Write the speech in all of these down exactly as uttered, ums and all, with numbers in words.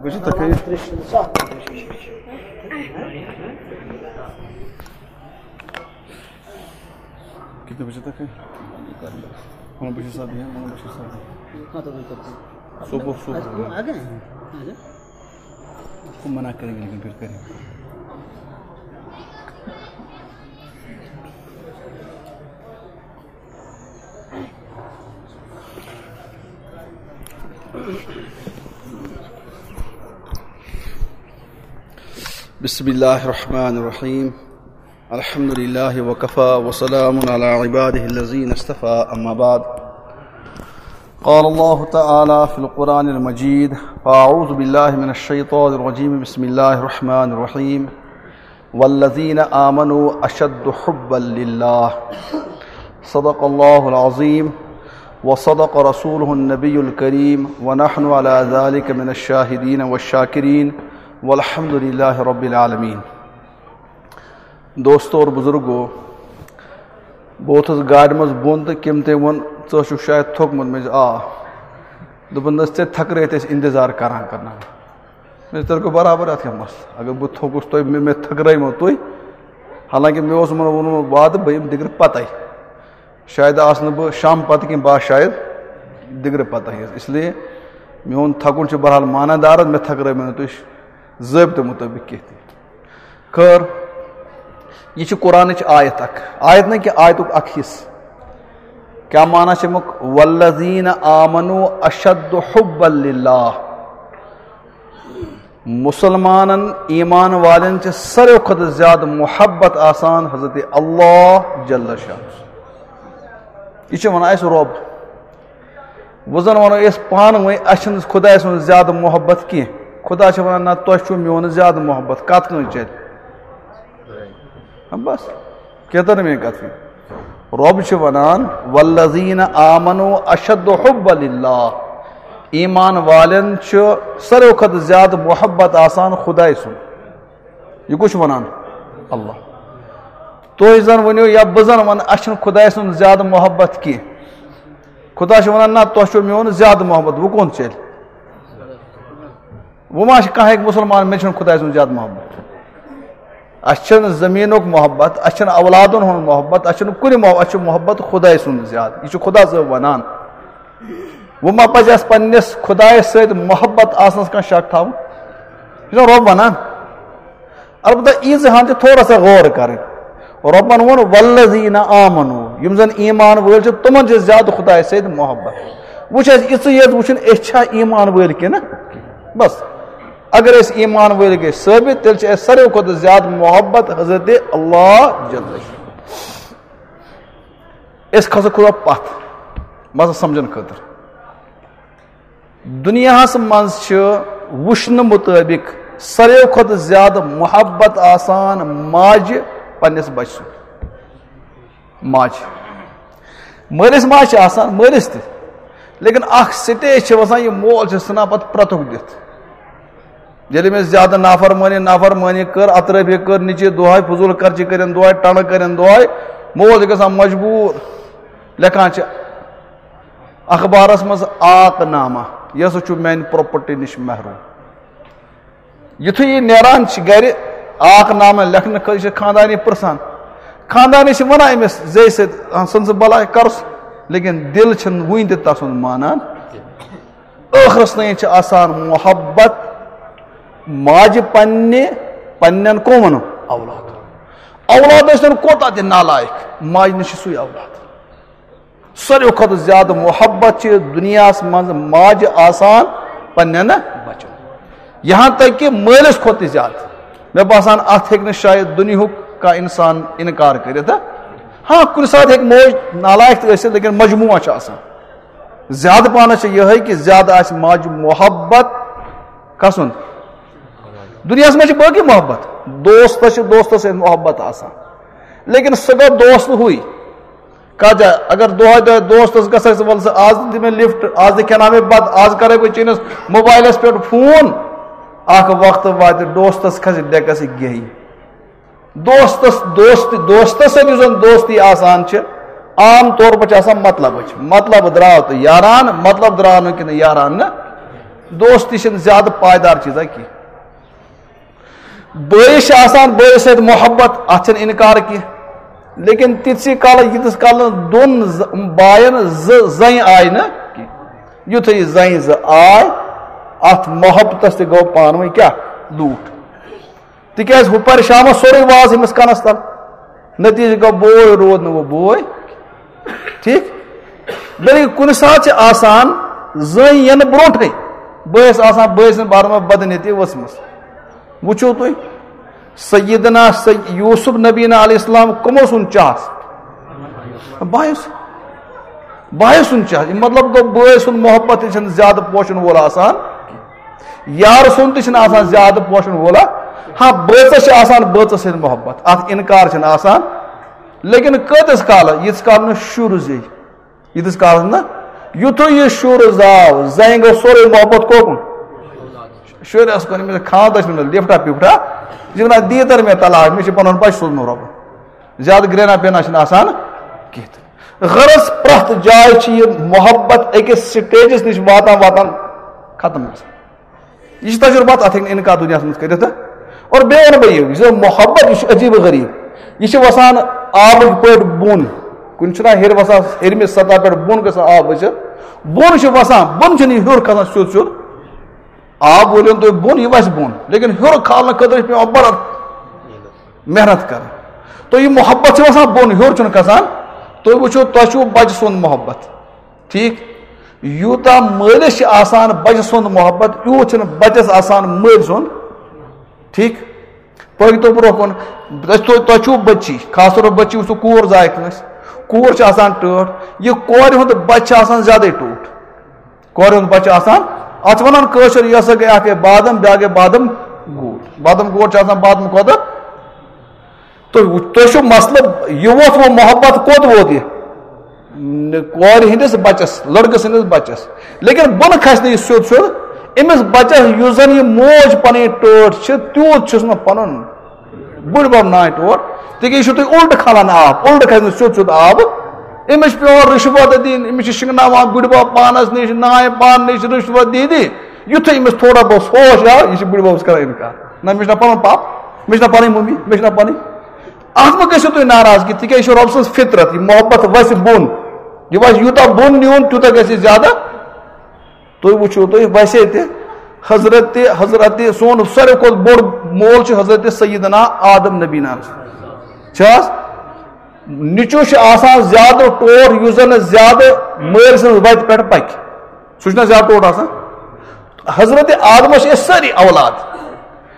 بجے تک ہے؟ کتنے بجے تک ہے؟ ہاں، بشیر صاحب بھی ہیں، ہاں، بشیر صاحب بھی ہیں۔ ہاں، تو بالکل۔ صبح، صبح۔ آ گئے ہیں؟ آ جائیں۔ اس کو منع کریں گے، لیکن پھر کریں گے۔ بسم الله الرحمن الرحيم. الحمد لله وكفى وسلام على عباده الذين اصطفى، أما بعد. قال الله تعالى في القرآن المجيد: فأعوذ بالله من الشيطان الرجيم، بسم الله الرحمن الرحيم. والذين آمنوا أشد حبا لله. صدق الله العظيم وصدق رسوله النبي الكريم ونحن على ذلك من الشاهدين والشاكرين والحمد لله رب العالمين. دوستو اور بزرگو، بہٕ ووتھُس گاڑِ منٛز بۄن تہٕ کٔمۍ تٔمۍ ووٚن، "ژٕ چھُکھ شاید تھوٚکمُت؟" مےٚ دوٚپُس، "آ۔" دوٚپُن، "نہ حظ، ژےٚ تھکرٲیِتھ أسۍ اِنتظار کران کرناوان۔" مےٚ دوٚپ، "تیٚلہِ گوٚو برابر، اَتھ کیٛاہ مسلہٕ؟ اگر بہٕ تھوٚکُس تۄہہِ، مےٚ، مےٚ تھکرٲیمو تُہۍ۔" حالانکہ مےٚ اوس یِمَن ووٚنمُت وعدٕ، بہٕ یِمہٕ دِگرٕ پَتَے۔ شاید آسہٕ نہٕ بہٕ شام پَتہٕ کینٛہہ، بہٕ آسہٕ شاید دِگرٕ پَتَے حظ۔ اس لیے میون تھکُن چھُ بہرحال معنی دار، مےٚ تھکرٲیمو نہٕ تُہۍ ضٲبطہٕ مُطٲبِق کینٛہہ تہِ۔ خٲر، یہِ چھِ قرآنٕچ آیت اکھ، آیت نہٕ کینٛہہ، آیتُک اکھ حصہٕ۔ کیٛاہ معنی چھِ اَمیُک؟ "والذین آمنوا اشد حبا للہ"۔ مُسلمانن، ایمان والٮ۪ن چھِ ساروٕے کھۄتہٕ زیادٕ محبت آسان حضرت اللہ جل شانہ۔ یہِ چھِ وَنان اَسہِ رۄب۔ وۄنۍ زَن وَنو أسۍ پانہٕ ؤنۍ، اَسہِ چھِنہٕ خۄداے سُنٛد زیادٕ محبت کینٛہہ۔ خۄدا چھُ وَنان، "نہ، تۄہہِ چھُو میون زیادٕ محبت۔" کَتھ کٲنٛسہِ چَلہِ؟ ہاں، بس۔ کیٛاہ تٔر نہٕ میٛٲنۍ کَتھ فِکرِ؟ رۄب چھُ وَنان، "والذین آمنوا اشد حبا للہ"۔ ایمان والٮ۪ن چھُ ساروٕے کھۄتہٕ زیادٕ محبت آسان خۄداے سُنٛد۔ یہِ کُس چھُ وَنان؟ اللہ۔ تُہۍ زَن ؤنِو یا بہٕ زَن وَنہٕ، اَسہِ چھُنہٕ خۄداے سُنٛد زیادٕ محبت کینٛہہ۔ خۄدا چھُ وَنان، "نہ، تۄہہِ چھُو میون زیادٕ محبت، وۄنۍ کون چَلہِ؟" وۄنۍ ما چھِ کانٛہہ ہیٚکہِ مُسلمان، "مےٚ چھُنہٕ خۄداے سُنٛد زیادٕ محبت"؟ اَسہِ چھُنہٕ زٔمیٖنُک محبت، اَسہِ چھُنہٕ اولادَن ہُنٛد محبت، اَسہِ چھُنہٕ کُنہِ محبت، اَسہِ چھُ محبت خۄداے سُنٛد زیادٕ۔ یہِ چھُ خۄدا صٲب وَنان۔ وۄنۍ ما پَزِ اَسہِ پنٛنِس خۄدایَس سۭتۍ محبت آسنَس کانٛہہ شک تھاوُن؟ یہِ چھُنہ رۄب وَنان۔ البتہ ییٖژ ہن چھِ تھوڑا سا غور کرٕنۍ۔ رۄبن ووٚن، "والذین آمنو"، یِم زن ایمان وٲلۍ چھِ، تِمن چھِ زیادٕ خۄدایس سۭتۍ محبت۔ وۄنۍ چھِ اَسہِ یِژٕے یٲژ وٕچھُن، أسۍ چھا ایمان وٲلۍ کِنہٕ؟ بس، اگر أسۍ ایمان وٲلۍ گٔے ثٲبت، تیٚلہِ چھِ اَسہِ ساروٕے کھۄتہٕ زیادٕ محبت حضرت اللہ جل شانہ۔ أسۍ کھسو خۄدا پتھ، مسلہٕ سمجھن خٲطرٕ۔ دُنیاہَس منٛز چھِ وٕچھنہٕ مُطٲبِق ساروِیو کھۄتہٕ زیادٕ محبت آسان ماجہِ پنٛنِس بَچہِ سُنٛد۔ ماجہِ۔ مٲلِس ماجہِ چھِ آسان، مٲلِس تہِ۔ لیکن اَکھ stage چھِ وَسان، یہِ مول چھِ ژھٕنان پَتہٕ پرٛتُک دِتھ۔ ییٚلہِ أمِس زیادٕ نافرمٲنی، نافرمٲنی کٔر، اطرٲفی کٔر، نِچہِ دۄہَے، فضوٗل خرچی کٔرِن دۄہَے، ٹَنٛڈٕ کٔرِن دۄہَے، مول چھِ گژھان مجبوٗر۔ لیکھان چھِ، اخبارس منٛز آق نامہ، یہِ ہسا چھُ میانہِ property نِش محروم۔ یُتھُے یہِ نیران چھِ گرِ، آق نامہ لیکھنہٕ خٲطرٕ چھِ خاندانی پرژھان۔ خاندانی چھِ ونان أمِس زیٚیہِ سۭتۍ، "آ، ژھٕن ژٕ بلاے، کرُس"، لیکن دِل چھِنہٕ وُنہِ تہِ تسُنٛد مانان۔ ٲخرس تام چھِ آسان محبت ماجہِ پننہِ، پننٮ۪ن قومن اولاد۔ اولاد ٲسۍتن کوتاہ تہِ نالایق، ماجہِ نِش چھُ سُے اولاد۔ ساروی کھۄتہٕ زیادٕ محبت چھِ دُنیاہَس منٛز ماجہِ آسان پننٮ۪ن بچن۔ یہاں تک کہ مٲلِس کھۄتہٕ تہِ زیادٕ۔ مےٚ باسان، اَتھ ہیٚکہِ نہٕ شاید دُنیاہُک کانٛہہ اِنسان اِنکار کٔرِتھ۔ ہاں، کُنہِ ساتہٕ ہیٚکہِ موج نالایق تہِ ٲسِتھ، لیکن مجموعہ چھُ آسان۔ زیادٕ پانس چھِ یِہوٚے کہ زیادٕ آسہِ ماجہِ محبت کسُنٛد؟ دُنیاہَس منٛز چھِ باقٕے محبت، دوستس چھِ دوستس سۭتۍ محبت آسان، لیکن سُہ گوٚو دوست ہُے۔ کَتھ جایہِ؟ اگر دۄہَے دۄہَے دوستَس گژھَکھ ژٕ، وَلہٕ ژٕ آز دِ مےٚ lift، آز دِ کھٮ۪ناو مےٚ بَتہٕ، آز کَرَے بہٕ چٲنِس موبایلَس پٮ۪ٹھ فون، اَکھ وقتہٕ واتہِ دوستَس کھسہِ ڈٮ۪کَس گیٚہی۔ دوستَس، دوستی، دوستَس سۭتۍ یُس زَن دوستی آسان چھِ، عام طور پَر چھِ آسان مطلبٕچ۔ مطلب درٛاو تہٕ یاران، مطلب درٛاو نہٕ کِنہٕ یاران نہٕ۔ دوستی چھنہٕ زیادٕ پایدار چیٖزا کینٛہہ۔ بٲیِس چھِ آسان بٲیِس سۭتۍ محبت، اتھ چھنہٕ انکار کینٛہہ، لیکن تِتسٕے کالس ییٖتِس کالس نہٕ دۄن ز-، باین زٕ زنہِ آیہِ نہٕ کینٛہہ۔ یُتھُے یہِ زنہِ زٕ آے، اتھ محبتس تہِ گوٚو پانہٕ ؤنۍ کیٛاہ؟ لوٗٹھ۔ تِکیٛازِ ہُہ پرِ شامس سورُے واز أمِس کنس تل۔ نتیجہٕ گوٚو، بوے روٗد نہٕ وۄنۍ بوے۔ ٹھیٖک؟ بلکہِ کُنہِ ساتہٕ چھِ آسان زٔنۍ یِنہٕ برونٛٹھٕے بٲیِس آسان بٲے سٕنٛدِ بارس منٛز بدنیتی ؤژھمٕژ۔ وٕچھِو تُہۍ، سیدنا سی-، یوسف نبینا علیہ السلام کٕمو سُنٛد چاہس؟ بایو سُنٛد۔ بایو سُنٛد چاہس۔ یہِ مطلب گوٚو، بٲے سُنٛد محبت تہِ چھُنہٕ زیادٕ پوشن وول آسان۔ یار سُنٛد تہِ چھُنہٕ آسان زیادٕ پوشن وول۔ ہاں، بٲژس چھِ آسان بٲژس سۭتۍ محبت، اتھ انکار چھُنہٕ آسان۔ لیکن کۭتِس کالس؟ ییٖتِس کالس نہٕ شُر زیٚیہِ۔ ییٖتِس کالس نہٕ، یُتھُے یہِ شُر زاو، زنہِ گوٚو سورُے محبت کوکُن؟ شُرِس کُن، أمِس خانٛدر چھُنہٕ لِفٹا پِفٹا، یہِ چھِ وَنان، "دی تر مےٚ طلاق، مےٚ چھُ پَنُن بَچہٕ سوٗزمُت رۄبَن۔" زیادٕ گرٛینا پینا چھِنہٕ آسان کِہیٖنۍ۔ غرض، پرٛٮ۪تھ جایہِ چھِ یہِ محبت أکِس سٹیجَس نِش واتان واتان ختم گژھان۔ یہِ چھُ تجربات، اَتھ ہیٚکہِ نہٕ اِنکار دُنیاہَس منٛز کٔرِتھ۔ اور بیٚیہِ وَنہٕ بہٕ یہِ، یُس زَن محبت، یہِ چھُ عجیٖب و غریٖب۔ یہِ چھُ وَسان آبٕکۍ پٲٹھۍ بۄن۔ کُنہِ چھُنہ ہیٚرِ وَسان، ہیٚرمہِ سطح پٮ۪ٹھ بۄن گژھان آب ؤسِتھ۔ بۄن چھُ وَسان، بۄن چھُنہٕ یہِ ہیوٚر کھسان سیوٚد سیوٚد۔ آب وٲلِو تُہۍ بۄن، یہِ وَسہِ بۄن۔ لیکن ہیوٚر کھالنہٕ خٲطرٕ چھِ پٮ۪وان بَڑٕ محنت کَرٕنۍ۔ تہٕ یہِ محبت چھُ وَسان بۄن، ہیوٚر چھُنہٕ کھسان۔ تُہۍ وٕچھِو، تۄہہِ چھُو بَچہٕ سُنٛد محبت۔ ٹھیٖک؟ یوٗتاہ مٲلِس چھِ آسان بَچہٕ سُنٛد محبت، یوٗت چھُنہٕ بَچَس آسان مٲلۍ سُنٛد۔ ٹھیٖک؟ پٔکۍ تو برٛونٛہہ کُن۔ تۄہہِ، تۄہہِ، تۄہہِ چھُو بٔچی، خاص طور پَر بٔچی وٕچھِو، کوٗر زاے کٲنٛسہِ۔ کوٗر چھِ آسان ٹٲٹھ۔ یہِ کورِ ہُنٛد بَچہٕ چھِ آسان زیادَے ٹوٹھ۔ کورِ ہُنٛد بَچہٕ چھُ آسان، اَتھ چھِ وَنان کٲشِر، یہِ ہسا گٔے اَکھ گٔے بادَم، بیٛاکھ گٔے بادَم گوٗٹ۔ بادَم گوٗٹ چھُ آسان بادَم کھۄتہٕ۔ تُہۍ وٕچھ-، تُہۍ چھُو مسلہٕ، یہِ ووت وۄنۍ محبت کوٚت ووت یہِ؟ نہ، کورِ ہٕنٛدِس بَچَس، لٔڑکہٕ سٕنٛدِس بَچَس۔ لیکن بۄنہٕ کھسہِ نہٕ یہِ سیوٚد سیوٚد۔ أمِس بَچَس یُس زَن یہِ موج پَنٕنۍ ٹٲٹھ چھِ، تیوٗت چھُس نہٕ پَنُن بٕڈبَب نانۍ ٹوٹھ۔ تِکیٛازِ یہِ چھُو تُہۍ اُلٹہٕ کھالان آب، اُلٹہٕ کھسہِ نہٕ سیوٚد سیوٚد آب۔ أمِس چھِ پٮ۪وان رِشوت دِنۍ، أمِس چھِ شِنٛگناوان بٕڈبَب پانَس نِش، نانۍ پانہٕ نِش رِشوت دِی دِی۔ یُتھُے أمِس تھوڑا بہت ہوش آو، یہِ چھِ بٕڈبَبَس کَران اِنکار۔ نہ، مےٚ چھُنہ پَنُن پاپہٕ، مےٚ چھُنہ پَنٕنۍ مٔمی، مےٚ چھُنہ پَنٕنۍ۔ اَتھ مہ گٔژھِو تُہۍ ناراض کینٛہہ، تِکیٛازِ یہِ چھُ رۄب سٕنٛز فطرت، یہِ محبت وَسہِ بۄن۔ یہِ وَسہِ یوٗتاہ بۄن نیوٗن، تیوٗتاہ گژھِ یہِ زیادٕ۔ تُہۍ وٕچھِو تُہۍ ویسے تہِ حضرت، حضرت سون ساروی کھۄتہٕ بوٚڑ مول چھُ حضرت سیدنا آدم نبی ناز۔ چھِ حظ؟ نیٚچوٗ چھُ آسان زیادٕ ٹوٹھ، یُس زَن زیادٕ مٲلۍ سٕنٛز وَتہِ پٮ۪ٹھ پَکہِ۔ سُہ چھُنہ زیادٕ ٹوٹھ آسان؟ حضرت آدمَس چھِ أسۍ سٲری اولاد،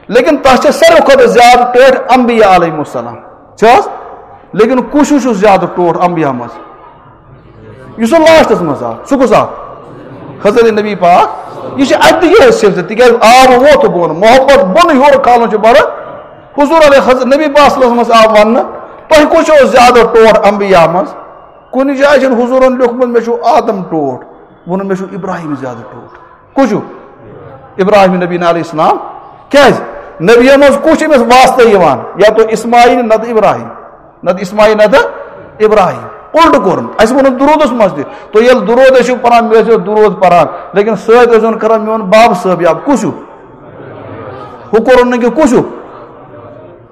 لیکن تَس چھِ ساروی کھۄتہٕ زیادٕ ٹٲٹھۍ انبیاء علیہم السلام۔ چھِ حظ؟ لیکن کُس ہیوٗ چھُ زیادٕ ٹوٹھ انبیاء منٛز؟ یُس سُہ لاسٹَس منٛز آو، سُہ کُس آو؟ حضرت نبی پاک۔ یہِ چھِ اَتہِ تہِ یِہوٚے سلسلہٕ، تِکیٛازِ آب ووت بۄن، محبت بۄنہٕ ہیوٚر کھالُن چھُ بَڑٕ۔ حضور علیہ، حضرت نبی پاک صلی اللہ علیہ وسلمَس آو وَننہٕ، "تۄہہِ کُس چھُو زیادٕ ٹوٹھ انبیاء منٛز؟" کُنہِ جایہِ چھُنہٕ حضوٗرَن لیوٚکھمُت، "مےٚ چھُو آدم ٹوٹھ"، ووٚنُن، "مےٚ چھُو ابراہیم زیادٕ ٹوٹھ"۔ کُس چھُ؟ ابراہیم نبی علیہ السلام۔ کیٛازِ؟ نبیَن منٛز کُس چھُ أمِس واسطہٕ یِوان؟ یا تو اسماعیل، نَتہٕ ابراہیم۔ نَتہٕ اسماعیل، نَتہٕ ابراہیم۔ اُلٹہٕ کوٚرُن۔ اَسہِ ووٚنُن درودَس منٛز تہِ۔ تُہۍ ییٚلہِ درود ٲسِو پَران، مےٚ ٲسِو درود پَران، لیکن سۭتۍ ٲسۍزیون کَران میون باب صٲب یاد۔ کُس چھُ؟ ہُہ کوٚرُن نہٕ کینٛہہ، کُس چھُ؟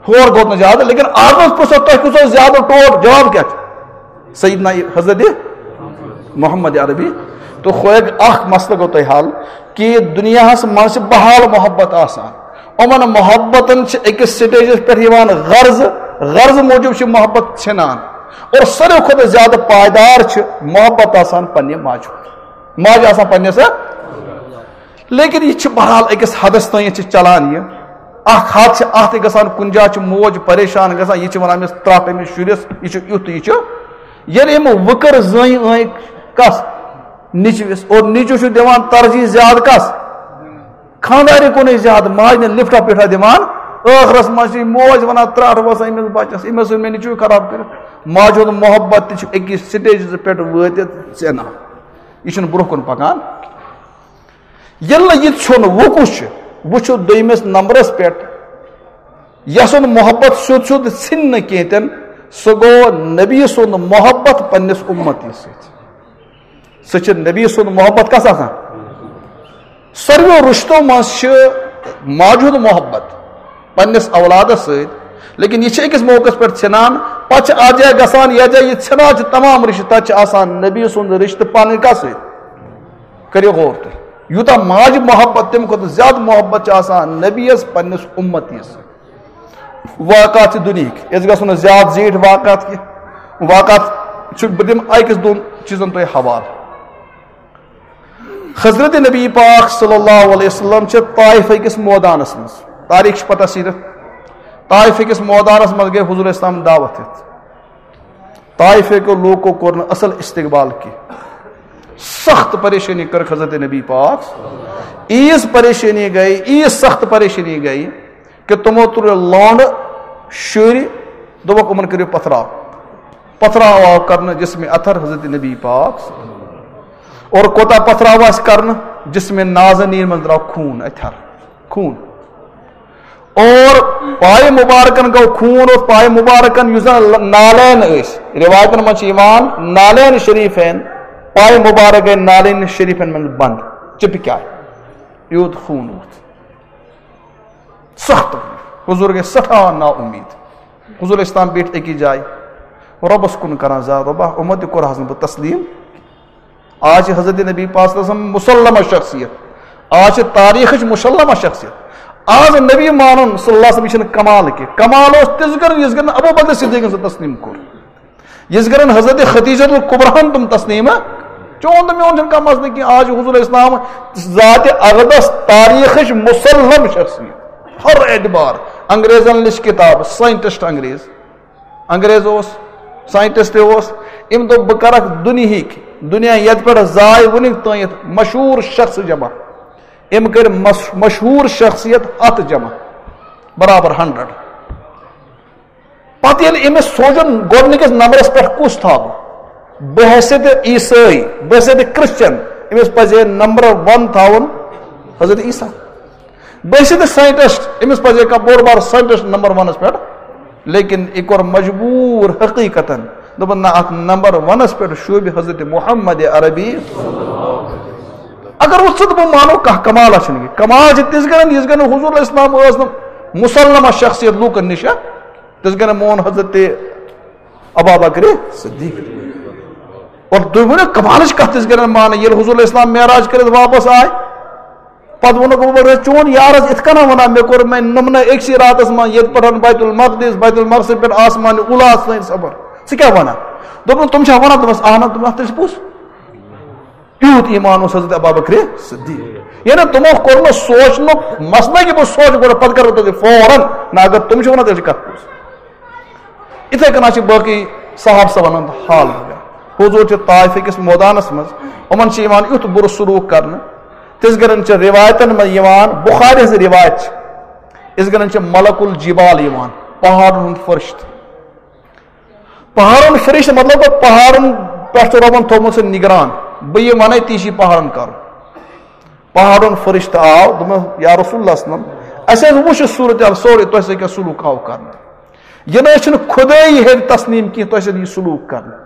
ہور کھوت نہٕ زیادٕ، لیکن آدمَس پرٛژھو، "تۄہہِ کُس اوس زیادٕ ٹوٹھ؟" جواب کیٛاہ چھُ؟ سیدنا حضرت محمد عربی۔ تو خویگ اکھ مسئلہ گوٚو تۄہہِ حل کہ دُنیاہَس منٛز چھِ بحال محبت آسان۔ یِمَن محبتَن چھِ أکِس سٹیجَس پٮ۪ٹھ یِوان غرض، غرض موٗجوٗب چھِ محبت ژھٮ۪نان۔ اور ساروی کھۄتہٕ زیادٕ پائیدار چھِ محبت آسان پنٛنہِ ماجہِ ہُنٛد۔ ماجہِ آسان پنٛنِس لیکن یہِ چھِ بہرحال أکِس حدس تام چھِ چلان یہِ۔ اکھ حد چھِ اتھ تہِ گژھان، کُنہِ جایہِ چھِ موج پریشان گژھان، یہِ چھِ ونان أمِس ترٹھ أمِس شُرِس، یہِ چھُ یُتھ تہٕ یہِ چھُ۔ ییٚلہِ أمۍ وٕکٕر زٔنۍ أنۍ کس؟ نیٚچوِس۔ اور نیٚچوٗ چھُ دِوان ترجیح زیادٕ کس؟ خانٛدارِ کُنُے زیادٕ، ماجہِ نہٕ لفٹا پٹھا دِوان۔ ٲخرس منٛز چھِ یہِ موج ونان، ترٹھ وسان أمِس بچس، أمۍ ہسا اوٚن مےٚ نیٚچوٗ خراب کٔرِتھ۔ ماجہِ ہُنٛد محبت تہِ چھُ أکِس سٹیجس پٮ۪ٹھ وٲتِتھ ژینان۔ یہِ چھُنہٕ برونٛہہ کُن پکان۔ ییٚلہِ نہٕ یہِ ژھیوٚن، وۄنۍ کُس چھُ؟ وۄنۍ چھُ دوٚیمِس نمبرس پٮ۪ٹھ، یَس سُنٛد محبت سیوٚد سیوٚد ژھِنہِ نہٕ کینٛہہ تہِ نہٕ، سُہ گوٚو نبی سُنٛد محبت پننِس اُمتی سۭتۍ۔ سُہ چھُ نبی سُنٛد محبت کس آسان؟ ساروِیو رشتو منٛز چھِ ماجہِ ہُنٛد محبت پننِس اولادس سۭتۍ، لیکن یہِ چھِ أکِس موقعس پٮ۪ٹھ ژھٮ۪نان، پتہٕ چھِ اتھ جایہِ گژھان، یتھ جایہِ یہِ ژھٮ۪نان چھِ تمام رشتہٕ، تتہِ چھِ آسان نبی سُنٛد رشتہٕ پنٕنۍ کتھ سۭتۍ۔ کٔرِو غور تُہۍ، یوٗتاہ ماجہِ محبت، تمہِ کھۄتہٕ زیادٕ محبت چھِ آسان نبیَس پننِس اُمتیَس سۭتۍ۔ واقعات چھِ دُنہِکۍ، أسۍ گژھو نہٕ زیادٕ زیٖٹھۍ واقعات کینٛہہ۔ واقعات چھِ، بہٕ دِمہٕ أکِس دۄن چیٖزن تۄہہِ حوالہٕ۔ حضرت نبی پاک صلی اللہ علیہ وسلم چھِ طائفہ کِس مٲدانس منٛز، تاریخ چھِ پتہ سیٖرت، طائفہ کِس مٲدانس منٛز گٔے حضور اسلام دعوت ہٮ۪تھ۔ طائفہ کیو لوٗکو کوٚر نہٕ اصل استقبال کینٛہہ، سخت پریشٲنی کٔرٕکھ حضرت نبی پاک۔ عیٖژ پریشٲنی گٔے، عیٖژ سخت پریشٲنی گٔے کہ تِمو تُلۍ لونڈٕ، شُرۍ، دوٚپُکھ، یِمن کٔرِو پتھراو۔ پتھراو آو کرنہٕ جسم اطہر حضرت نبی پاک۔ اور کوتاہ پتھراو آسہِ کرنہٕ؟ جسم نازنین منٛز درٛاو خوٗن، اطہر، خوٗن۔ اور پایہِ مبارکن گوٚو خوٗن، اور پایہِ مبارکن یُس زن نالین ٲسۍ، روایتن منٛز چھِ یِوان نالین شریفین، پایہِ مبارک گٔے نالین شریفین منٛز بنٛد، چپکیٛاے، یوٗت خوٗن ووت۔ سخت تکلیف۔ حضور گٔے سٮ۪ٹھاہ نا اُمید۔ حضور اسلام بیٖٹھۍ أکِس جایہِ، رۄبَس کُن کران زار، "رۄبا، اُمت تہِ کوٚرہَس نہٕ بہٕ تسلیٖم۔" آز چھِ حضرت نبی پاک صلی اللہ علیہ وسلم مسلمہ شخصیت، آز چھِ تاریخٕچ مسلمہ شخصیت۔ آز نبی مانُن صلی اللہ علیہ وسلم، یہِ چھِنہٕ کمال کینٛہہ۔ کمال اوس تِژھ گرن، یِژھ گرن ابو بکر صدیقن سُہ تسلیٖم کوٚر۔ یِژھ گرن حضرت خدیجہ الکبریٰ ہن تِم تسلیٖم چون تہٕ میون چھُنہٕ کانٛہہ مسلہٕ کینٛہہ۔ آز چھُ حضور اسلام ذات اقدس تاریخٕچ مسلم شخصیت۔ ہر اعتبار، انگریزن لیٚچھ کِتاب، ساینٹسٹ انگریز، انگریز اوس، ساینٹسٹ تہِ اوس۔ أمۍ دوٚپ، "بہٕ کرکھ دُنیہٕکۍ، دُنیا یتھ پٮ۪ٹھ زاے وُنیُک تام مشہوٗر شخص جمع۔" أمۍ کٔرۍ مس-، مشہوٗر شخصیت ہتھ جمع، برابر ہنڈرڈ۔ پتہٕ ییٚلہِ أمِس سوٗنٛچُن گۄڈٕنِکِس نمبرس پٮ۪ٹھ کُس تھاوٕ، بحیثیت عیسٲے، بحیثیت کرسچن، أمِس پزِ ہے نمبر ون تھاوُن حضرت عیسیٰ۔ بحیثیت ساینٹسٹ، أمِس پزِ ہے کانٛہہ بوٚڑ بار ساینٹسٹ نمبر ونس پٮ۪ٹھ، لیکن یہِ کوٚر مجبوٗر حقیقتاً، دوٚپُن، "نہ، اتھ نمبر ونس پٮ۪ٹھ شوٗبہِ حضرت محمد عربی۔" اگر وۄنۍ ژٕ تہٕ بہٕ مانو، کانٛہہ کمالہ چھُنہٕ یہِ۔ کمال چھِ تِژھ گرن، یِژھ گرن حضور علیہ السلام ٲس نہٕ مسلمہ شخصیت لوٗکن نِش، تِژھ گرن مون حضرت ابا بکر صدیق۔ اور تُہۍ ؤنِو، کمالٕچ کتھ تِژھ گرن مانہٕ، ییٚلہِ حضور علیہ السلام معراج کٔرِتھ واپس آے، پتہٕ ووٚنُکھ، "بہٕ چھُس چون یار حظ، یِتھ کٔنۍ وَنان، مےٚ کوٚر، مےٚ نوٚم نہٕ أکسٕے راتس منٛز ییٚتہِ پٮ۪ٹھ بیت المقدس، بیت المقدس پٮ۪ٹھ آسمان اوٗلاہَس تام سفر۔ ژٕ کیٛاہ وَنان؟" دوٚپُن، "تِم چھا وَنان؟" دوٚپمَس، "اہن حظ۔" دوٚپمَس، "تیٚلہِ چھِ پوٚز۔" یوٗت ایٖمان اوس حضرت ابا بکر صدیق۔ یعنی تِمو کوٚر نہٕ سونٛچنُک مسلہٕ کہِ بہٕ سونٛچہٕ گۄڈٕ، پتہٕ کرٕ بہٕ تۄہہِ فوراً۔ نہ، اگر تِم چھِ وَنان، تیٚلہِ چھِ کَتھ پوٚز۔ یِتھَے کٔنۍ چھِ باقٕے صحابہ صٲبَن ہُنٛد حال وغیرہ۔ حضور چھِ طائف کِس مٲدانَس منٛز، یِمَن چھِ یِوان یُتھ بُرٕ سلوٗک کرنہٕ۔ تِژھ گرن چھِ روایتن منٛز یِوان، بخاری ہٕنٛز روایت چھِ، یِژھ گرن چھِ ملک الجبال یِوان، پہاڑن ہُنٛد فرشتہٕ۔ پہاڑن فرشتہٕ مطلب گوٚو، پہاڑن پٮ۪ٹھ چھُ رۄبن تھوٚومُت سُہ نگران۔ بہٕ یہِ وَنے، تی چھُ پہاڑن کرُن۔ پہاڑن فرشتہٕ آو، دوٚپُن، "یا رسول اللہ صلی اللہ علیہ وسلم، اَسہِ حظ وُچھ یہِ صورت حال سورُے، تۄہہِ سۭتۍ کیٛاہ سلوک آو کرنہٕ؟" یہِ نہ حظ چھُنہٕ خدٲیی ہیٚرِ تسلیٖم کینٛہہ، تۄہہِ سۭتۍ یہِ سلوٗک کرنہٕ۔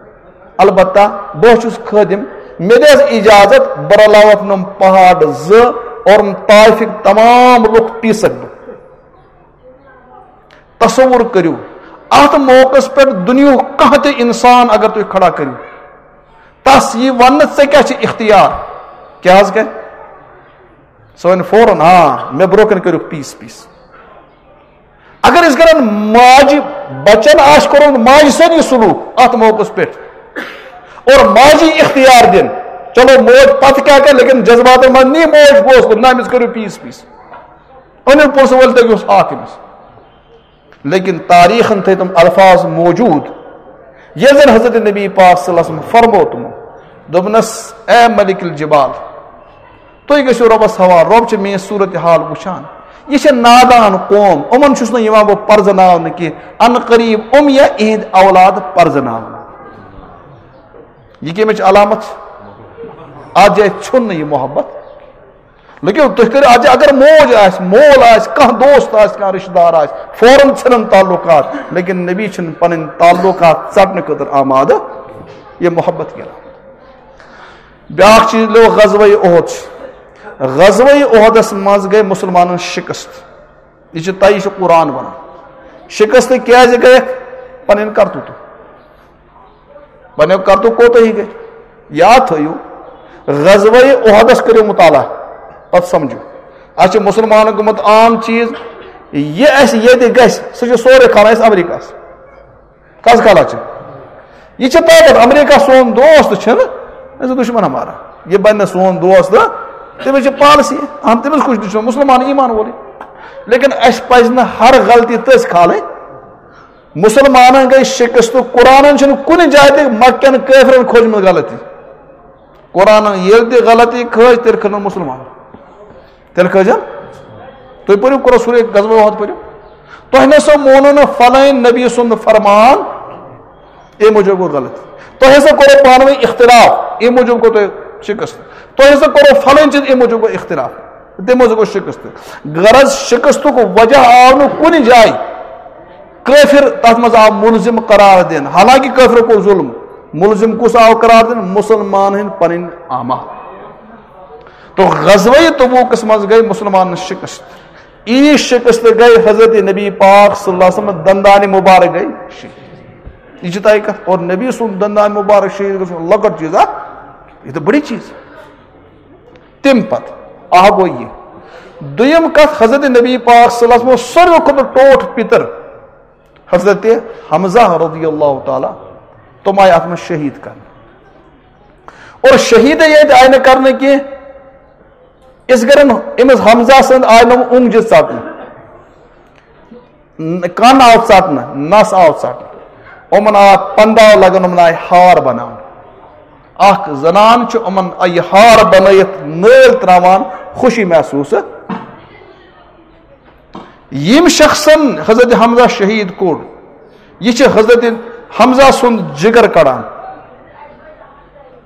البتہ بہٕ حظ چھُس خٲدِم، مےٚ دِ حظ اجازت، بہٕ رلاوَکھ نۄم پہاڑ زٕ اور طائفٕکۍ تمام لُکھ پیٖسَکھ بہٕ۔ تصور کٔرِو، اَتھ موقعس پٮ۪ٹھ دُنیاہُک کانٛہہ تہِ انسان اگر تُہۍ کھڑا کٔرِو، تس یی وننہٕ، "ژےٚ کیٛاہ چھِ اختیار؟" کیٛاہ حظ گٔے؟ سُہ وَنہِ فوراً، "آ، مےٚ برونٛہہ کَنہِ کٔرِو پیٖس پیٖس۔" اگر أسۍ کرن ماجہِ بچن آسہِ کوٚرمُت ماجہِ سۭتۍ یہِ سلوٗک اتھ موقعس پٮ۪ٹھ، اور ماجہِ اختیار دِن، چلو موج پتہٕ کیٛاہ کرِ، لیکن جذباتن منٛز نی موج فٲصلہٕ، نہ، أمِس کٔرِو پیٖس پیٖس، أنِو پونٛسہٕ وٲلۍ، تٔمِس اوس ہاکھ أمِس۔ لیکن تاریخن تھٲے تِم الفاظ موجود، ییٚلہِ زن حضرت نبی پاک صلی اللہ علیہ وسلم فرمو تِمو، دوٚپنس، "اے ملک الجبال، تُہۍ گٔژھِو رۄبس حوالہٕ، رۄب چھُ میٲنۍ صورت حال وٕچھان۔ یہِ چھِ نادان قوم، یِمن چھُس نہٕ یِوان بہٕ پرزناونہٕ کینٛہہ، ان قریب یِم یا یِہنٛدۍ اولاد پرزناونہٕ۔" یہِ کَمِچ علامت چھِ؟ اتھ جایہِ ژھیوٚن نہٕ یہِ محبت۔ لیکن تُہۍ کٔرِو اتھ جایہِ، اگر موج آسہِ، مول آسہِ، کانٛہہ دوست آسہِ، کانٛہہ رشتہٕ دار آسہِ، فوراً ژھٕنن تعلقات۔ لیکن نبی چھِنہٕ پنٕنۍ تعلقات ژٹنہٕ خٲطرٕ آمادٕ، یہِ محبت کَران۔ بیٛاکھ چیٖز لوٚگ غزوہ احد چھُ۔ غزوہ احدس منٛز گٔے مسلمانن شکست۔ یہِ چھُ طے، یہِ چھُ قرآن ونان۔ شکست کیازِ گٔیکھ؟ پنٕنۍ کرتوٗتہٕ۔ پنٕنۍ کرتوٗتہٕ کوتاہ ہی گٔے؟ یاد تھٲیِو، غزوہ احدس کٔرِو مطالعہ، پتہٕ سمجھِو۔ اَسہِ چھُ مسلمانن گوٚمُت عام چیٖز، یہِ اَسہِ ییٚتہِ گژھِ، سُہ چھُ سورُے کھالان أسۍ امریکہس۔ کس کھالان چھِ؟ یہِ چھِ طاقت۔ امریکہ سون دوست چھُنہٕ، أسۍ چھِ دشمن ہمارا۔ یہِ بنہِ نہٕ سون دوست، تٔمِس چھِ پالسی، ہم تٔمِس کُس دشمن؟ مسلمان ایمان وولٕے۔ لیکن اَسہِ پزِ نہٕ ہر غلطی تٔسۍ کھالٕنۍ۔ مسلمانن گٔے شکست۔ قرآنن چھُنہٕ کُنہِ جایہِ تہِ مکہ کٮ۪ن کٲفرن کھوجمٕژ غلطی۔ قرآنن ییٚلہِ تہِ غلطی کھٲج، تیٚلہِ کھٔنن مسلمان۔ تیٚلہِ کھٲجن۔ تُہۍ پٔرِو، قرآن سورہ غزوہ احد پٔرِو۔ تۄہہِ نہ سا مونو نہٕ فلٲنۍ نبی سُنٛد فرمان، اَمہِ موٗجوٗب گوٚو غلط۔ تۄہہِ ہسا کوٚروٕ پانہٕ ؤنۍ اختلاف، اَمہِ موٗجوٗب گوٚو تۄہہِ شکست۔ تۄہہِ ہسا کوٚروٕ فلٲنۍ چیٖز، اَمہِ موٗجوٗب گوٚو اختلاف، تَمہِ موٗجوٗب گوٚو شکست۔ غرض، شکستُک وجہ آو نہٕ کُنہِ جایہِ۔ کٲفر تتھ منٛز آو ملزم قرار دِنہٕ، حالانکہ کٲفرو کوٚر ظلم۔ ملزم کُس آو قرار دِنہٕ؟ مسلمان ہٕنٛدۍ پنٕنۍ اعمال۔ تو غزوہ تبوکس منٛز گٔے مسلمانن شکست۔ یی شکست گٔے حضرت نبی پاک صلی اللہ علیہ وسلم دندان مبارک گٔے شہید۔ یہِ چھِ طے کتھ۔ اور نبی سُنٛد دندان مبارک شہید گژھُن لۄکٕٹ چیٖز اکھ، یہِ تہِ بٔڑی چیٖز۔ تَمہِ پتہٕ اکھ گوٚو یہِ۔ دوٚیِم کتھ، حضرت نبی پاک صلی اللہ علیہ وسلم اوس ساروی کھۄتہٕ ٹوٹھ پِتٕر حضرت حمزہ رضی اللہ تعالیٰ، تِم آیہِ اتھ منٛز شہید کرنہٕ۔ اور شہیدے ییتہِ آیہِ نہٕ کرنہٕ کینٛہہ، أسۍ کرن أمِس حمزہ سٕنٛد آیہِ نہٕ اونٛگجہِ ژٹنہٕ، ن-، کن آو ژٹنہٕ، نس آو ژٹنہٕ، یِمن آو پنداو لگان، یِمن آیہِ ہار بناونہٕ۔ اکھ زنان چھِ یِمن یہِ ہار بنٲیِتھ نٲلۍ تراوان، خوشی محسوس۔ یِم شخصن حضرت حمزہ شہید کوٚر، یہِ چھِ حضرت حمزہ سُنٛد جگر کڑان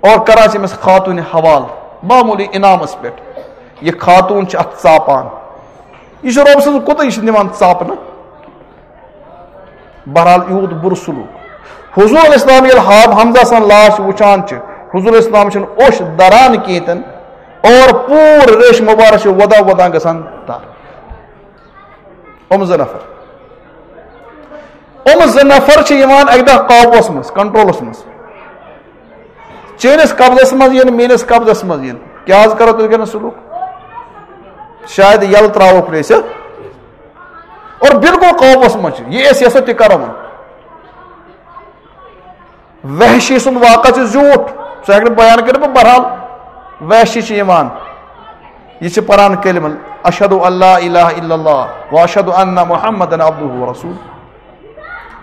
اور کران چھِ أمِس خاتوٗنہِ حوالہٕ معموٗلی انعامس پٮ۪ٹھ۔ یہِ خاتوٗن چھِ اتھ ژاپان۔ یہِ چھُ رۄب سٕنٛز کوٗتاہ، یہِ چھِ نِوان ژاپنہٕ۔ بہرحال، یوٗت بُرٕ سلوٗک۔ حضور علیہ السلام ییٚلہِ حاب حمزہ سٕنٛز لاش وٕچھان چھِ، حضور علیہ السلام چھِنہٕ اوٚش دران کینٛہہ تہِ نہٕ اور پوٗرٕ ریش مبارک چھِ وۄدان وۄدان گژھان تر۔ یِم زٕ نفر، یِم زٕ نفر چھِ یِوان اَکہِ دۄہ قابوٗوَس منٛز، کنٹرولس منٛز۔ چٲنِس قبضس منٛز یِن، میٲنِس قبضس منٛز یِن، کیٛاہ حظ کرو تُہۍ کَران سلوٗک؟ شاید یَلہٕ ترٛاووکھ نہٕ أسۍ۔ اور بالکل قابوٗوَس منٛز چھِ، یہِ أسۍ یَژھو تہِ کرو وۄنۍ۔ وحشی سُنٛد واقعہ چھُ زیوٗٹھ، سُہ ہیٚکہِ نہٕ بیان کٔرِتھ، بہٕ بہرحال وحشی چھُ یِوان۔ یہِ چھِ پران کلمہ، "اشہد ان لا الہ الا اللہ و اشہد ان محمدن عبدہ و رسول۔"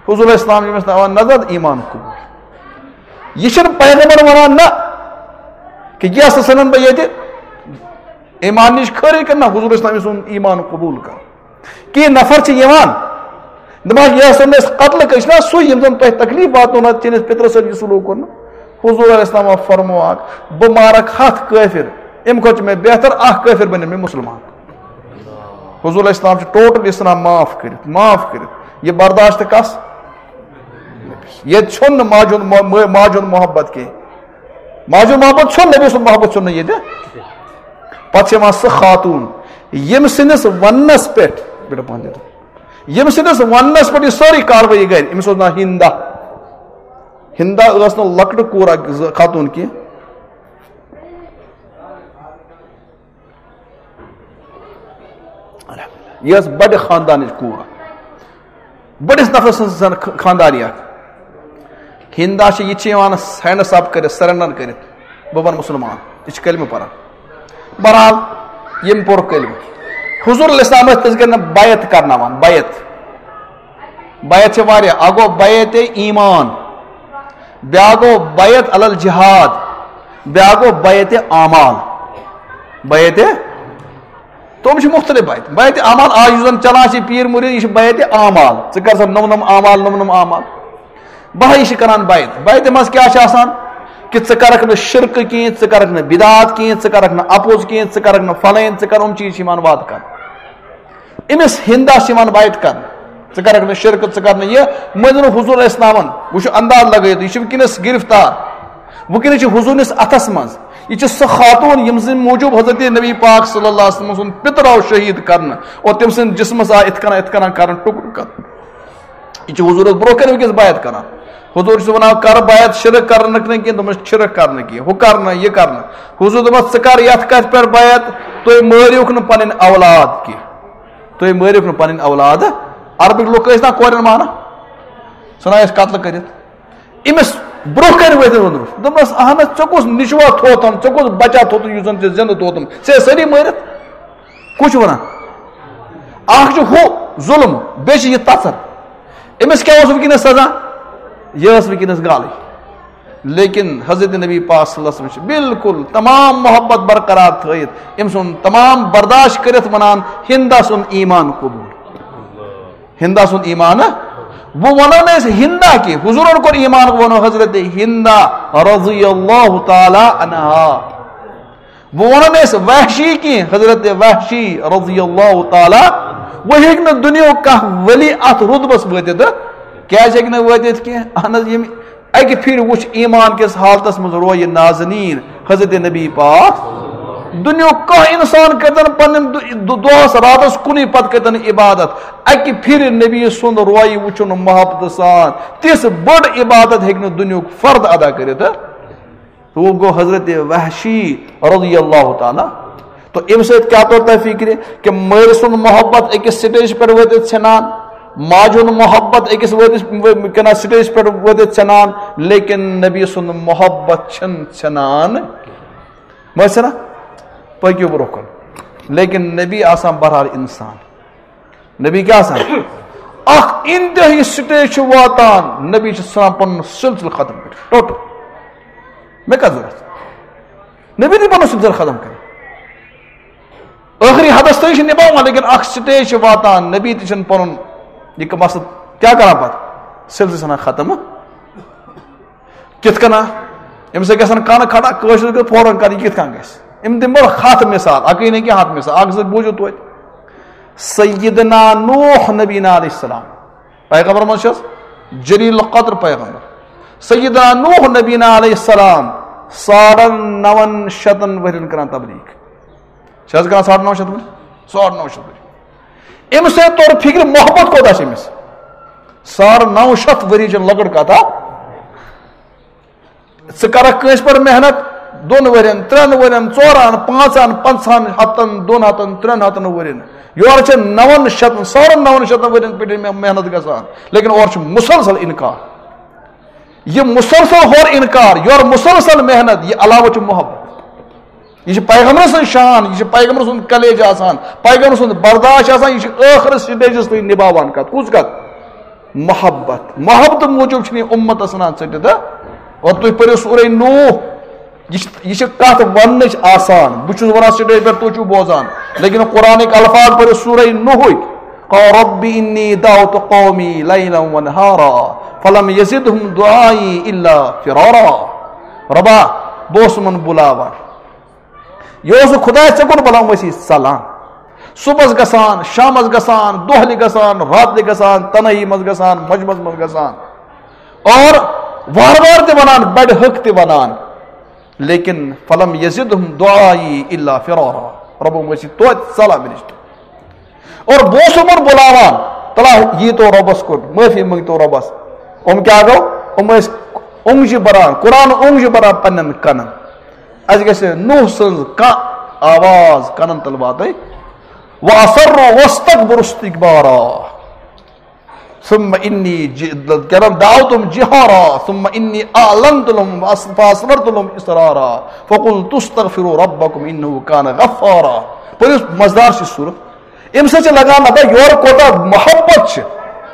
حضور اسلام چھِ أمِس تھاوان نظر، ایمان قبول۔ یہِ چھُنہٕ پیغمبر ونان نہ کہِ یہِ ہسا ژھٕنن بہٕ ییٚتہِ، ایمان نِش خٲرٕے کٔرِتھ، نہ، حضور اسلام سُنٛد ایمان قبول کر۔ کینٛہہ نفر چھِ یِوان، دَپان، "یہِ ہسا اوس قتل کٔرِتھ نا سُے، یِم زَن تۄہہِ تکلیٖف واتنو نہ، چٲنِس پِترَس سۭتۍ یہِ سلوٗک کوٚر نہٕ۔" حضور علیہ السلام فرمووُکھ، "بہٕ مارَکھ ہَتھ کٲفِر، اَمہِ کھۄتہٕ چھُ مےٚ بہتر اَکھ کٲفِر بَنہِ مےٚ مُسلمان۔" حضور علیہ السلام چھُ ٹوٹل اسلام معاف کٔرِتھ، معاف کٔرِتھ۔ یہِ برداشت کَس؟ ییٚتہِ چھُنہٕ ماجہِ ہُنٛد مو-، مٲ-، ماجہِ ہُنٛد محبت کینٛہہ۔ ماجہِ ہُنٛد محبت چھُنہٕ، نبی سُنٛد محبت چھُنہٕ ییٚتہِ۔ پتہٕ چھِ یِوان سۄ خاتوٗن، ییٚمہِ سٕنٛدِس وننس پٮ۪ٹھ، بیٹا پہن دے دو۔ ییٚمہِ سٕنٛدِس وننس پٮ۪ٹھ یہِ سٲرٕے کاروٲیی گرِ، أمِس اوس ناو ہندا۔ ہندا ٲس نہٕ لۄکٹہٕ کوٗر اکھ زٕ خاتوٗن کینٛہہ۔ یہِ ٲس بڑِ خاندانٕچ کوٗر۔ بٔڑِس نفرٕ سٕنٛز زن خ-، خانٛداری اکھ۔ ہِندا چھِ، یہِ تہِ چھِ یِوان ہینڈس اپ کٔرِتھ، سرنڈر کٔرِتھ، بہٕ بنہٕ مُسلمان۔ یہِ چھِ کلمہٕ پران۔ بہرحال، یِم پوٚر کلمہٕ۔ حضور علیہ السلام ٲسۍ تِژھ گرِ نہٕ بیعت کرناوان، بیعت۔ بیعت چھِ واریاہ۔ اکھ گوٚو بیعت ایمان، بیٛاکھ گوٚو بیعت علی الجہاد، بیٛاکھ گوٚو بیعت اعمال۔ بیعت تِم چھِ مُختٔلِف بیعت۔ بیعت اعمال، آز یُس زَن چلان چھِ پیٖر مُریٖد، یہِ چھِ بیعت اعمال۔ ژٕ کر سا نوٚم نوٚم اعمال، نوٚم نوٚم اعمال۔ بہٕ ہا یہِ چھِ کران بیعت۔ بیعت منٛز کیٛاہ چھِ آسان؟ کہِ ژٕ کرکھ نہٕ شرکہٕ کینٛہہ، ژٕ کرکھ نہٕ بدعات کینٛہہ، ژٕ کرکھ نہٕ اپوز کینٛہہ، ژٕ کرکھ نہٕ فلٲنۍ، ژٕ کر، یِم چیٖز چھِ یِوان وعدٕ کرنہٕ۔ أمِس ہِندا چھِ یِوان بیعت کرنہٕ، ژٕ کرکھ نہٕ شرکہٕ، ژٕ کر نہٕ یہِ۔ مٔنٛزۍ حضور علیہ السلامن، وٕچھِو انداز لگٲیِتھ، یہِ چھُ وٕنکیٚنَس گرفتار، وٕنکیٚنَس چھِ حضوٗرنِس اَتھس منٛز۔ یہِ چھِ سۄ خاتوٗن، یِم سٕنٛدِ موٗجوٗب حضرت نبی پاک صلی اللہ علیہ وسلم سُنٛد پِتٕر آو شہیٖد کرنہٕ اور تٔمۍ سٕنٛدۍ جسمس آو اِتھ کٔنۍ، اِتھ کٔنۍ کرنہٕ ٹُکڑٕ کرنہٕ۔ یہِ چھِ حضوٗرس برونٛہہ کنہِ وٕنکیٚس بیعت کران۔ حضوٗر چھُ وَنان، "کر بیعت شرک کرنہٕ نہٕ کینٛہہ؟" دوٚپمَس، "شرک کرنہٕ کینٛہہ، ہُہ کرنہٕ، یہِ کرنہٕ۔" حضوٗر دوٚپمَس، "ژٕ کر یَتھ کَتھِ پٮ۪ٹھ بیعت؟ تُہۍ مٲرِوکھ نہٕ پَنٕنۍ اولاد کینٛہہ، تُہۍ مٲرِوکھ نہٕ پَنٕنۍ اولاد۔" عربٕکۍ لُکھ ٲسۍ نا کورٮ۪ن مانان، سُہ نہ ٲسۍ قتل کٔرِتھ۔ أمِس برونٛہہ کنہِ وٲتِتھ ووٚنُس، دوٚپنَس، "اہن حظ، ژےٚ کُس نیٚچوا تھوتھم، ژےٚ کُس بچا تھوتھم یُس زن ژےٚ زندٕ تھوتھم؟ ژےٚ ٲسۍ سٲری مٲرِتھ؟" کُس چھُ وَنان؟ اکھ چھُ ہُہ ظُلم، بیٚیہِ چھِ یہِ تَژَر۔ أمِس کیٛاہ اوس وٕنکیٚنَس سزا؟ یہِ ٲس وٕنکیٚنَس گالٕے۔ لیکن حضرت نبی پاک صلی اللہ علیہ وسلم چھِ بالکل تمام محبت برقرار تھٲیِتھ، أمۍ سُنٛد تمام برداشت کٔرِتھ وَنان، "ہِندا سُنٛد ایمان قبول۔" ہِندا سُنٛد ایمان۔ وۄنۍ وَنو نہٕ أسۍ ہِندا کینٛہہ، حضوٗرن کوٚر ایمان، وَنو حضرت ہِندا رضی اللہ تعالیٰ عنہا۔ وۄنۍ وَنو نہٕ أسۍ وحشی کینٛہہ، حضرت وحشی رضی اللہ تعالیٰ۔ وۄنۍ ہیٚکہِ نہٕ دُنیاہُک کانٛہہ ولی اَتھ رُتبَس وٲتِتھ۔ کیٛازِ ہیٚکہِ نہٕ وٲتِتھ کینٛہہ؟ اہن حظ، ییٚمہِ اَکہِ پھِرِ وٕچھ ایمان کِس حالتَس منٛز رویہِ نازنیٖن حضرت نبی پاک۔ دُنیاہُک کانٛہہ اِنسان کٔرۍتَن پنٛنٮ۪ن دُ-، دُ-، دۄہَس راتَس کُنُے پَتہٕ کٔرۍتَن عبادت۔ اَکہِ پھِرِ نبی سُنٛد رویہِ وٕچھُن محبتہٕ سان، تِژھ بٔڑ عبادت ہیٚکہِ نہٕ دُنیاہُک فرد ادا کٔرِتھ۔ تو وہ گو حضرت وحشی رضی اللہ تعالیٰ۔ تو امہِ سۭتۍ کیٛاہ توٚر تۄہہِ فِکرِ کہ مٲلۍ سُنٛد محبت أکِس سٹیج پٮ۪ٹھ وٲتِتھ ژھٮ۪نان، ماجہِ ہُنٛد محبت أکِس وٲتِس، کنا سٹیج پٮ۪ٹھ وٲتِتھ ژھٮ۪نان، لیکن نبی سُنٛد محبت چھِنہٕ ژھٮ۪نان۔ مٲلۍ چھِنہ؟ پٔکِو برونٛہہ کُن۔ لیکن نبی آسان بہرحال انسان۔ نبی کیٛاہ آسان؟ اکھ انتہٲیی سٹیج چھِ واتان، نبی چھِ ژھٕنان پنُن سلسلہٕ ختم کٔرِتھ، ٹوٹل۔ مےٚ کتھ ضروٗرت؟ نبی تہِ پنُن سلسلہٕ ختم کٔرِتھ۔ ٲخری حدس تام چھِ نباوان، لیکن اکھ سٹیج چھِ واتان، نبی تہِ چھِنہٕ پنُن یہِ مسلہٕ کیٛاہ کران پتہٕ؟ سلسلہٕ ژھٕنان ختم۔ کِتھ کٔنۍ؟ أمِس سۭتۍ گژھن کَنہٕ کھڑا، کٲشِر گٔے فوراً کَرٕنۍ، یہِ کِتھ کٔنۍ گژھِ؟ أمۍ دِمہٕ بہٕ ہَتھ مثال، اَکٕے نہٕ کینٛہہ، ہَتھ مثال۔ اَکھ زٕ بوٗزِو توتہِ۔ سیدنا نوح نبینا علیہ السلام، پیغمبر منٛز چھِ حظ جلیل القدر پیغمبر۔ سیدنا نوح نبینا علیہ السلام ساڑن نَوَن شَتَن ؤرِین کران تبلیغ۔ چھِ حظ کران ساڑ نَو شَتھ ؤری؟ ساڑ نَو شَتھ ؤری۔ أمِس سۭتۍ توٚر فِکرِ محبت کوٗتاہ چھِ أمِس۔ ساڑ نَو شَتھ ؤری چھِ لۄکٕٹ کَتھا۔ ژٕ کَرَکھ کٲنٛسہِ پٮ۪ٹھ محنت دۄن ؤرِین، ترٛٮ۪ن ؤرِین، ژورَن، پانٛژَن، پنٛژاہَن، ہَتَن، دۄن ہَتَن، ترٛٮ۪ن ہَتَن ؤرِین۔ یورٕ چھِ نَوَن شَتَن، ساڑَن نَوَن شَتَن ؤرِین پٮ۪ٹھ مےٚ محنت گژھان، لیکن اورٕ چھُ مُسلسل اِنکار۔ یہِ مُسلسل ہورٕ اِنکار، یورٕ مُسلسل محنت، یہِ علاوٕ چھُ محبت۔ یہِ چھِ پیغمبر سٕنٛز شان، یہِ چھِ پیغمبر سُنٛد کلیجہ آسان، پیغمبر سُنٛد برداشت آسان، یہِ چھِ ٲخرس سٹیجس تام نباوان کتھ۔ کُس کتھ؟ محبت۔ محبت موٗجوٗب چھِنہٕ یہِ اُمتس ژھٕنان ژٔٹِتھ، ہا؟ اور تُہۍ پٔرِو سورہ نوح، یہِ چھِ، یہِ چھِ کتھ وننٕچ آسان۔ بہٕ چھُس ونان سٹیج پٮ۪ٹھ، تُہۍ چھِو بوزان، لیکن قرآنٕکۍ الفاظ پٔرِو سورہ نوحٕکۍ۔ قال رب انی دعوت قومی لیلا ونہارا فلم یزدہم دعائی الا فرارا۔ ربا، بہٕ اوسُس یِمن بُلاوان۔ یہِ اوس نہٕ خۄداے ژےٚ کُن بُلاوان، أسۍ ٲسۍ ژلان۔ صُبحس گژھان، شامس گژھان، دۄہلہِ گژھان، راتلہِ گژھان، تنہٲیی منٛز گژھان، مجمس منٛز گژھان۔ اور وارٕ وارٕ تہِ ونان، بڑِ حق تہِ ونان۔ لیکن فلم یزدہم دعائی الا فرارا۔ ربو ؤنۍ ٲسۍ توتہِ ژلان مےٚ نِش۔ اور بہٕ اوسُس یِمن بُلاوان، تلا ییٖتو رۄبس کُن، معٲفی مٔنگتو رۄبس۔ یِم کیٛاہ گوٚو؟ یِم ٲسۍ اونٛگجہِ بران، قرآن اونٛگجہِ بران پننٮ۪ن کنن۔ اَسہِ گژھِ نوح سٕنٛز کانٛہہ آواز کنن تل واتٕنۍ۔ وَأَصَرُّوا وَاسْتَكْبَرُوا اسْتِكْبَارًا۔ ثُمَّ إِنِّي جِ-، کیٛاہ تام، دَعَوْتُهُمْ جِهَارًا ثُمَّ إِنِّي أَعْلَنْتُ لَهُمْ وَأَسْ-، فَأَسْرَرْتُ لَهُمْ إِسْرَارًا فَقُلْتُ اسْتَغْفِرُوا رَبَّكُمْ إِنَّهُ كَانَ غَفَّارًا۔ پٔرِو، مزٕدار چھِ سورت۔ اَمہِ سۭتۍ چھِ لگان پتہ یورٕ کوٗتاہ محبت چھِ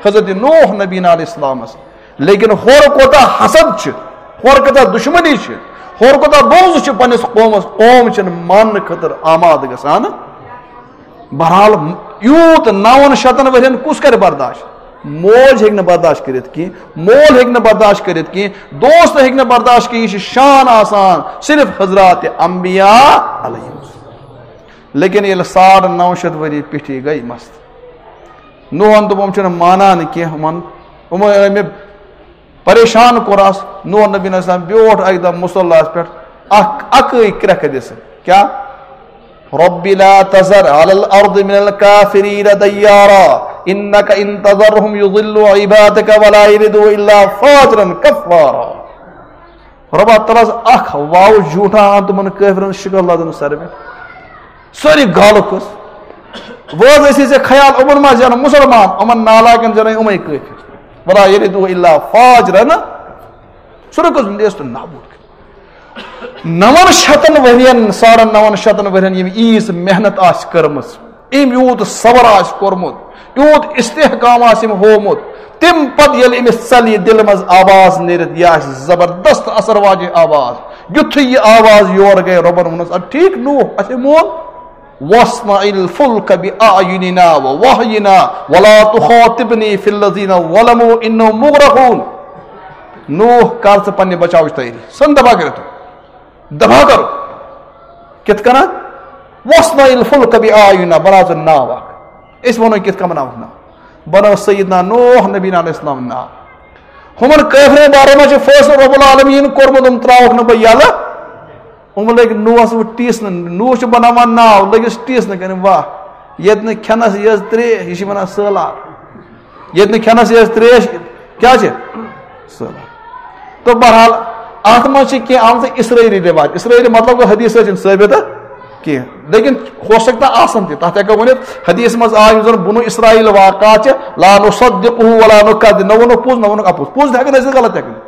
حضرت نوح نبینا علیہ السلامس، لیکن ہورٕ کوٗتاہ حسد چھِ، ہورٕ کوٗتاہ دشمنی چھِ، ہورٕ کوٗتاہ بغض چھِ پننِس قومس۔ قوم چھِنہٕ ماننہٕ خٲطرٕ آمادٕ گژھان۔ بہرحال، یوٗت نَوَن شَتَن ؤرِین کُس کرِ برداشت؟ موج ہیٚکہِ نہٕ برداشت کٔرِتھ کینٛہہ، مول ہیٚکہِ نہٕ برداشت کٔرِتھ کینٛہہ، دوست ہیٚکہِ نہٕ برداشت کینٛہہ۔ یہِ چھِ شان آسان صرف حضرات انبیاء علیہم السلام۔ لیکن ییٚلہِ ساڑ نَو شَتھ ؤری پیٚٹھی گٔے مست، نوحن دوٚپ، "یِم چھِنہٕ مانان کینٛہہ، یِمن، یِمو أنۍ مےٚ پریشان کوٚر آس۔" نوح نبی علیہ السلام بیوٗٹھ اَکہِ دۄہ مُصلاہَس پٮ۪ٹھ، اکھ اکٕے کرٛٮ۪کھ دِژ۔ کیٛاہ؟ رب لا تذر على الأرض من الكافرين ديارا إنك إن تذرهم يضلوا عبادك ولا يلدوا إلا فاجرا كفارا۔ رۄبا، تَل حظ اکھ واو جھوٗٹا اَن تِمن کٲفرن شِکَل لدن سر میں۔ سٲری گالہٕ کٔژ۔ وۄنۍ حظ ٲسی ژےٚ خیال، یِمن ما زینن مُسلمان، یِمن نالایکن زینن یِمے کٲفر۔ ولا يلدوا إلا فاجرا۔ سُہ رُکُس لیس تہٕ نابوٗد کٔرِتھ۔ نَوَن شَتَن ؤرین، ساڑن نَوَن شَتَن ؤرین یِم ییٖژ محنت آسہِ کٔرمٕژ، أمۍ یوٗت صبر آسہِ کوٚرمُت، یوٗت استحکام آسہِ أمۍ ہوومُت، تَمہِ پتہٕ ییٚلہِ أمِس ژَلہِ یہِ دِلہِ منٛز آواز نیٖرِتھ، یہِ آسہِ زبردست اثر واجیٚنۍ آواز۔ یُتھُے یہِ آواز یور گٔے، رۄبَن ووٚنُس، "اَدٕ ٹھیٖک نوح، اَسے مون، واصنع الفلك بأعيننا ووحينا ولا تخاطبني في الذين ظلموا إنهم مغرقون۔" نوح، کر ژٕ پننہِ بچاوٕچ تیٲری۔ سن دبا کٔرِتھ۔ دبا کرو۔ کِتھ کٔنۍ؟ واصنع الفلك بأعيننا، بناو ژٕ ناو اکھ۔ أسۍ وَنو کِتھ کٔنۍ بناوکھ ناو۔ بنٲو سیدنا نوح نبی علیہ السلام ناو۔ ہُمن کٲفرن بارے منٛز چھُ فٲصلہٕ رب العالمین کوٚرمُت، یِم ترٛاوکھ نہٕ بہٕ یَلہٕ۔ یِم لٔگۍ نوحس وۄنۍ ٹیٖسنہٕ، نوح چھُ بناوان ناو، لٔگِس ٹیٖسنہٕ کَرنہِ، واہ، ییٚتہِ نہٕ کھٮ۪نس یٔژ ترٛیش، یہِ چھِ وَنان سہلاب۔ ییٚتہِ نہٕ کھٮ۪نس یٔژ ترٛیش، کیٛاہ چھِ؟ سہلاب۔ تہٕ بہرحال، اَتھ منٛز چھِ کینٛہہ آمژٕ اسرائیلی رِوایت۔ اسرائیلی مطلب گوٚو حدیث سۭتۍ چھِنہٕ ثٲبت کینٛہہ، لیکن ہو سکتا آسن تہِ۔ تَتھ ہٮ۪کو ؤنِتھ، حدیث منٛز آو یِم زَن بنو اسرائیل واقعات چھِ، لا نصدقه ولا نكذب، نہ ووٚنُکھ پوٚز، نہ ووٚنُکھ اَپُز۔ پوٚز تہِ ہٮ۪کو نہٕ أسۍ غلط ہٮ۪کو نہٕ۔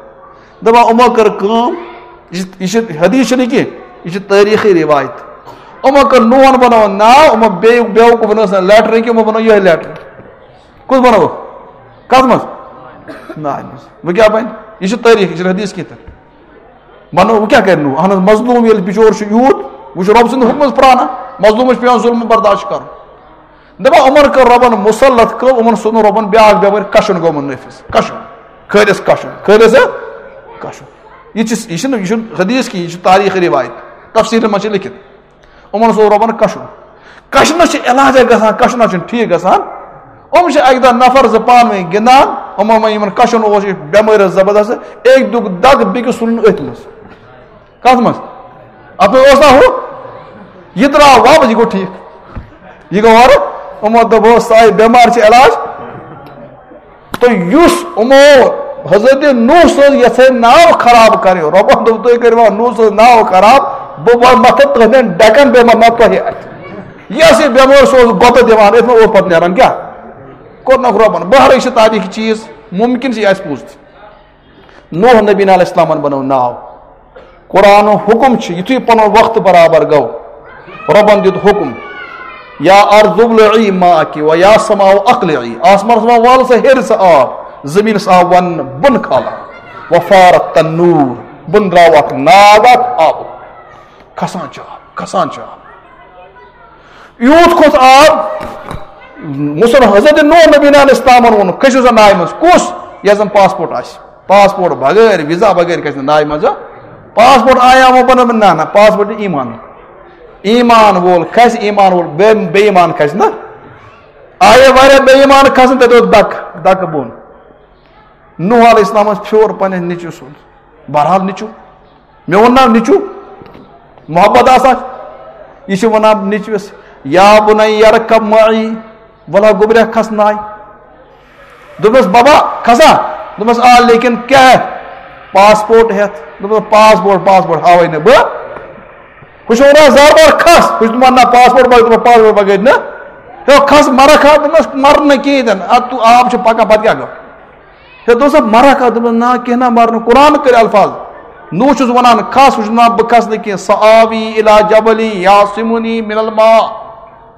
دَپان یِمو کٔر کٲم، یہِ چھِ، یہِ چھِ حدیث چھِنہٕ کینٛہہ، یہِ چھِ تٲریٖخی رِوایت۔ یِمو کٔر نوحن بنوو ناو، یِمو بیٚیہِ بیوقوٗفن ٲس نہٕ لیٹر کینٛہہ، یِمو بنوو یِہوٚے لیٹر۔ کُس بنووُکھ؟ کَتھ منٛز؟ ناوِ منٛز۔ وۄنۍ کیٛاہ بَنہِ؟ یہِ چھِ تٲریٖخ، یہِ چھِنہٕ حدیث کینٛہہ تہِ۔ بنوو، وۄنۍ کیٛاہ کَرِ نوح؟ اَہن حظ، مظلوٗم ییٚلہِ بِچور چھُ یوٗت، وۄنۍ چھُ رۄب سٕنٛدِ حُکمَس پرٛانان، مظلوٗمَس چھُ پٮ۪وان ظُلمہٕ برداش کَرُن۔ دَپان یِمَن کٔر رۄبَن مُسلط کٲم، یِمَن سوٗز نہٕ رۄبَن بیٛاکھ بٮ۪مٲرۍ، کَشُن گوٚو یِمَن نٲفِذ۔ کَشُن۔ خٲلِص کَشُن۔ خٲلِص ہا؟ کَشُن۔ یہِ چھِ، یہِ چھِنہٕ، یہِ چھُنہٕ حدیث کینٛہہ، یہِ چھِ تاریٖخ رِوایت۔ تفسیٖرَن منٛز چھِ لیٚکھِتھ۔ یِمَن سُہ رۄبَن کَشُن۔ کَشنَس چھِ علاجہ گژھان، کَشُن حظ چھُنہٕ ٹھیٖک گژھان۔ یِم چھِ اَکہِ دۄہ نفر زٕ پانہٕ ؤنۍ گِنٛدان، یِمو منٛز یِمَن کَشُن اوس، یہِ بٮ۪مٲرۍ ٲس زبردست، أکۍ دیُت دَگ، بیٚکِس ژھُنُن أتھۍ منٛز۔ کَتھ منٛز؟ اَپٲرۍ اوس نا ہُہ؟ یہِ درٛاو واپس، یہِ گوٚو ٹھیٖک۔ یہِ گوٚو اورٕ، یِمو دوٚپ، "ہو، ساے بٮ۪مارِ چھِ علاج۔" تہٕ یُس یِمو حضرت نوح سٕنٛز یَژھے ناو خراب کَرٕنۍ، رۄبَن دوٚپ، "تُہۍ کٔرِو نوح سٕنٛز ناو خراب، بہٕ وَ-، مَتھٕ تُہٕنٛدٮ۪ن ڈٮ۪کَن، بیٚیہِ مَتھٕ تۄہہِ اَتھِ۔" یۄس یہِ بٮ۪مٲرۍ سُہ اوس گۄپہٕ دِوان، أتھۍ منٛز اوس پَتہٕ نیران کیٛاہ؟ کوٚرنَکھ رۄبَن۔ بہرحال، یہِ چھِ تاریٖخ چیٖز، مُمکِن چھِ یہِ آسہِ پوٚز تہِ۔ نوح نبی علیہ السلامن بنوو ناو۔ قرآن حکم چھُ، یُتھُے پنُن وقت برابر گوٚو، رۄبن دیُت حکم، "یا ارض ابلعی ماءک و یا سماء اقلعی"، آسمانس منٛز وال سا ہیٚرِ سا آب، زٔمیٖنس آو وننہٕ بۄن کھالان، "و فار التنور"، بۄن درٛاو اکھ ناگ اکھ آبُک، کھسان چھُ آب، کھسان چھُ آب۔ یوٗت کھوٚت آب، مُسلم حضرت نوح نبی علیہ السلامن ووٚن، "کھٔسِو سا ناوِ منٛز۔" کُس؟ یَس زَن پاسپورٹ آسہِ۔ پاسپورٹ بغٲر، ویزا بغٲر کھسہِ نہٕ ناوِ منٛز۔ پاسپورٹ آیا وۄنۍ بنومُت؟ نہ، نہ، پاسپورٹ چھُ ایمان۔ ایمان وول کھسہِ، ایمان وول بے، بے ایمان کھسہِ نہ۔ آیے واریاہ بے ایمان کھسن، تَتہِ اوس دَکہٕ، دَکہٕ بۄن۔ نوح علیہ السلامس پھیوٗر پننِس نیٚچوِ سُنٛد۔ بہرحال نیٚچوٗ، مےٚ ووٚن نا نیٚچوٗ، محبت آسان۔ یہِ چھِ وَنان نیٚچوِس، "یا بُنَیَّ ارکب معی"، وَلہٕ گوٚبریا کھس ناوِ۔ دوٚپمَس، "بابا کھسا؟" دوٚپمَس، "آ، لیکن کیٛاہ ہٮ۪تھ؟" "پاسپورٹ ہٮ۪تھ۔" دوٚپمَس، "پاسپورٹ، پاسپورٹ ہاوَے نہٕ بہٕ۔" ہُہ چھُ وَنان زار بار کھس، ہُہ چھُ دَپان، "نہ، پاسپورٹ بغٲر"، دوٚپمَس، "پاسپورٹ بغٲر نہ۔" ہے کھس، مَرَکھ ہا؟ دوٚپمَس، "مَرٕ نہٕ کِہیٖنۍ تہِ نہٕ، اَدٕ تُہ آب چھُ پَکان، پَتہٕ کیٛاہ گوٚو؟" ہے دوٚپسا، "مَرَکھ ہا؟" دوٚپمَس، "نہ، کینٛہہ نہ، مَرٕ نہٕ، قرآن کٔرۍ الفاظ۔" نوح چھُس وَنان، "کھس"، ہُہ چھُ وَنان، "بہٕ کھسہٕ نہٕ کینٛہہ، سآوی الی جبل یعصمنی من الماء۔"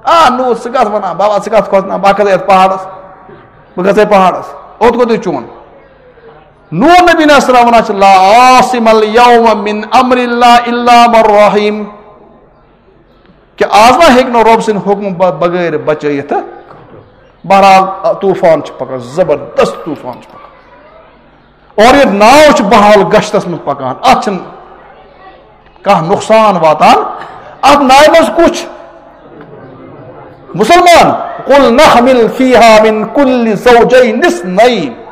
آ نوح، ژٕ کَتھ وَنان، بابا، ژٕ کَتھ کھوژناوان، بہٕ کھسہٕ یَتھ پہاڑَس، بہٕ کھسہٕ یَتھ پہاڑَس، اوٚت کوٚت چھُ چون؟ نوح نبی علیہ السلام وَنان چھِ، "لا عاصم الیوم من امر اللہ الا من رحم"۔ کہ آز ما ہیٚکہِ نہٕ رۄب سٕنٛدِ حُکمہٕ ب-، بغٲر بچٲیِتھ۔ بہرحال، طوٗفان چھُ پکان، زبردست طوٗفان چھُ پکان۔ اور یہِ ناو چھِ بہرحال گشتس منٛز پکان، اتھ چھُنہٕ کانٛہہ نۄقصان واتان۔ اتھ ناوِ منٛز کُس چھُ؟ مُسلمان۔ "قل نحمل فیہا من کل زوجین اثنین"۔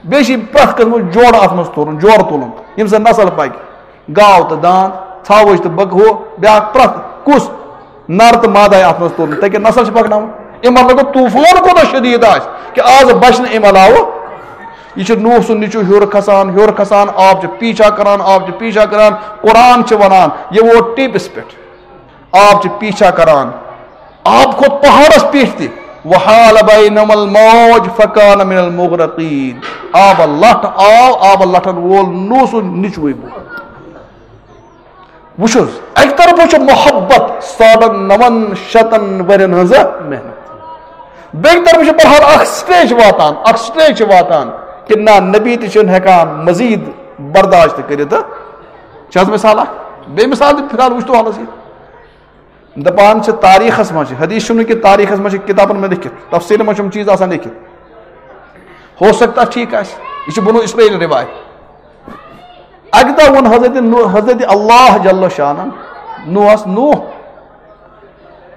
بیٚیہِ چھِ پرٛٮ۪تھ قٕسمُک جوڑٕ اتھ منٛز تُلُن، جوڑٕ تُلُن، ییٚمہِ سۭتۍ نسل پکہِ۔ گاو تہٕ داند، ژھاوٕج تہٕ بکہٕ، ہُہ بیٛاکھ پرٛٮ۪تھ کُس نر تہٕ مادٕ آسہِ اَتھ منٛز تُلُن، تَتہِ نسل چھِ پَکناوُن۔ اَمہِ مطلب گوٚو، طوٗفان کوٗتاہ شدیٖد آسہِ کہِ آز بچہِ نہٕ اَمہِ علاوٕ۔ یہِ چھُ نوح سُنٛد نیٚچوٗ ہیوٚر کھسان، ہیوٚر کھسان، آب چھُ پیٖچھا کران، آب چھُ پیٖچھا کران۔ قرآن چھُ وَنان، یہِ ووت ٹیپس پٮ۪ٹھ۔ آب چھِ پیٖچھا کران۔ آب کھوٚت پہاڑس پیٚٹھ تہِ۔ وحال بینہما الموج فکان من المغرقین۔ آبہٕ لٹھ آو، آبہٕ لٹھن وول نوح سُنٛد نیٚچوٕے بۄن۔ وٕچھ حظ، اَکہِ طرفہٕ چھُ محبت ساڑن نَون شتن ؤرین ہٕنٛز محنت، بیٚکہِ طرفہٕ چھُ بہرحال اکھ سٹیج واتان، اکھ سٹیج چھِ واتان کہِ نہ، نبی تہِ چھُنہٕ ہٮ۪کان مزید برداشت کٔرِتھ۔ چھِ حظ مثال اکھ؟ بیٚیہِ مثال تہِ فی الحال وٕچھتو حالس یہِ۔ دپان چھِ تاریخس منٛز چھِ، حدیث چھُنہٕ کہِ تاریخس منٛز چھِ کِتابن منٛز لیکھِتھ، تفسیٖرن منٛز چھِ یِم چیٖز آسان لیکھِتھ۔ ہو سکتا ٹھیٖک آسہِ، یہِ چھُ بنو اسرائیل رِوایت۔ اکہِ دۄہ ووٚن حضرت نو-، حضرت اللہ جل شانن نوحس، نوح،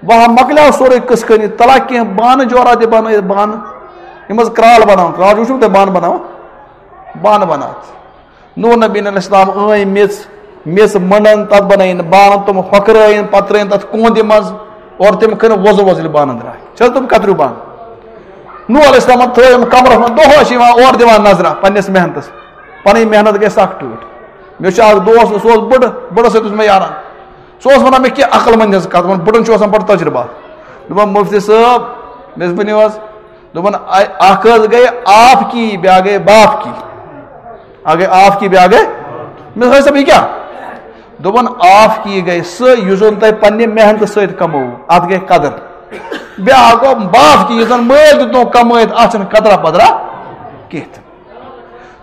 وۄنۍ مۄکلیو سورُے قصہٕ کھٲنی، تلا کینٛہہ بانہٕ جورا تہِ بنٲیِتھ، بانہٕ، یِم حظ کرال بناوان، کرال چھُ وٕچھمُت تۄہہِ بانہٕ بناوان؟ بانہٕ بناوان۔ نوح نبی علیہ السلام ٲنۍ میٚژ، میٚژ مٔنڈن، تتھ بنٲیِن بانہٕ، تِم ہۄکھرٲیِن، پتہٕ ترٲیِن تتھ کوندِ منٛز اور تِم کٔرِن وۄزُل وۄزٕلۍ بانہٕ درٛاے۔ چھِ حظ تِم کتریو بانہٕ؟ نوح علیہ السلامن تھٲو یِم کمرس منٛز، دۄہس چھِ یِوان اورٕ دِوان نظرہ پننِس محنتس۔ پنٕنۍ محنت گٔے سخ ٹٲٹھ۔ مےٚ چھُ اکھ دوست، سُہ اوس بٕڑٕ، بٕڑس سۭتۍ اوس مےٚ یاران۔ سُہ اوس ونان مےٚ کینٛہہ عقل مندِ ہٕنٛز کتھ، دپان بٕڑن چھُ آسان بڑٕ تجربہٕ۔ دپان مفتی صٲب، مےٚ ؤنِو حظ، دوٚپُن، اَ-، اکھ حظ گٔے آپ کی، بیٛاکھ گٔے باپ کی۔ اکھ گٔے آپ کی، بیٛاکھ گٔے، مےٚ دوٚپُس، "ہے صٲب، یہِ کیٛاہ؟" دوٚپُن، "آپ کی گٔے سُہ، یُس زن تۄہہِ پننہِ محنتہٕ سۭتۍ کموو، اتھ گٔے قدر۔ بیٛاکھ گوٚو باپ کی، یُس زن مٲلۍ دیُتنو کمٲیِتھ، اتھ چھنہٕ قدرا پدرا کینٛہہ تہِ۔"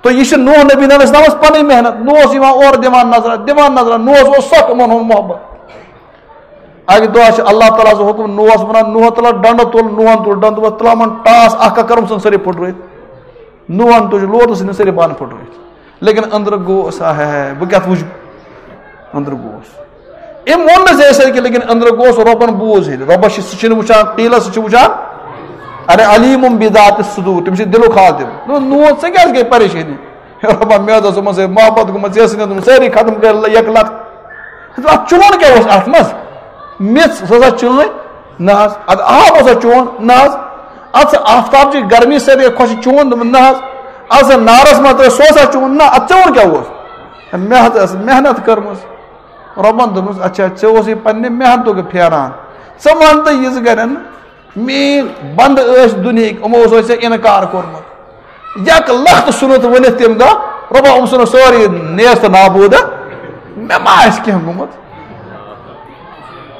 تو یہِ چھِ نوح نبی علیہ السلامس پنٕنۍ محنت۔ نوح اوس یِوان اورٕ دِوان نظرہ، دِوان نظرہ، نوحس اوس سخ یِمن ہُنٛد محبت۔ اکہِ دۄہ چھُ اللہ تعالیٰ سُنٛد حُکُم، نوحس وَنان، "نوح، تُلہ ڈنڈٕ تُل"، نوحن تُل ڈنڈٕ، دوٚپُس، "تُلہ یِمن ٹاس اکھ اکھ کر، یِم ژھٕن سٲری پھُٹرٲوِتھ۔" نوحن تُج لوت، ژھٕنِن سٲری بانہٕ پھُٹرٲوِتھ۔ لیکن أنٛدرٕ گوس، ہے ہے، بہٕ کیٛاہ وُچھٕ؟ أنٛدرٕ گوس۔ أمۍ ووٚن نہٕ زِ أسۍ ہیٚکہِ، لیکن أنٛدرٕ گوس، رۄبن بوٗز ییٚلہِ۔ رۄبس چھِ، سُہ چھُنہٕ وٕچھان قیٖلس، سُہ چھُ وٕچھان، ارے، علیم بذات الصدور، تٔمِس چھِ دِلُک حال تہِ۔ نوح، ژےٚ کیٛازِ گٔے پریشٲنی؟ رۄبا، مےٚ حظ اوس یِمن سۭتۍ محبت گوٚمُت، ژےٚ ٲسٕے نہٕ تِم سٲری ختم کٔرِتھ یکلخت۔ اَتھ چون کیٛاہ اوس اَتھ منٛز؟ میٚژ، سۄ ٲسا چٲنۍ؟ نہ حظ۔ اَدٕ آب اوسا چون؟ نہ حظ۔ اَتھ سا آفتاب چہِ گرمی سۭتۍ گٔے خۄش چون؟ دوٚپُن، نہ حظ۔ اَتھ سا نارس منٛز ترٛٲو، سُہ اوسا چون؟ نہ، اَتھ چون کیٛاہ اوس؟ مےٚ حظ ٲس محنت کٔرمٕژ۔ رۄبن دوٚپمَس، اچھا، ژےٚ اوسُے پننہِ محنتُک پھیران۔ ژٕ وَن تہٕ یِژھ گرٮ۪ن، میٲنۍ بندٕ ٲسۍ دُنیہٕکۍ، یِمو اوس ژےٚ اِنکار کوٚرمُت۔ یک لخت ژھُنُتھ ؤنِتھ تَمہِ دۄہ، رۄبا، یِم ژھُنُکھ سٲری نیست نابوٗد۔ مےٚ ما آسہِ کینٛہہ گوٚمُت؟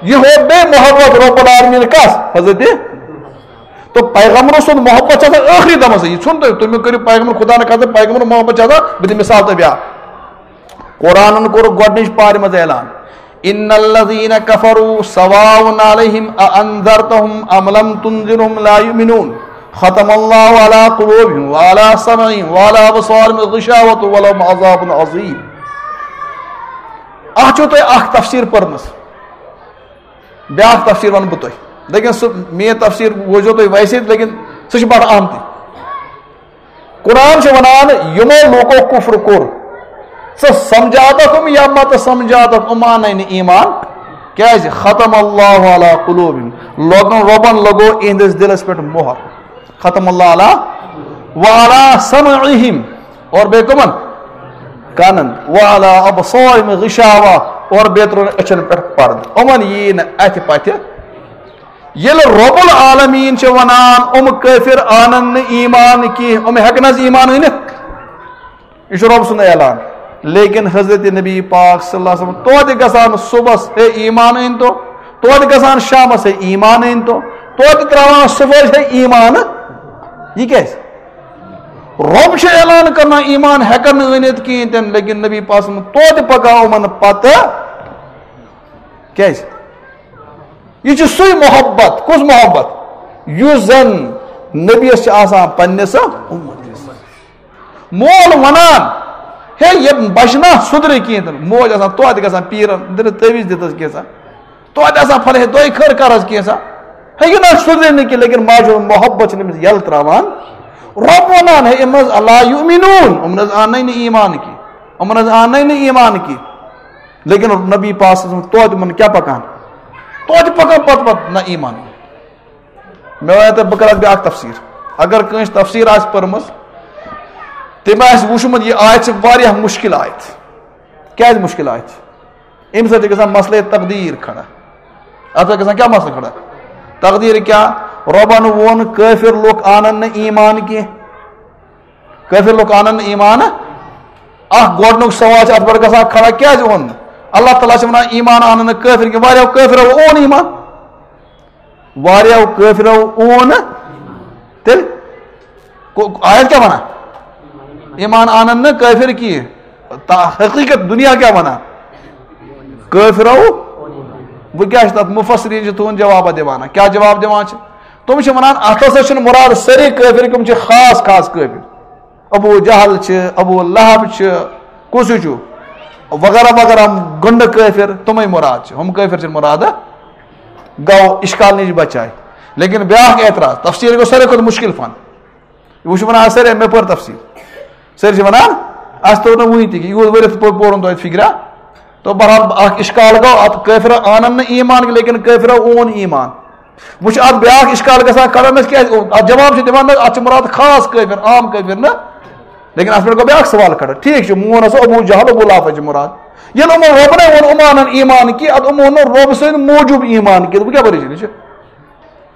یہِ ہوو بیٚیہِ محبت رب العالمین کس؟ حضرت۔ تو پیغمبر سُنٛد محبت چھُ آسان ٲخری دمس۔ یہِ ژھُن تُہۍ، تُہۍ مہٕ کٔرِو پیغمبر، خدا نہ خاستہ، پیغمبر محبت چھُ آسان۔ بہٕ دِمہٕ مثال تۄہہِ بیٛاکھ۔ قرآنن کوٚر گۄڈٕنِچ پارِ منٛز اعلان، "ان الذین کفروا سواء علیہم اانذرتہم ام لم تنذرہم لا یؤمنون، ختم اللہ علی قلوبہم وعلی سمعہم وعلی ابصارہم غشاوۃ ولہم عذاب عظیم۔" اتھ چھو تۄہہِ اکھ تفسیر پٔرمٕژ، بیٛاکھ تفسیر ونہٕ بہٕ تۄہہِ، لیکن سُہ میٲنۍ تفسیر وٕچھو تُہۍ ویسے، لیکن سُہ چھُ بڑٕ اہم تہِ۔ قرآن چھُ ونان، یِمو لوٗکو کُفر کوٚر، ژٕ سمجھاتکھ یِم یا مت سمجھاتکھ، یِم اننے نہٕ ایمان۔ کیازِ؟ ختم اللہ علی قلوبہم، لوگن، رۄبن لگو اِہنٛدِس دِلس پٮ۪ٹھ مۄہر۔ ختم اللہ علی وعلی سمعہم، اور بیٚیہِ کٕمن؟ کانن۔ وعلی ابصارہم غشاوہ، اور بیٚیہِ ترٛوو أچھن پٮ۪ٹھ پردٕ۔ یِمن یی نہٕ اتھِ پتھِ۔ ییٚلہِ رب العالمین چھِ ونان، یِم کٲفر انن نہٕ ایمان کینٛہہ، یِم ہیٚکن حظ ایمان أنِتھ؟ یہِ چھُ رب سُنٛد اعلان۔ لیکن حضرت نبی پاک صلی اللہ علیہ وسلم توتہِ گژھان صبحس، ہے ایمان أنۍ تو، توتہِ گژھان شامس، ہے ایمان أنۍ تو، توتہِ ترٛاوان صبحس، ہے ایمان۔ یہِ کیازِ؟ رب چھُ اعلان کران، ایمان ہیٚکن نہٕ أنِتھ کِہیٖنۍ تہِ نہٕ، لیکن نبی پاک صلی اللہ علیہ وسلم توتہِ پکان یِمن پتہٕ۔ کیازِ؟ یہِ چھُ سُے محبت۔ کُس محبت؟ یُس زن نبیس چھُ آسان پننِس امتس۔ مول ونان، ہے، یہِ بچہِ نا سُدرِ کینٛہہ تہِ نہٕ۔ موج آسان توتہِ گژھان پیٖرن، دِنہٕ تعویٖذ دِتس کینٛژھا۔ توتہِ آسان پھلے، ہے، دۄیہِ خٲر کر حظ کینٛژھا۔ ہے، یہِ نہ سُدرِ نہٕ کینٛہہ، لیکن ماجہِ ہُنٛد محبت چھُنہٕ أمِس یلہٕ تراوان۔ رب ونان، ہے، یِم نہ حظ لا یؤمنون، یِم نہ حظ اننے نہٕ ایمان کینٛہہ۔ یِمن حظ آو نہٕ ایمان کینٛہہ۔ لیکن نبی پاک صلی اللہ علیہ وسلم توتہِ یِمن کیٛاہ پکان؟ توتہِ پکان پتہٕ پتہٕ نہ ایمان۔ مےٚ وَنیو تۄہہِ، بہٕ کرٕ اَتھ بیٛاکھ تفسیٖر۔ اگر کٲنٛسہِ تفسیٖر آسہِ پٔرمٕژ، تٔمۍ آسہِ وٕچھمُت، یہِ آیت چھِ واریاہ مُشکِل آیت۔ کیٛازِ مُشکِل آیت چھِ؟ اَمہِ سۭتۍ چھِ گژھان مسئلے تقدیٖر کھڑا۔ اَتھ چھِ گژھان کیٛاہ مسئلہٕ کھڑا؟ تقدیٖر کیٛاہ؟ رۄبَن ووٚن، کٲفِر لُکھ اَنَن نہٕ ایمان کینٛہہ۔ کٲفِر لُکھ اَنَن نہٕ ایمان۔ اَکھ گۄڈٕنیُک سوال چھُ اَتھ پٮ۪ٹھ گژھان کھڑا، کیٛازِ اوٚن نہٕ؟ اللہ تعالیٰ چھِ وَنان، ایمان اَنَن نہٕ کٲفِر کینٛہہ۔ واریاہو کٲفِرو اوٚن ایمان۔ واریاہو کٲفرو اون تیٚلہِ کو-، آیت کیٛاہ وَنان؟ ایمان اَنَن نہٕ کٲفِر کِہیٖنۍ۔ تا-، حقیٖقت دُنیا کیٛاہ وَنان؟ کٲفرو۔ وۄنۍ کیٛاہ چھِ تَتھ؟ مُفسریٖن چھِ تُہُنٛد جوابہ دِوان۔ کیٛاہ جواب دِوان چھِ؟ تِم چھِ وَنان، اَتھ ہسا چھُنہٕ مُراد سٲری کٲفِر، تِم چھِ خاص خاص کٲفِر۔ ابو جہل چھِ، ابو لہب چھِ، کُس ہیوٗ چھُ؟ وغیرہ وغیرہ، گنڈٕ کٲفِر، تِمَے مُراد چھِ۔ ہُم کٲفِر چھِنہٕ مُراد۔ گوٚو اِشکال نِش بچاے۔ لیکن بیٛاکھ اعتراض، تفسیٖر گوٚو ساروی کھۄتہٕ مُشکِل فن۔ وۄنۍ چھِ وَنان، آ، سٲرے مےٚ پٔر تفسیٖر۔ سٲری چھِ وَنان، اَسہِ توٚر نہٕ وٕنہِ تہِ کہِ یوٗت ؤرِتھ پوٚر-، پوٚرُن توتہِ فِکرا۔ تو بہرحال اَکھ اِشکال گوٚو، اَتھ کٲفِرا آنَن نہٕ ایٖمان، لیکن کٲفِرا اون ایٖمان۔ وۄنۍ چھُ اَتھ بیٛاکھ اِشکال گژھان کھڑا، نہ کیٛازِ؟ اَتھ جواب چھُ دِوان، نہ، اَتھ چھُ مُراد خاص کٲفِر، عام کٲفِر نہٕ۔ لیکن اَتھ پٮ۪ٹھ گوٚو بیٛاکھ سوال کھڑا۔ ٹھیٖک چھُ، مون ہسا ابو جہل، ابو لہب چھِ مُراد۔ ییٚلہِ یِمو رۄبنَے ووٚن، یِم اَنَن ایٖمان کہِ، اَدٕ یِمو ووٚن نہٕ رۄبہٕ سٕنٛدۍ موٗجوٗب ایٖمان کہِ، وۄنۍ کیٛاہ پریشٲنی چھِ؟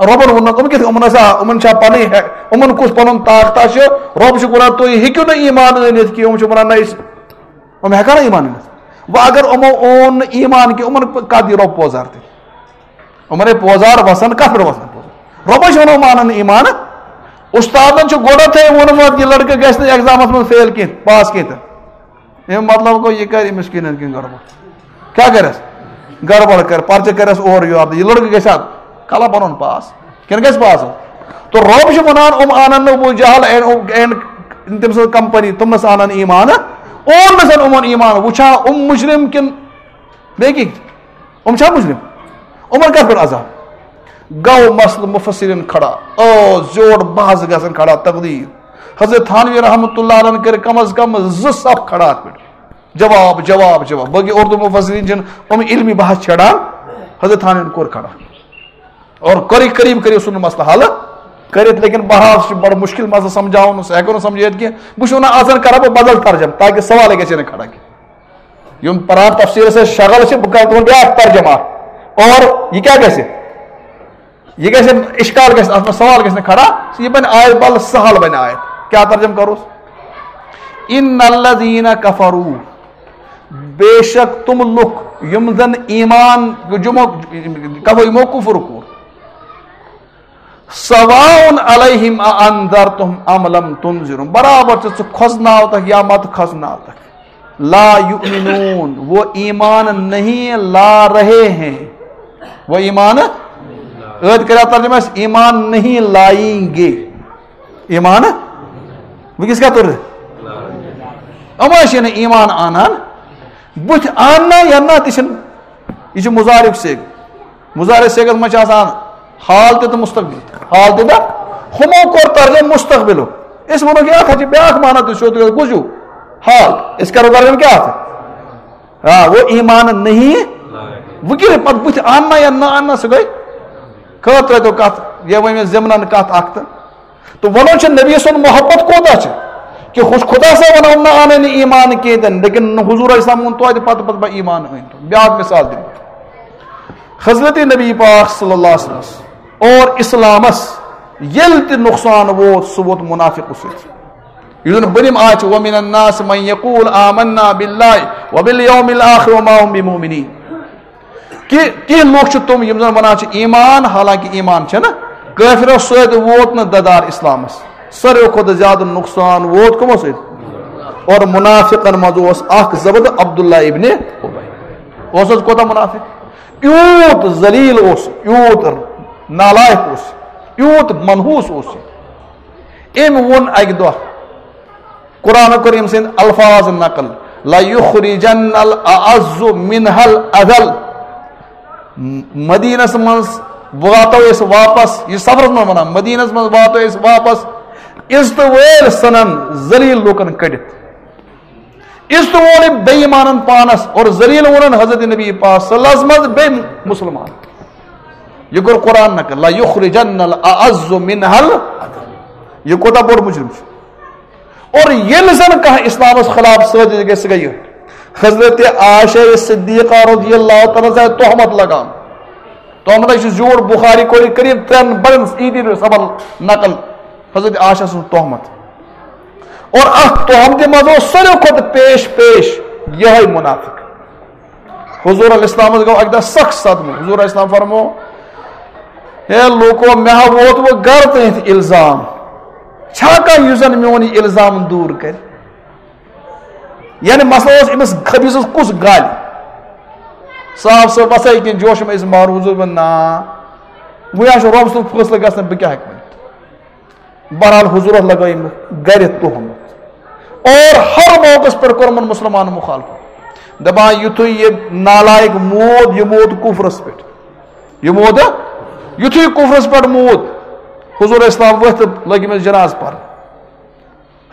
رۄبَن ووٚن نہٕ، یِم کِتھ، یِمَن ہسا، یِمَن چھا پَنٕنۍ ہے-، یِمَن کُس پَنُن طاقتا چھُ؟ رۄب چھُ وَنان، تُہۍ ہیٚکِو نہٕ ایٖمان أنِتھ کینٛہہ۔ یِم چھِ وَنان، نہ، أسۍ، یِم ہٮ۪کَن نہٕ ایٖمان أنِتھ۔ وۄنۍ اگر یِمو اون نہٕ ایٖمان کینٛہہ، یِمَن کَتھ دی رۄب پوزار تہِ؟ یِمَن ہے پوزار وَسَن، کَتھ پٮ۪ٹھ وَسَن پوزار؟ رۄبَن چھِ وَنان، یِم اَنَن نہٕ ایٖمان۔ اُستادَن چھُ گۄڈَتھٕے ووٚنمُت، یہِ لٔڑکہٕ گژھِ نہٕ ایگزامَس منٛز فیل کینٛہہ، پاس کینٛہہ تہٕ۔ اَمیُک مطلب گوٚو، یہِ کَرِ أمِس کِنۍ نَتہٕ کِنۍ گڑبڑ۔ کیٛاہ کَرٮ۪س؟ گڑبڑ کَرِ، پرچہٕ کَرٮ۪س اورٕ یورٕ۔ یہِ لٔڑکہٕ گژھِ ہا کَلا پَنُن پاس، کِنہٕ گژھِ پاس؟ تو رۄب چھُ وَنان، یِم اَنَن نہٕ ابو جہل اینڈ، اینڈ تٔمۍ سٕنٛز کمپنی، تِم نَس اَنَن ایٖمان۔ اون نَس یِمَن ایٖمان۔ وٕچھان یِم مُجرِم کِنہٕ بیٚیہِ کینٛہہ؟ یِم چھا مُجرِم؟ یِمَن کَتھ پٮ۪ٹھ عذاب؟ گوٚو مسلہٕ مُفسریٖن کھڑا، او زیوٗٹھ بحث گژھان کھڑا، تقدیٖر۔ حضرت تھانوی رحمتہ اللہ علیہ کٔرۍ کم از کم زٕ صف کھڑا اَتھ پٮ۪ٹھ۔ جواب، جواب، جواب۔ باقٕے اردو مفسرین چھِنہٕ یِم علمی بحث چھیڑان، حضرت تھانوین کوٚر کھڑا۔ اور قریب قریب کٔرِو سُہ مسلہٕ حل کٔرِتھ، لیکن بہرحال چھُ بڑٕ مُشکل مسلہٕ سمجھاوُن، سُہ ہٮ۪کو نہٕ سمجھٲیِتھ کینٛہہ۔ بہٕ چھُس وَنان، آز کَرٕ بہٕ بدل ترجمہٕ تاکہِ سوالٕے گژھِ نہٕ کھڑا کینٛہہ۔ یِم پران تفسیٖرس سۭتۍ شغل چھِ، بہٕ کَرٕ تِمن بیٛاکھ ترجمہٕ۔ اور یہِ کیٛاہ گژھِ؟ یہِ گژھِ، اِشکال گژھِ، اَتھ منٛز سوال گژھِ نہٕ کھڑا، یہِ بَنہِ آیت بل سہل بَنہِ آیت۔ کیٛاہ ترجمہٕ کَروس؟ ان الذین کفروا، بے شک تِم لُکھ یِم زَن ایمان، یِمو، کفر، یِمو کُفر کوٚر۔ سواء علیہم اانذرتہم ام لم تنذرہم، برابر چھُ ژٕ کھوژناوتکھ یا مت کھوژناوتکھ۔ لا یؤمنون، وہ ایمان نہیں لا رہے ہیں۔ وہ ایمان، عٲد کٔرِو ترجمہ، أسۍ ایمان نہیں لائیں گے۔ ایمان، وٕنکیٚس کیٛاہ توٚر؟ یِم ٲسۍ نہٕ ایمان اَنان، بٕتھِ اَننا یا نہ تہِ چھِنہٕ۔ یہِ چھُ مُضارِعُک صیغہٕ۔ مُضارِع صیغس منٛز چھِ آسان حال تہِ تہٕ مُستقبِل تہِ۔ حال تہِ تہٕ ہُمو کوٚر ترجمہٕ مُستقبِلُک۔ أسۍ وَنو کہِ اَتھ حظ چھِ بیٛاکھ معنہ تہِ سیوٚد، کُس ہیوٗ؟ حال۔ أسۍ کَرو ترجمہٕ کیٛاہ اَتھ؟ آ، وہ ایمان نہیں۔ وۄنۍ کیٛاہ پَتہٕ بٕتھِ اَننا یا نہ اَننا، سُہ گٔے خٲطرٕ تہٕ کَتھ، یہِ وۄنۍ مےٚ ضِمنَن کَتھ اَکھ تہٕ۔ تو وَنان چھِ نبی سُنٛد محبت کوٗتاہ چھِ، کہِ ہُہ خۄدا سا وَنان نہ اَنَے نہٕ ایمان کینٛہہ تہِ نہٕ، لیکن حضوٗرَس سلام ووٚن توتہِ پَتہٕ پَتہٕ بہٕ ایمان أنۍ تو۔ بیٛاکھ مثال دِمہٕ بہٕ۔ حضرت نبی پاک صلی اللہ علیہ وسلم اور اسلامس ییٚلہِ تہِ نۄقصان ووت، سُہ ووت مُنافِقہٕ سۭتۍ۔ یُس زَن بٔرِم آیت چھِ، وَمِنَ النَّاسِ مَن یَقُولُ آمَنَّا بِاللَّهِ وَبِالْيَوْمِ الْآخِرِ وَمَا هُم بِمُؤْمِنِیٖن۔ کہِ کینٛہہ لُکھ چھِ تِم یِم زَن وَنان چھِ ایمان، حالانکہِ ایمان چھَنہٕ۔ کٲفرو سۭتۍ ووت نہٕ دَدار اِسلامَس۔ ساروٕے کھۄتہٕ زیادٕ نۄقصان ووت کٕمو سۭتۍ؟ اور مُنافِقَن منٛز اوس اَکھ زَبردست عبداللہ ابن اُبَی۔ اوس حظ کوٗتاہ مُنافِق؟ یوٗت ذلیل اوس، یوٗت نالائق اوس، یوٗت منحوس اوس یہِ۔ أمۍ ووٚن اَکہِ دۄہ، قرآن کٔرِم سٕنٛدۍ الفاظ نقل، "لَيُخْرِجَنَّ الْأَعَزُّ مِنْهَا الْأَذَلَّ۔" مدینس منٛز واتو أسۍ واپس، یہِ سفرس منٛز ونان، مدینس منٛز واتو أسۍ واپس، عزتہٕ وٲلۍ ژھٕنن ذلیل لوٗکن کٔڑِتھ۔ عزت وول أمۍ بے ایمانن پانس اور ذلیل وونن حضرت نبی پاک صلی اللہ علیہ وسلم بیٚیہِ مسلمان۔ یہ کوٚر قرآن نقل، "لَيُخْرِجَنَّ الْأَعَزُّ مِنْهَا الْأَذَلَّ۔" یہ کوٗتاہ بوٚڑ مجرم چھُ۔ اور ییٚلہِ زن کانٛہہ اسلامس خلاف سٲزش گژھِ، سُہ گٔیہِ حضرت عائشہ صدیقہ رضی اللہ تعالیٰ عنہا تہمت لگان۔ تہمت چھُ زیوٗٹھ، بخاری کوٚر یہِ قریب ترٛٮ۪ن بڑٮ۪ن عیدی سبل نقل حضرت عائشہ سٕنٛز تہمت۔ اور اتھ تہمتہِ منٛز اوس ساروی کھۄتہٕ پیش پیش یِہوٚے منافق۔ حضور علیہ السلامس گوٚو اکہِ دۄہ سخ صدمہٕ۔ حضور علیہ السلام فرمو، "ہے لوٗکو، مےٚ ہا ووت وۄنۍ گرٕ تہٕ یتھ الزام۔ چھا کانٛہہ یُس زن میون یہِ الزام دوٗر کرِ؟" یعنی مسئلہ اوس أمِس خبیٖثس کُس گالہِ؟ صاف صٲب وسا یہِ کِنہٕ جوش منٛز أسۍ مارو؟ حضور ووٚن، "نا، وۄنۍ ہا چھُ رۄب سُنٛد فٲصلہٕ گژھان، بہٕ کیٛاہ ہٮ۪کہٕ ؤنِتھ؟" بہرحال حضورس لگٲوِم گرِ تہمت۔ اور ہر موقعس پٮ۪ٹھ کوٚرمَن مسلمانن مخالفت۔ دپان، یُتھُے یہِ نالایق موٗد، یہِ موٗد کفرس پٮ۪ٹھ۔ یہِ موٗد، یُتھُے کفرس پٮ۪ٹھ موٗد، حضور اسلام ؤتھۍ تہٕ لٔگۍ أمِس جنازٕ پرنہِ۔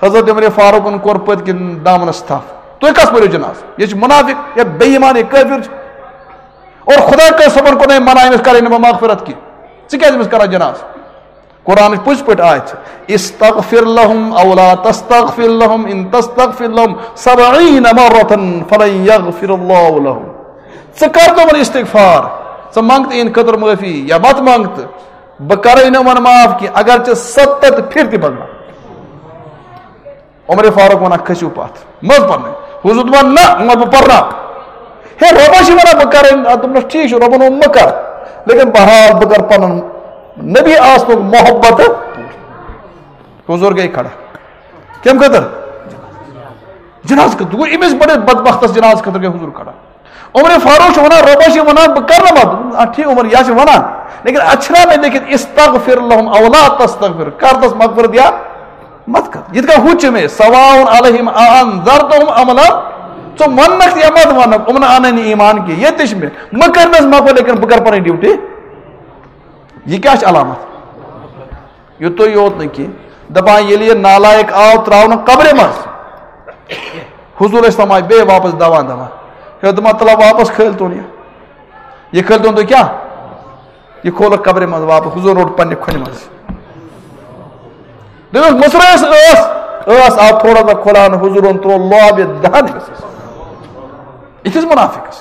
حضرت عمر فاروقن کوٚر پٔتۍ کِنۍ دامنس تھپھ۔ "تُہۍ کس پٔرِو جنازٕ؟ یہِ چھُ منافق، یہِ بے ایمان، یہِ کٲفر چھُ۔ اور خداے کٔر صٲبن کوٚر نہٕ أمۍ منع أمِس کرٕنۍ نہٕ مخفرت کینٛہہ۔ ژٕ کیٛازِ أمِس کران جنازٕ؟" قرآنٕچ پٔزۍ پٲٹھۍ آیت چھِ، "استغفر لهم او لا تستغفر لهم ان تستغفر لهم سبعین مرة فلن یغفر اللہ لهم۔" ژٕ کر تِمن استغفار، ژٕ منٛگ تہٕ یِہنٛدِ خٲطرٕ معٲفی یا مت منٛگ تہٕ بہٕ کرے نہٕ یِمن معاف کینٛہہ، اگر ژےٚ ستتھ پھِرِ تہِ منٛگناو۔ عمر فاروق ونان، "کھٔسِو پتھ، مہ حظ پرنٲیِو۔" حضور دپان، "نہ، وۄنۍ بہٕ پرناو۔" ہے، رۄبس چھِ ونان، "بہٕ کرے نہٕ۔" اتھ دوٚپنس، "ٹھیٖک چھُ، رۄبن ووٚن مہ کر، لیکن بہرحال بہٕ کرٕ پنُن نبی آسنُک محبت پوٗرٕ۔" حضور گٔے کھڑا۔ کمہِ خٲطرٕ؟ جنازٕ خٲطرٕ۔ دوٚپُن، أمِس بٔڑِس بدبختس جنازٕ خٲطرٕ گٔے حضور کھڑا۔ عمر فاروق چھُ ونان، رۄبس چھِ ونان، بہٕ کرٕ نہٕ پتہٕ۔ آ، ٹھیٖک، عمر، یہِ چھِ ونان، لیکن اتھ چھُنہ مےٚ لیکھِتھ، "استغفر لهم او لا تستغفر"، کر تس مغفرت یا مت کر۔ یِتھ کٔنۍ ہُہ چھُ مےٚ، "سواء علیہم اانذرتہم ام لم"، ژٕ ونکھ یا مت ونکھ، یِمن انن نہٕ ایمان کینٛہہ، ییٚتہِ تہِ چھِ مےٚ، مہ کٔرنس مغفرت، لیکن بہٕ کرٕ پنٕنۍ ڈیوٹی۔ یہِ کیٛاہ چھِ علامت؟ یُتُے یوت نہٕ کینٛہہ، دپان ییٚلہِ یہِ نالایق آو ترٛاونہٕ قبرِ منٛز، حضور اسلام آیہِ بیٚیہِ واپس دوان دوان، ہے دپان، "تلہ واپس کھٲلۍ تون یہِ، یہِ کھٲلۍ تون تُہۍ کیٛاہ؟" یہِ کھولُکھ قبرِ منٛز واپس، حضور روٚٹ پننہِ کھۄنہِ منٛز۔ دوٚپمَس، "مُژرٲیِس ٲس، ٲس آو تھوڑا سا کھُلاونہٕ"، حضورن ترٛوو لوب یہِ دہن أمِس۔ یِتھِس منافقس۔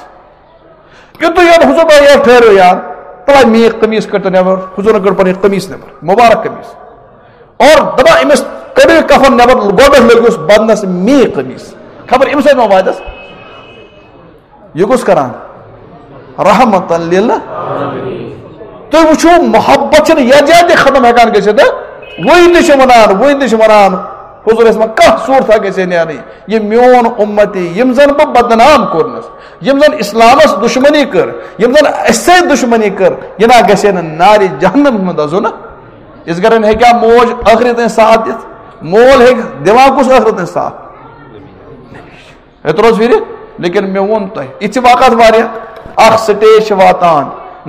یُتُے یوت حضور دوٚپ، "یارٕ ٹھٔہرِو یار، تَلہ میٖکھ قمیٖص کٔڑۍ تو نٮ۪بر"، حضورن کٔڑ پنٕنۍ قمیٖص نٮ۪بر، مُبارک قمیٖص۔ اور دَپان أمِس، "کٔڑِو یہِ کفن نٮ۪بر"، گۄڈٕ لٔگِس بدنس میٖکھ قمیٖص۔ خبر أمِس سۭتۍ ما واتٮ۪س؟ یہِ کُس کران؟ رحمتن لِل۔ تُہۍ وٕچھِو، محبت چھِنہٕ یَتھ جایہِ تہِ ختم ہٮ۪کان گٔژھِتھ، ہہ؟ وٕنۍ تہِ چھِ وَنان، وٕنۍ تہِ چھِ وَنان، حضور ٲسۍ وَنان، کانٛہہ صوٗرتھا گژھِ ہے نیرٕنۍ۔ یہِ میون اُمتی، یِم زَن بہٕ بدنام کوٚرنَس، یِم زَن اِسلامَس دُشمنی کٔر، یِم زَن اَسہِ سۭتۍ دُشمنی کٔر، یہِ نہ گژھِ ہے نہٕ نارِ جہنمَس منٛز دَزُن۔ یِژھ گرٮ۪ن ہیٚکیٛاہ موج ٲخرَس تام ساتھ دِتھ؟ مول ہیٚکہِ دِوان کُس ٲخرَس تام ساتھ؟ ہے، ترٛوو حظ پھِرِ، لیکن مےٚ ووٚن تۄہہِ، یِتھ چھِ واقعات واریاہ۔ اکھ سٹیج چھِ واتان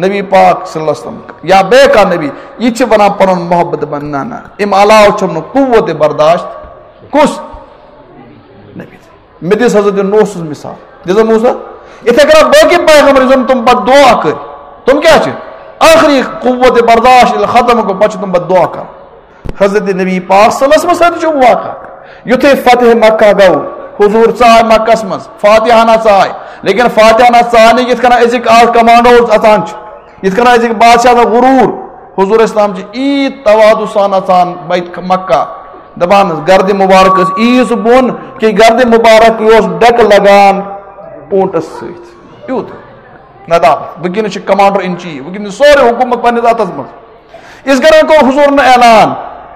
نبی پاک صلی اللہ علیہ وسلم یا بیٚیہِ کانٛہہ نبی، یہِ تہِ چھِ وَنان پَنُن محبت دَپان، "نہ، نہ، اَمہِ علاوٕ چھُم نہٕ قوت برداشت۔" کُس نبی؟ مےٚ دِژ حضرت نوح سٕنٛز مثال۔ دِژ حظ موسیٰ؟ یِتھَے کٔنۍ باقٕے پیغمبر، یُس زَن تِم پَتہٕ دُعا کٔرۍ، تِم کیٛاہ چھِ؟ ٲخری قوت برداشت ییٚلہِ ختم گوٚو، پَتہٕ چھِ تِم پَتہٕ دُعا کَران۔ حضرت نبی پاک صلی اللہ علیہ وسلم سۭتۍ چھُ واقعہ۔ یُتھُے فتح مکہ گوٚو، حضور ژاے مکس منٛز، فاتحہ ہنا ژاے، لیکن فاتحہ ہنا ژاے نہٕ یِتھ کٔنۍ أزِکۍ آز کمانڈوز اژان چھِ، یِتھ کٔنۍ أزِکۍ بادشاہ آسان غرور۔ حضور اسلام چھِ عیٖد تواضع سان اژان بیت مکہ، دپان، "گردِ مبارک ٲس عیٖز بۄن، کہِ گردِ مبارک اوس ڈٮ۪کہٕ لگان اوٗنٹس سۭتۍ۔" یوٗت ندامت۔ وٕنکیٚنس چھِ کمانڈر ان چیف، وٕنکیٚنس چھِ سورُے حکومت پننِس اتھس منٛز۔ اس گرن کوٚر حضورن اعلان،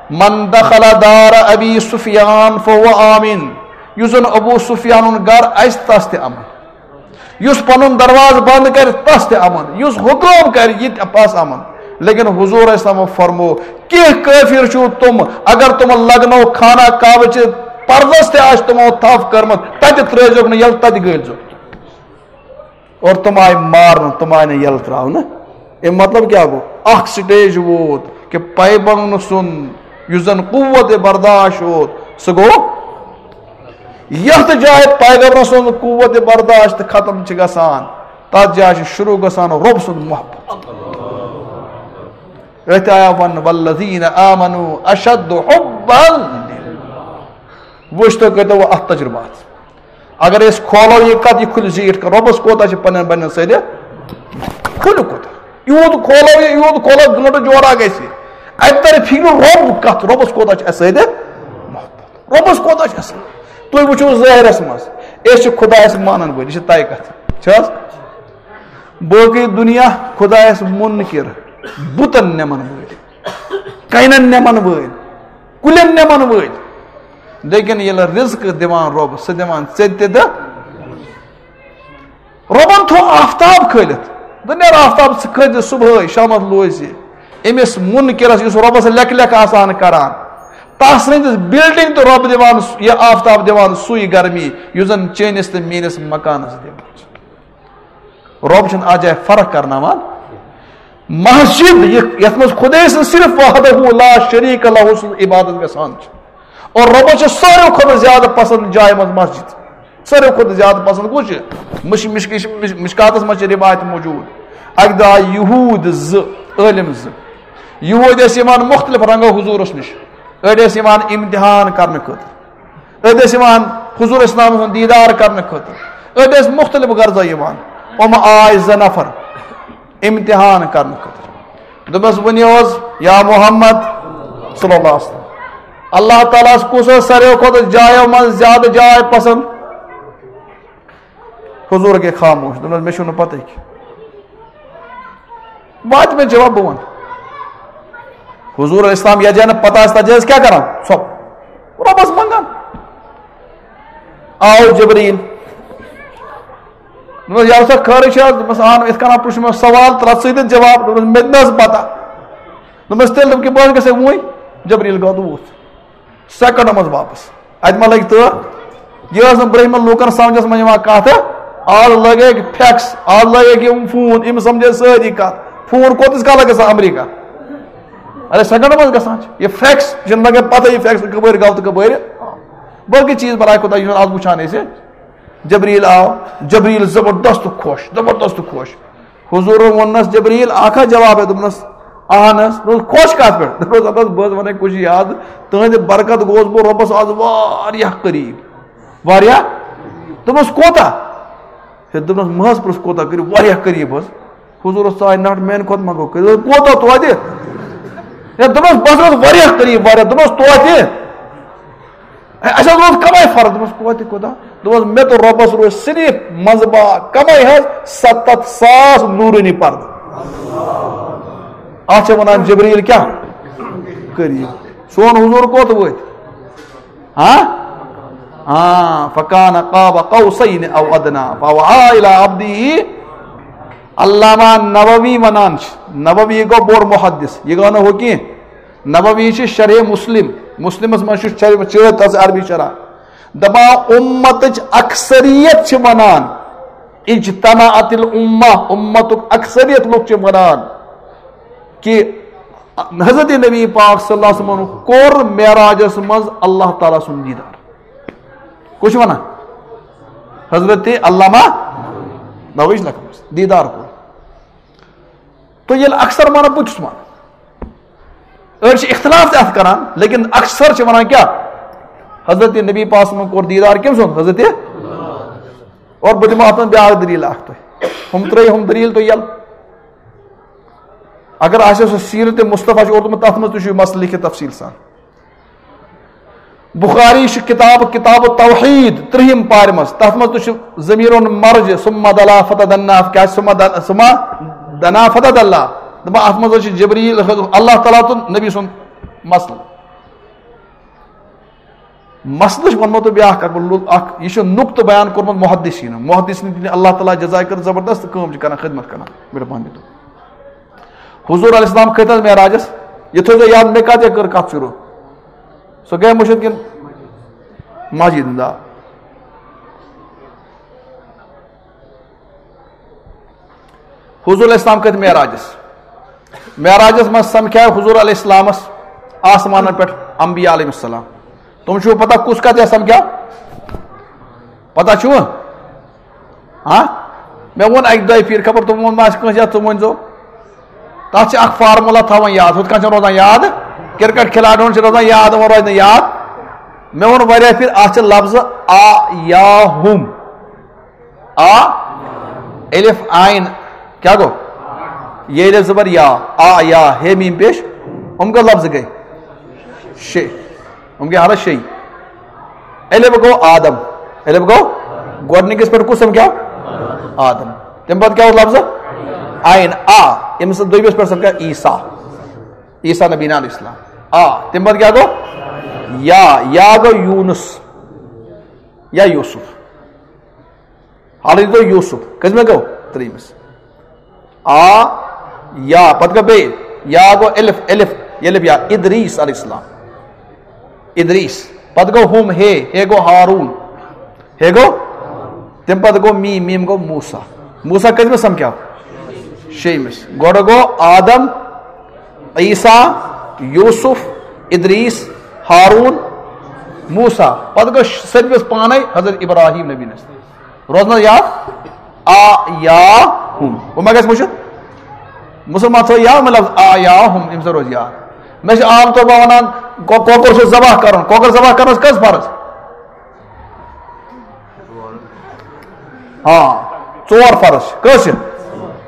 "من دخل دار ابی سفیان فهو آمن"، یُس زن ابو سفیانُن گرٕ آسہِ، تس تہِ امن۔ یُس پنُن دروازٕ بند کرِ، تس تہِ امن۔ یُس حکم کرِ، یہِ تہِ پس امن۔ لیکن حضور اسلام فرمو، کینٛہہ کٲفر چھِو تِم، اگر تِمن لگنو خانہ کعبہٕ چہِ پردس تہِ آسہِ تِمو تھپھ کٔرمٕژ، تتہِ ترٲوزیوکھ نہٕ یلہٕ، تتہِ گٲلۍزیوکھ۔ اور تِم آیہِ مارنہٕ، تِم آیہِ نہٕ یَلہٕ ترٛاونہٕ۔ اَمیُک مطلب کیٛاہ گوٚو؟ اَکھ سٹیج ووت کہِ پیغمبر سُنٛد یُس زَن قوت برداشت اوس، سُہ گوٚو۔ یتھ جایہِ پیغمبر سُنٛد قوت برداشت ختم چھِ گژھان، تتھ جایہِ چھُ شروع گژھان رۄب سُنٛد محبت۔ أتھۍ آیا وننہٕ، "والذین آمنوا اشد حبا للہ۔" وٕچھ، تُہۍ کٔرۍتو وۄنۍ اتھ تجربہٕ اتھ۔ اگر أسۍ کھولو یہِ کتھ، یہِ کھُلہِ زیٖٹھ کتھ، رۄبس کوتاہ چھِ پننٮ۪ن بندن سۭتۍ کھُلہِ کوتاہ۔ یوٗت کھولو یہِ، یوٗت کھولو، گٲنٹہٕ جورا گژھِ۔ اتہِ ترِ فِکرِ رۄب کتھ، رۄبس کوتاہ چھِ اسہِ سۭتۍ محبت۔ رۄبس کوتاہ چھِ اَصٕل۔ تُہۍ وٕچھِو ظٲہرس منٛز، أسۍ چھِ خۄدایس مانن وٲلۍ، یہِ چھِ طے کتھ۔ چھِ حظ؟ باقٕے دُنیا خۄدایس مُنکِر، بُتن نِمن وٲلۍ، کَنٮ۪ن نِمن وٲلۍ، کُلٮ۪ن نِمن وٲلۍ۔ لیکن ییٚلہِ رِزقہٕ دِوان رۄب، سُہ دِوان ژےٚ تہِ تہٕ رۄبن تھوٚو آفتاب کھٲلِتھ۔ دوٚپ، "نیرٕ آفتاب، ژٕ کھٲلۍ زِ صبحٲے، شامس لوزِ زِ أمِس مُنکِرس، یُس رۄبس لیکھ لیکھ آسان کران، تس سٕنٛدِس building تہٕ رۄب دِوان، یہِ آفتاب دِوان سُے گرمی، یُس زن چٲنِس تہٕ میٲنِس مکانس دِوان چھُ۔" رۄب چھُنہٕ اتھ جایہِ فرق کرناوان۔ مسجد، یہِ، یتھ منٛز خۄداے سٕنٛز صرف وحدہ لا شریک لہ سٕنٛز عبادت گژھان چھِ۔ اور رۄبس چھِ ساروی کھۄتہٕ زیادٕ پسند جایہِ منٛز مسجد۔ ساروی کھۄتہٕ زیادٕ پسند کُس چھُ؟ مش-، مشک-، مش-، مشکاتس منٛز چھِ روایت موجود۔ اکہِ دۄہ آیہِ یہوٗد زٕ، عٲلم زٕ۔ یہوٗدۍ ٲسۍ یِوان مختلف رنگو حضوٗرس نِش۔ أڑۍ ٲسۍ یِوان امتحان کرنہٕ خٲطرٕ۔ أڑۍ ٲسۍ یِوان حضور اسلام سُنٛد دیٖدار کرنہٕ خٲطرٕ۔ أڑۍ ٲسۍ مختلف غرضو یِوان۔ یِم آے زٕ نفر امتحان کرنہٕ خٲطرٕ۔ دوٚپمَس، "ؤنِو حظ یا محمد صلی اللہ علیہ وسلم، اللہ تعالیٰ ہَس کُس ٲس ساروِیو کھۄتہٕ جایو منٛز زیادٕ جاے پسنٛد؟" حضور گٔے خاموش، دوٚپنَس، "مےٚ چھُنہٕ پَتہٕے کینٛہہ۔ واتہِ مےٚ جواب، بہٕ وَنہٕ۔" حضور علیہ السلام یَتھ جایہِ نہٕ پَتہ آسہِ، تَتھ جایہِ ٲسۍ کیٛاہ کَران؟ ژھۄپ۔ رۄبَس منٛگان۔ آو جبریٖل۔ دوٚپمَس، "یارٕ سا، خٲرٕے چھِ حظ؟" دوٚپمَس، "اَہَن، یِتھ کَنۍ پرٛژھ مےٚ سوال، تہٕ رَٹھ ژٕے تہِ جواب۔" دوٚپمَس، "مےٚ تہِ نہ حظ پَتہ۔" دوٚپمَس، "تیٚلہِ دوٚپ کہِ بہٕ حظ گژھٕ وۄنۍ۔" جبریٖل گوٚو تہٕ ووٚتھ۔ سیکنڈو منٛز واپس۔ اتہِ ما لگہِ تٲر؟ یہِ ٲس نہٕ برٛونٛہمٮ۪ن لوٗکن سمجھس منٛز یِوان کتھ۔ آز لٲگۍ فیکس، آز لٲگۍ یِم فون، یِم سمجھے سٲری کتھ۔ فون کوٚت کالس گژھان امریکہ؟ ارے سیکنڈو منٛز گژھان چھِ۔ یہِ فیکس چھِنہٕ لگان پتہ، یہِ فیکس کپٲرۍ گوٚو تہٕ کپٲرۍ۔ بلکہِ چیٖز بناے خۄدا، یہِ چھُنہٕ آز وٕچھان أسۍ۔ جبریٖل آو، جبریٖل زبردست خۄش، زبردست خۄش۔ حضورن ووٚننس، "جبریٖل، اکھ ہا جواب ہے؟" دوٚپنس، "اہن حظ۔" دوٚپنس، "خۄش کتھ پٮ۪ٹھ؟" دوٚپنس، "اَدٕ حظ، بہٕ حظ ونے کُچھ یاد، تُہنٛدِ برکت گوس بہٕ رۄبس آز واریاہ قریب۔" "واریاہ؟" دوٚپنس، "کوٗتاہ؟" ہے، دوٚپنس، "مہ حظ پرٛژھ کوٗتاہ قریب، واریاہ قریب حظ۔" حضورس ژاے نٹھ، "میانہِ کھۄتہٕ ما گوٚو قریب؟" "کوٗتاہ توتہِ؟" ہے، دوٚپنس، "بس حظ واریاہ قریب، واریاہ۔" دوٚپنس، "توتہِ؟" اے، اَسہِ حظ اوس کمٕے فرق۔ دوٚپمَس، "کوتہِ کوٗتاہ؟" دوٚپمَس، "مےٚ تہٕ رۄبَس روزِ صرف منٛزٕ باگ کمٕے حظ، ستتھ ساس نوٗرٲنی پردٕ۔ اَتھ چھِ وَنان جبریٖل کیٛاہ؟ قریٖب۔" سون حضوٗر کوٚت وٲتۍ؟ ہاں؟ ہاں، فکان قاب قوسین او ادنا فاوحا الی عبدہ۔ علامہ نووی وَنان چھِ، نووی گوٚو بوٚڑ محدث، یہِ گوٚو نہٕ ہُہ کینٛہہ۔ نووی چھِ شرح مسلم، مسلمس منٛز چھُ شرح، چٲتۍ تَس عربی شرح۔ دَپان اُمتٕچ اکثریت چھِ وَنان، اجتمعت الامہ، اُمتُک اکثریت لُکھ چھِ وَنان کہِ حضرت نبی پاک صلی اللہ علیہ وسلمن کوٚر معراجس منٛز اللہ تعالیٰ سُنٛد دیٖدار۔ کُس چھُ وَنان؟ حضرت علامہ نووی چھِ لیکھان، دیٖدار کوٚر۔ تو ییٚلہِ اکثر مانان، بہٕ تہِ چھُس مانان۔ أڑۍ چھِ اختلاف تہِ اَتھ کران، لیکن اکثر چھِ وَنان کیٛاہ؟ حضرت نبی پاک صلی اللہ علیہ وسلم کوٚر دیٖدار کٔمۍ سُنٛد؟ حضرت۔ اور بہٕ دِمہٕ اَتھ منٛز بیٛاکھ دٔلیٖل اَکھ تۄہہِ۔ ہُم ترٛٲیِو ہُم دٔلیٖل تُہۍ یَلہٕ۔ اگر آسہِ سُہ سیٖرت مصطفیٰ چھُ اوٚرمُت، تَتھ منٛز تہِ چھُ یہِ مسلہٕ لیکھِتھ تفصیٖل سان۔ بخاری چھُ کتاب، کتاب التوحید، ترٛہِم پارِ منٛز، تتھ منٛز تہِ چھُ ضمیرُن مرج، ثم دنا فتدنا، کیٛاہ ثم دن-، ثم دنا فتدلا؟ دپان اتھ منٛز حظ چھُ جبریل، اللہ تعالیٰ تہٕ نبی سُنٛد مسلہٕ۔ مسلہٕ چھُ ووٚنمُت بیٛاکھ اکھ، بہٕ لُل-، اکھ، یہِ چھُ نُقطہٕ بیان کوٚرمُت محدثینو۔ محدثین دِنۍ اللہ تعالیٰ جزایہِ کٔر زبردست کٲم، چھِ کران، خدمت کران۔ مہربٲنی تُہۍ۔ حضور علیہ السلام کھٔتۍ حظ معراجس؟ یہِ تھٲوزیو یاد، مےٚ کتہِ کٔر کتھ شروع؟ سۄ گٔے مٔشِتھ کِنہٕ مسجد ہُنٛد؟ آ۔ حضور علیہ السلام کھٔتۍ معراجس۔ معراجس منٛز سمکھیو حضور علیہ السلامس آسمانن پٮ۪ٹھ انبیاء علیہ السلام۔ تِم چھِو پتہ کُس کتھ یا سمکھیو؟ پتہ چھُوٕ؟ ہاں؟ مےٚ ووٚن اَکہِ دۄیہِ پھِرِ، خبر تِمو ووٚن ما آسہِ کٲنٛسہِ، یا ژٕ ؤنۍزیو۔ تَتھ چھِ اَکھ فارمولا تھاوان یاد، ہُتھ کٔنۍ چھَنہٕ روزان یاد۔ کرکٹ کھلاڑٮ۪ن چھِ روزان یاد، یِمَن روزِ نہٕ یاد۔ مےٚ ووٚن واریاہ پھِرِ، اَتھ چھِ لفظ آ یا ہُم۔ آ، الف عین، کیٛاہ گوٚو؟ ییٚلہِ زبر یا، آ یا، ہے میم پیش، یِم کٔژ لفظ گٔے؟ شےٚ۔ یِم گٔے حالس شےٚ۔ الف گوٚو آدم۔ الف گوٚو گۄڈٕنِکِس پٮ۪ٹھ کُس سمکھیو؟ آدم۔ تَمہِ پتہٕ کیٛاہ اوس لفظ؟ عین، آ۔ ییٚمہِ سۭتۍ دوٚیمِس پٮ۪ٹھ سمکھیو عیسیٰ۔ عیسیٰ نبینا علیہ السلام۔ آ۔ تَمہِ پتہٕ کیٛاہ گوٚو؟ یا۔ یا گوٚو یوٗنس یا یوسف۔ حالٕے گوٚو یوسف۔ کٔژمہِ گوٚو؟ ترٛیٚیِمِس۔ آ، یا، پتہٕ گوٚو بیٚیہِ، یا گوٚو الف، الف، الف یا، ادریس علیہ السلام۔ ادریس۔ پتہٕ گوٚو ہُم، ہے، ہے گوٚو ہارون۔ ہے گوٚو؟ تَمہِ پتہٕ گوٚو میم، میم گوٚو موسیٰ۔ موسیٰ کٔژمِس سمکھیو؟ شیٚیِمِس۔ گۄڈٕ گوٚو آدم، عیسیٰ، یوسف، ادریس، ہارون، موسیٰ۔ پتہٕ گوٚو سٔتمِس پانے حضرت ابراہیم نبی نس۔ روزنس یاد؟ آ یا ہُم۔ وۄنۍ ما گژھِ مُشِتھ؟ مُسلمان تھٲو یاد، مطلب، آ یا ہُم، ییٚمہِ سۭتۍ روزِ یاد۔ مےٚ چھِ عام طور پٲٹھۍ وَنان، کو-، کۄکُر چھُ ذبح کَرُن۔ کۄکُر ذبح کَرنَس کٔژ فرض؟ ہاں، ژور فرض چھِ۔ کٔژ چھِ؟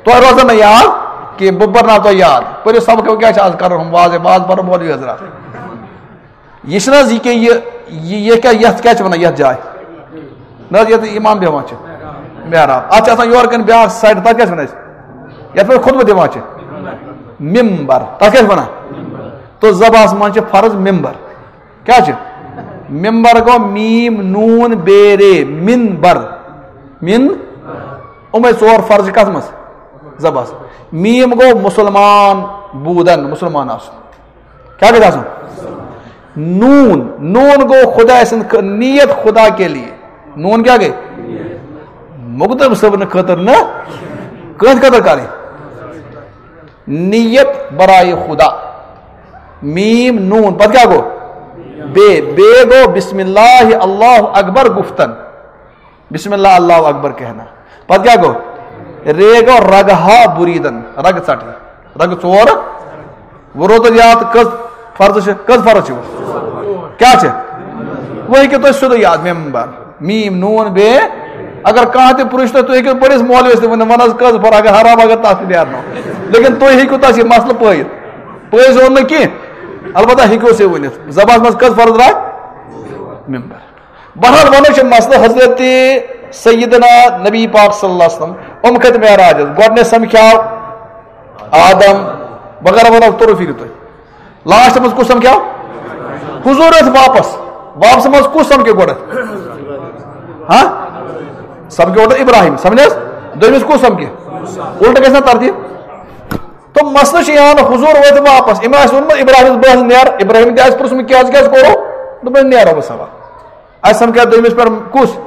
تۄہہِ روزن نہٕ یاد کینٛہہ، بہٕ پَرناو تۄہہِ یاد۔ پٔرِو سبق، کیٛاہ چھِ آز کَرُن؟ ہُم واز، واز پَرو مولوی حضرات۔ یہِ چھِنہٕ حظ یہِ کیٛاہ، یہِ، یہِ، یہِ کیٛاہ، یَتھ کیٛاہ چھِ وَنان یَتھ جایہِ؟ نہ حظ، یَتھ اِمام بیٚہوان چھِ۔ محراب۔ اَتھ چھِ آسان یورٕ کَنۍ بیٛاکھ side، تَتھ کیٛاہ چھِ وَنان أسۍ؟ یَتھ پٮ۪ٹھ خطبہٕ دِوان چھِ۔ ممبر۔ تَتھ کیٛاہ چھِ وَنان؟ تو ذبحَس منٛز چھِ فرض ممبر۔ کیٛاہ چھِ؟ ممبر گوٚو میم نوٗن بے رے، مِن بر۔ مِن۔ یِمَے ژور فرض چھِ کَتھ منٛز؟ ذبحَس۔ میم گوٚو مُسلمان، بوٗدَن، مُسلمان آسُن۔ کیٛاہ گژھِ آسُن؟ نوٗن۔ نوٗن گوٚو خۄداے سٕنٛد خٲ-، نیت خدا کے لیے۔ نوٗن کیٛاہ گٔے؟ مقدم صٲبنہٕ خٲطرٕ نہٕ، کٕہٕنٛدِ خٲطرٕ کَرٕنۍ۔ نیت برائے خدا۔ میم نوٗن۔ پَتہٕ کیٛاہ گوٚو؟ بے۔ بے گوٚو بسم اللہ اللہ اکبر گُفتن۔ بسم اللہ اللہ اکبر کہنا۔ پتہٕ کیٛاہ گوٚو؟ رے گوٚو رگہٕ ہا بُریٖدن، رگہٕ ژٹٕنۍ۔ رگہٕ ژور۔ وۄنۍ روٗد تۄہہِ یاد کٔژ فرض چھِ؟ کٔژ فرض چھِ وۄنۍ؟ کیٛاہ چھِ؟ وۄنۍ ہیٚکِو تۄہہِ سیوٚدُے یاد، ممبر، میم، نوٗن، بے۔ اگر کانٛہہ تہِ پرٛژھِ تۄہہِ، تُہۍ ہیٚکِو بٔڑِس مولوِس تہِ ؤنِتھ، وَن حظ کٔژ فرض، اگر حرام، اگر تَتھ تہِ نیرنو۔ لیکِن تُہۍ ہیٚکِو تَس یہِ مسلہٕ پٲیِتھ۔ پٲیِتھ زون نہٕ کینٛہہ، البتہ ہیٚکِو سُہ ؤنِتھ۔ ذبحس منٛز کٔژ فرض درٛاے؟ ممبر۔ بہرحال، وَنو چھِ مسلہٕ حضرت سیدنا نبی پاک صلی اللہ علیہ وسلم، یِم کھٔتۍ معراجس۔ گۄڈٕنیتھ سمکھیو آدم وغیرہ وغیرہ، توٚرُو فِکرِ تۄہہِ؟ لاسٹس منٛز کُس سمکھیو؟ حضور ٲسۍ واپس۔ واپس منٛز کُس سمکھِ گۄڈٕ؟ ہاں؟ سمکھِ گۄڈٕ ابراہیم، سمجھ حظ؟ دوٚیمِس کُس سمکھِ؟ الٹہٕ گژھِ نا ترتیب۔ تہٕ مسلہٕ چھُ یِوان، حضور وٲتۍ واپس، أمۍ آسہِ ووٚنمُت ابراہیمس، "بہٕ حظ نیرٕ"، ابراہیم تہِ آسہِ پرٛژھمُت، "کیٛازِ، کیٛازِ کوٚرُو؟" دوٚپُن، "نیرو بہٕ سوا۔" اَسہِ سمکھیو دوٚیمِس پٮ۪ٹھ کُس؟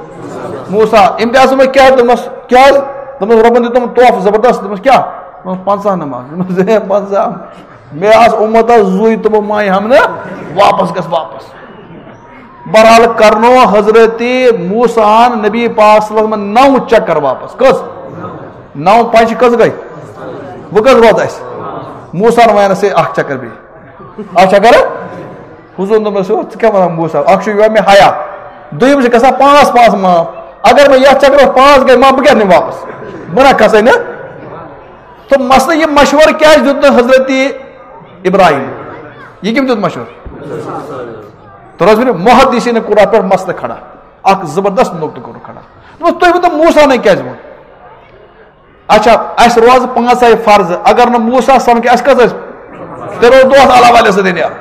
موسیٰ۔ أمۍ تہِ آسہِ ووٚنمُت، "کیٛاہ؟" دوٚپمَس، "کیٛازِ؟" دوٚپمَس، "رۄبَن دیُت تِمَن تحفہٕ زبردست۔" دوٚپمَس، "کیٛاہ؟" دوٚپمَس، "پنٛژاہ نماز۔" دوٚپمَس، "ہے، پنٛژاہ؟" مےٚ آسہٕ اُمتَس زُوٕے تِمو ماے ہم نہٕ واپس گژھ واپس۔ بہرحال کرنو حضرت موسیٰ ہن نبی پاک صلی اللہ علیہ وسلم نو چکر واپس۔ کٔژ؟ نو پنچ کٔژ گٔے؟ وۄنۍ کٔژ روٗد اَسہِ؟ موسیٰ ہن وَنہِ سا اکھ چکر بیٚیہِ۔ اکھ چکر؟ حضور دوٚپنَس، "ژٕ کیٛاہ وَنان موسیٰ؟ اکھ چھُ یِوان مےٚ حیا۔ دوٚیِم چھِ گژھان پانٛژھ پانٛژھ معاف۔ اگر مےٚ یَتھ چکرَس پانٛژھ گٔے معاف، بہٕ کیٛاہ نِمہٕ واپس؟ بہٕ نہ کھسَے نہٕ۔" تہٕ مسلہٕ یہِ مشورٕ کیٛازِ دیُت نہٕ حضرت ابراہیم؟ یہِ کٔمۍ دیُت مشورٕ؟ تۄہہِ روزِ وۄنۍ محدثین کوٚر اَتھ پٮ۪ٹھ مسلہٕ کھڑا، اکھ زبردست نقطہٕ کوٚر کھڑا۔ دوٚپُس، "تُہۍ ؤنۍتو موسیٰ نے کیٛازِ ووٚن؟" اچھا، اَسہِ روزٕ پانٛژے فرضہٕ، اگر نہٕ موسیٰ سمکھِ، اَسہِ کَس ٲسۍ؟ تیٚلہِ روز دۄہَس اللہ والٮ۪س سۭتۍ نیران۔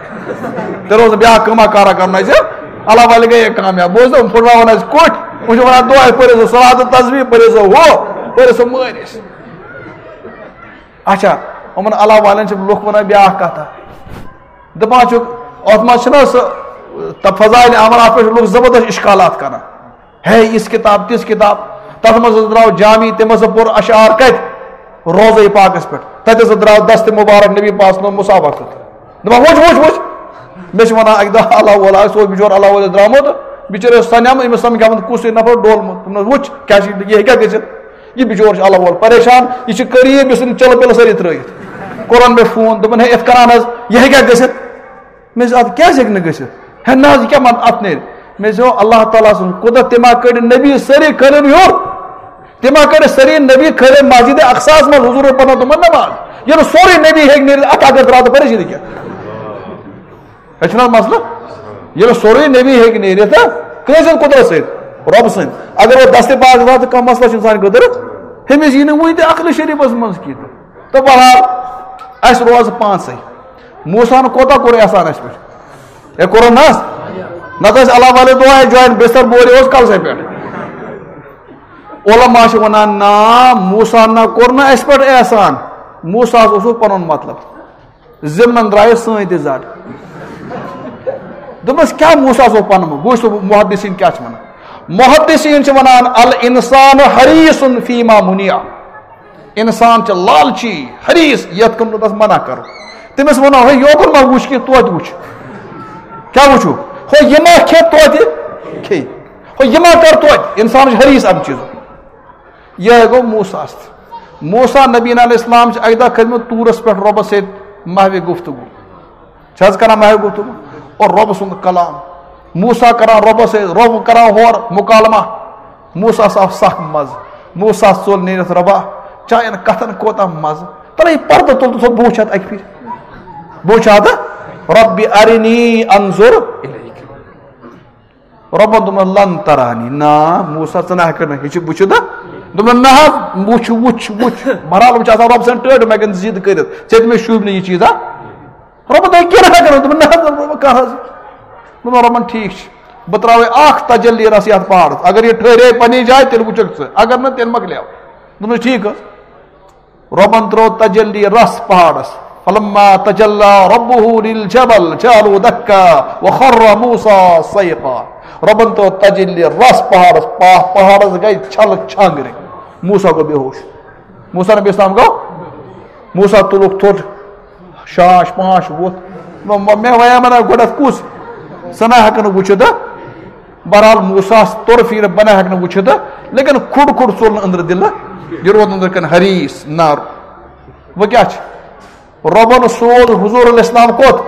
تیٚلہِ روز نہٕ بیٛاکھ کٲمہ کارا کَرُن اَسہِ، اللہ والہِ گٔیے کامیاب۔ بوٗزتھٕ، یِم پھٕٹراوان اَسہِ کوٚٹھۍ، یِم چھِ وَنان، "دۄہَے پٔرِو سا صلات و تسبیح، پٔرِو سا ہُہ، پٔرِو سا مٲرِس۔" اچھا، یِمَن اللہ والٮ۪ن چھِ لُکھ وَنان بیٛاکھ کَتھا۔ دَپان چھُکھ، اَتھ منٛز چھِنہ سُہ، تہٕ فضائل اعمال، اَتھ پٮ۪ٹھ چھِ لُکھ زبردست اِشکالات کَران۔ ہے، یِژھ کِتاب، تِژھ کِتاب، تَتھ منٛز حظ درٛاو جامی، تٔمۍ ہسا پوٚر اشعار کَتہِ؟ روضے پاکَس پٮ۪ٹھ۔ تَتہِ ہسا درٛاو دستِ مُبارک نبی پاک صلی اللہ علیہ وسلم مصحفَس پٮ۪ٹھ۔ دَپان، "وٕچھ، وٕچھ، وٕچھ۔" مےٚ چھِ وَنان اَکہِ دۄہ اللہ وولا، سُہ اوس بِچور اللہ وولے درٛامُت، بِچٲرۍ اوس سَنیٛامُت، أمِس سَمکھیٛومُت کُس ہیوٗ نفر ڈولمُت۔ دوٚپنَس، وٕچھ، کیٛاہ چھِ، یہِ ہیٚکیٛاہ گٔژھِتھ؟ یہِ بِچور چھُ اَلہٕ وول پریشان، یہِ چھُ قریٖب، یُس أمِس چلہٕ پِلہٕ سٲری ترٛٲیِتھ۔ کوٚرُن مےٚ فون، دوٚپُن، ہے، یِتھ کَنان حظ، یہِ ہیٚکیٛاہ گٔژھِتھ؟ مےٚ دوٚپُس، اَدٕ کیٛازِ ہیٚکہِ نہٕ گٔژھِتھ؟ ہے نہ حظ، یہِ کیٛاہ وَنہٕ اَتھ نیرِ؟ مےٚ دوٚپُس، اللہ تعالیٰ سٕنٛز قۄدرت، تٔمۍ ما کٔڑۍ نبی سٲری کھٲلِن ہیوٚر؟ تٔمۍ ما کٔڑۍ سٲری نبی کھٲلِن مسجد اقصاہَس منٛز، حضوٗرَن پَرنٲو تِمَن نٮ۪ماز؟ ییٚلہِ سورُے نبی ہیٚکہِ نیٖرِتھ، اَتھ اگر درٛاو تہٕ پریشٲنی کیٛاہ؟ ہے چھُنہٕ حظ مسلہٕ؟ ییٚلہِ سورُے نبی ہیٚکہِ نیٖرِتھ، تہٕ کٲنٛسہِ ہٕنٛز قۄدرت سۭتۍ؟ رۄبہٕ سٕنٛدۍ۔ اگر وۄنۍ دستہِ پاک درٛاو تہٕ کانٛہہ مسلہٕ چھُنہٕ سانہِ خٲطرٕ، ہُمِس یی نہٕ وٕنہِ تہِ عقلِ شریٖفَس منٛز کینٛہہ تہٕ۔ تہٕ بہرحال، اَسہِ روزٕ پانٛژَے۔ موسیٰ ہَن کوتاہ کوٚر احسان اَسہِ پٮ۪ٹھ؟ ہے، کوٚرُن نہ حظ؟ نَتہٕ ٲسۍ اللہ والے دۄہ ہے جویِن بستر بورِ اوس کَلسَے پٮ۪ٹھ۔ علماء چھِ وَنان، نا، موسیٰ ہَن نہ کوٚر نہٕ اَسہِ پٮ۪ٹھ احسان۔ موسیٰ ہَس اوسُکھ پَنُن مطلب۔ ضِمنَن درٛایہِ سٲنۍ تہِ زَڈ۔ دوٚپمَس، کیٛاہ موسیٰ ہَس اوس پَنُن؟ بہٕ وٕچھٕ محدثیٖن کیٛاہ چھِ وَنان۔ محدثیٖن چھِ وَنان، الانسان حریص فیما منع۔ اِنسان چھُ لالچی، حریص، یَتھ کُن نہٕ تَس منع کَرو۔ تٔمِس وَنو، ہے، یوکُن ما وٕچھ کینٛہہ، توتہِ وٕچھ۔ کیٛاہ وٕچھو؟ ہو، یہِ ما کھے، توتہِ کھے۔ ہو، یہِ ما کَر، توتہِ۔ اِنسان چھُ حریص اَمہِ چیٖزُک۔ یِہوٚے گوٚو موسیٰ ہَس تہِ۔ موسیٰ نبی علیہ السلام چھِ اَکہِ دۄہ کھٔتۍمٕتۍ طوٗرَس پٮ۪ٹھ رۄبَس سۭتۍ محوِ گفتگو۔ چھِ حظ کران محوِ گفتگو؟ اور رۄب سُنٛد کلام۔ موسیٰ کران رۄبَس سۭتۍ، رۄب کران ہورٕ مُکالمہ۔ موسیٰ ہَس آو سخ مَزٕ۔ موسیٰ ہَس ژوٚل نیٖرِتھ، رۄبا، چانٮ۪ن کَتھَن کوتاہ مَزٕ۔ تَلے یہِ پردٕ تُل تہٕ تھوٚد بوٗچھ اَتھ اَکہِ پھِرِ۔ بوٗچھ اَتھ، رب ارنی انظر الیک۔ رۄبن دوٚپمَس، لن ترانی۔ نا، موسیٰ، ژٕ نہ ہٮ۪کَکھ نہٕ، یہِ چھُ، بہٕ چھُس نہ۔ دوٚپُن، نہ حظ، وٕچھ، وٕچھ، وٕچھ۔ بہرحال، وۄنۍ چھِ آسان رۄب سٕنٛز ٹٲٹھ، مےٚ کَتہِ زِد کٔرِتھ، ژےٚ تہِ مےٚ شوٗبہِ نہٕ یہِ چیٖز، ہا؟ رۄبن دوٚپ، کینٛہہ نہ کَرو۔ دوٚپُن، نہ حظ، دوٚپُن، کَر حظ۔ دوٚپُن، رۄبن، ٹھیٖک چھُ، بہٕ ترٛاوَے اَکھ تجلی رَس یَتھ پہاڑَس۔ اگر یہِ ٹھٔہرے پنٛنہِ جایہِ، تیٚلہِ وٕچھَکھ ژٕ، اگر نہٕ، تیٚلہِ مۄکلیو۔ دوٚپُن، ٹھیٖک حظ۔ رۄبن ترٛوو تجلی رس پہاڑس۔ فلما تجلی ربه للجبل جعله دكا وخر موسى صعقا۔ رۄبن ترٛوو تجلی رس پہاڑس، پا-، پہاڑس گٔے چھلہٕ چھانگرِ۔ موسیٰ گوٚو بے ہوش۔ موسیٰ نبی اسلام گوٚو۔ موسیٰ تُلُکھ تھوٚد، شاش پانٛچ ووٚتھ۔ مےٚ، مےٚ وَنے مےٚ نہ گۄڈٕنٮ۪تھ کُس؟ سُہ نہ ہٮ۪کہٕ نہٕ وٕچھِتھ۔ بہرحال، موسیٰ ہَس توٚر فِکرِ، بہٕ نہ ہٮ۪کہٕ نہٕ وٕچھِتھ، لیکن کھُڑ کھُڑ ژوٚل نہٕ أنٛدرٕ دِلہٕ، یہِ روٗد أنٛدرٕ کَنہِ حریٖص نارٕ۔ وۄنۍ کیٛاہ چھِ؟ رۄبَن سوز حضور علیہ السلام کوٚت؟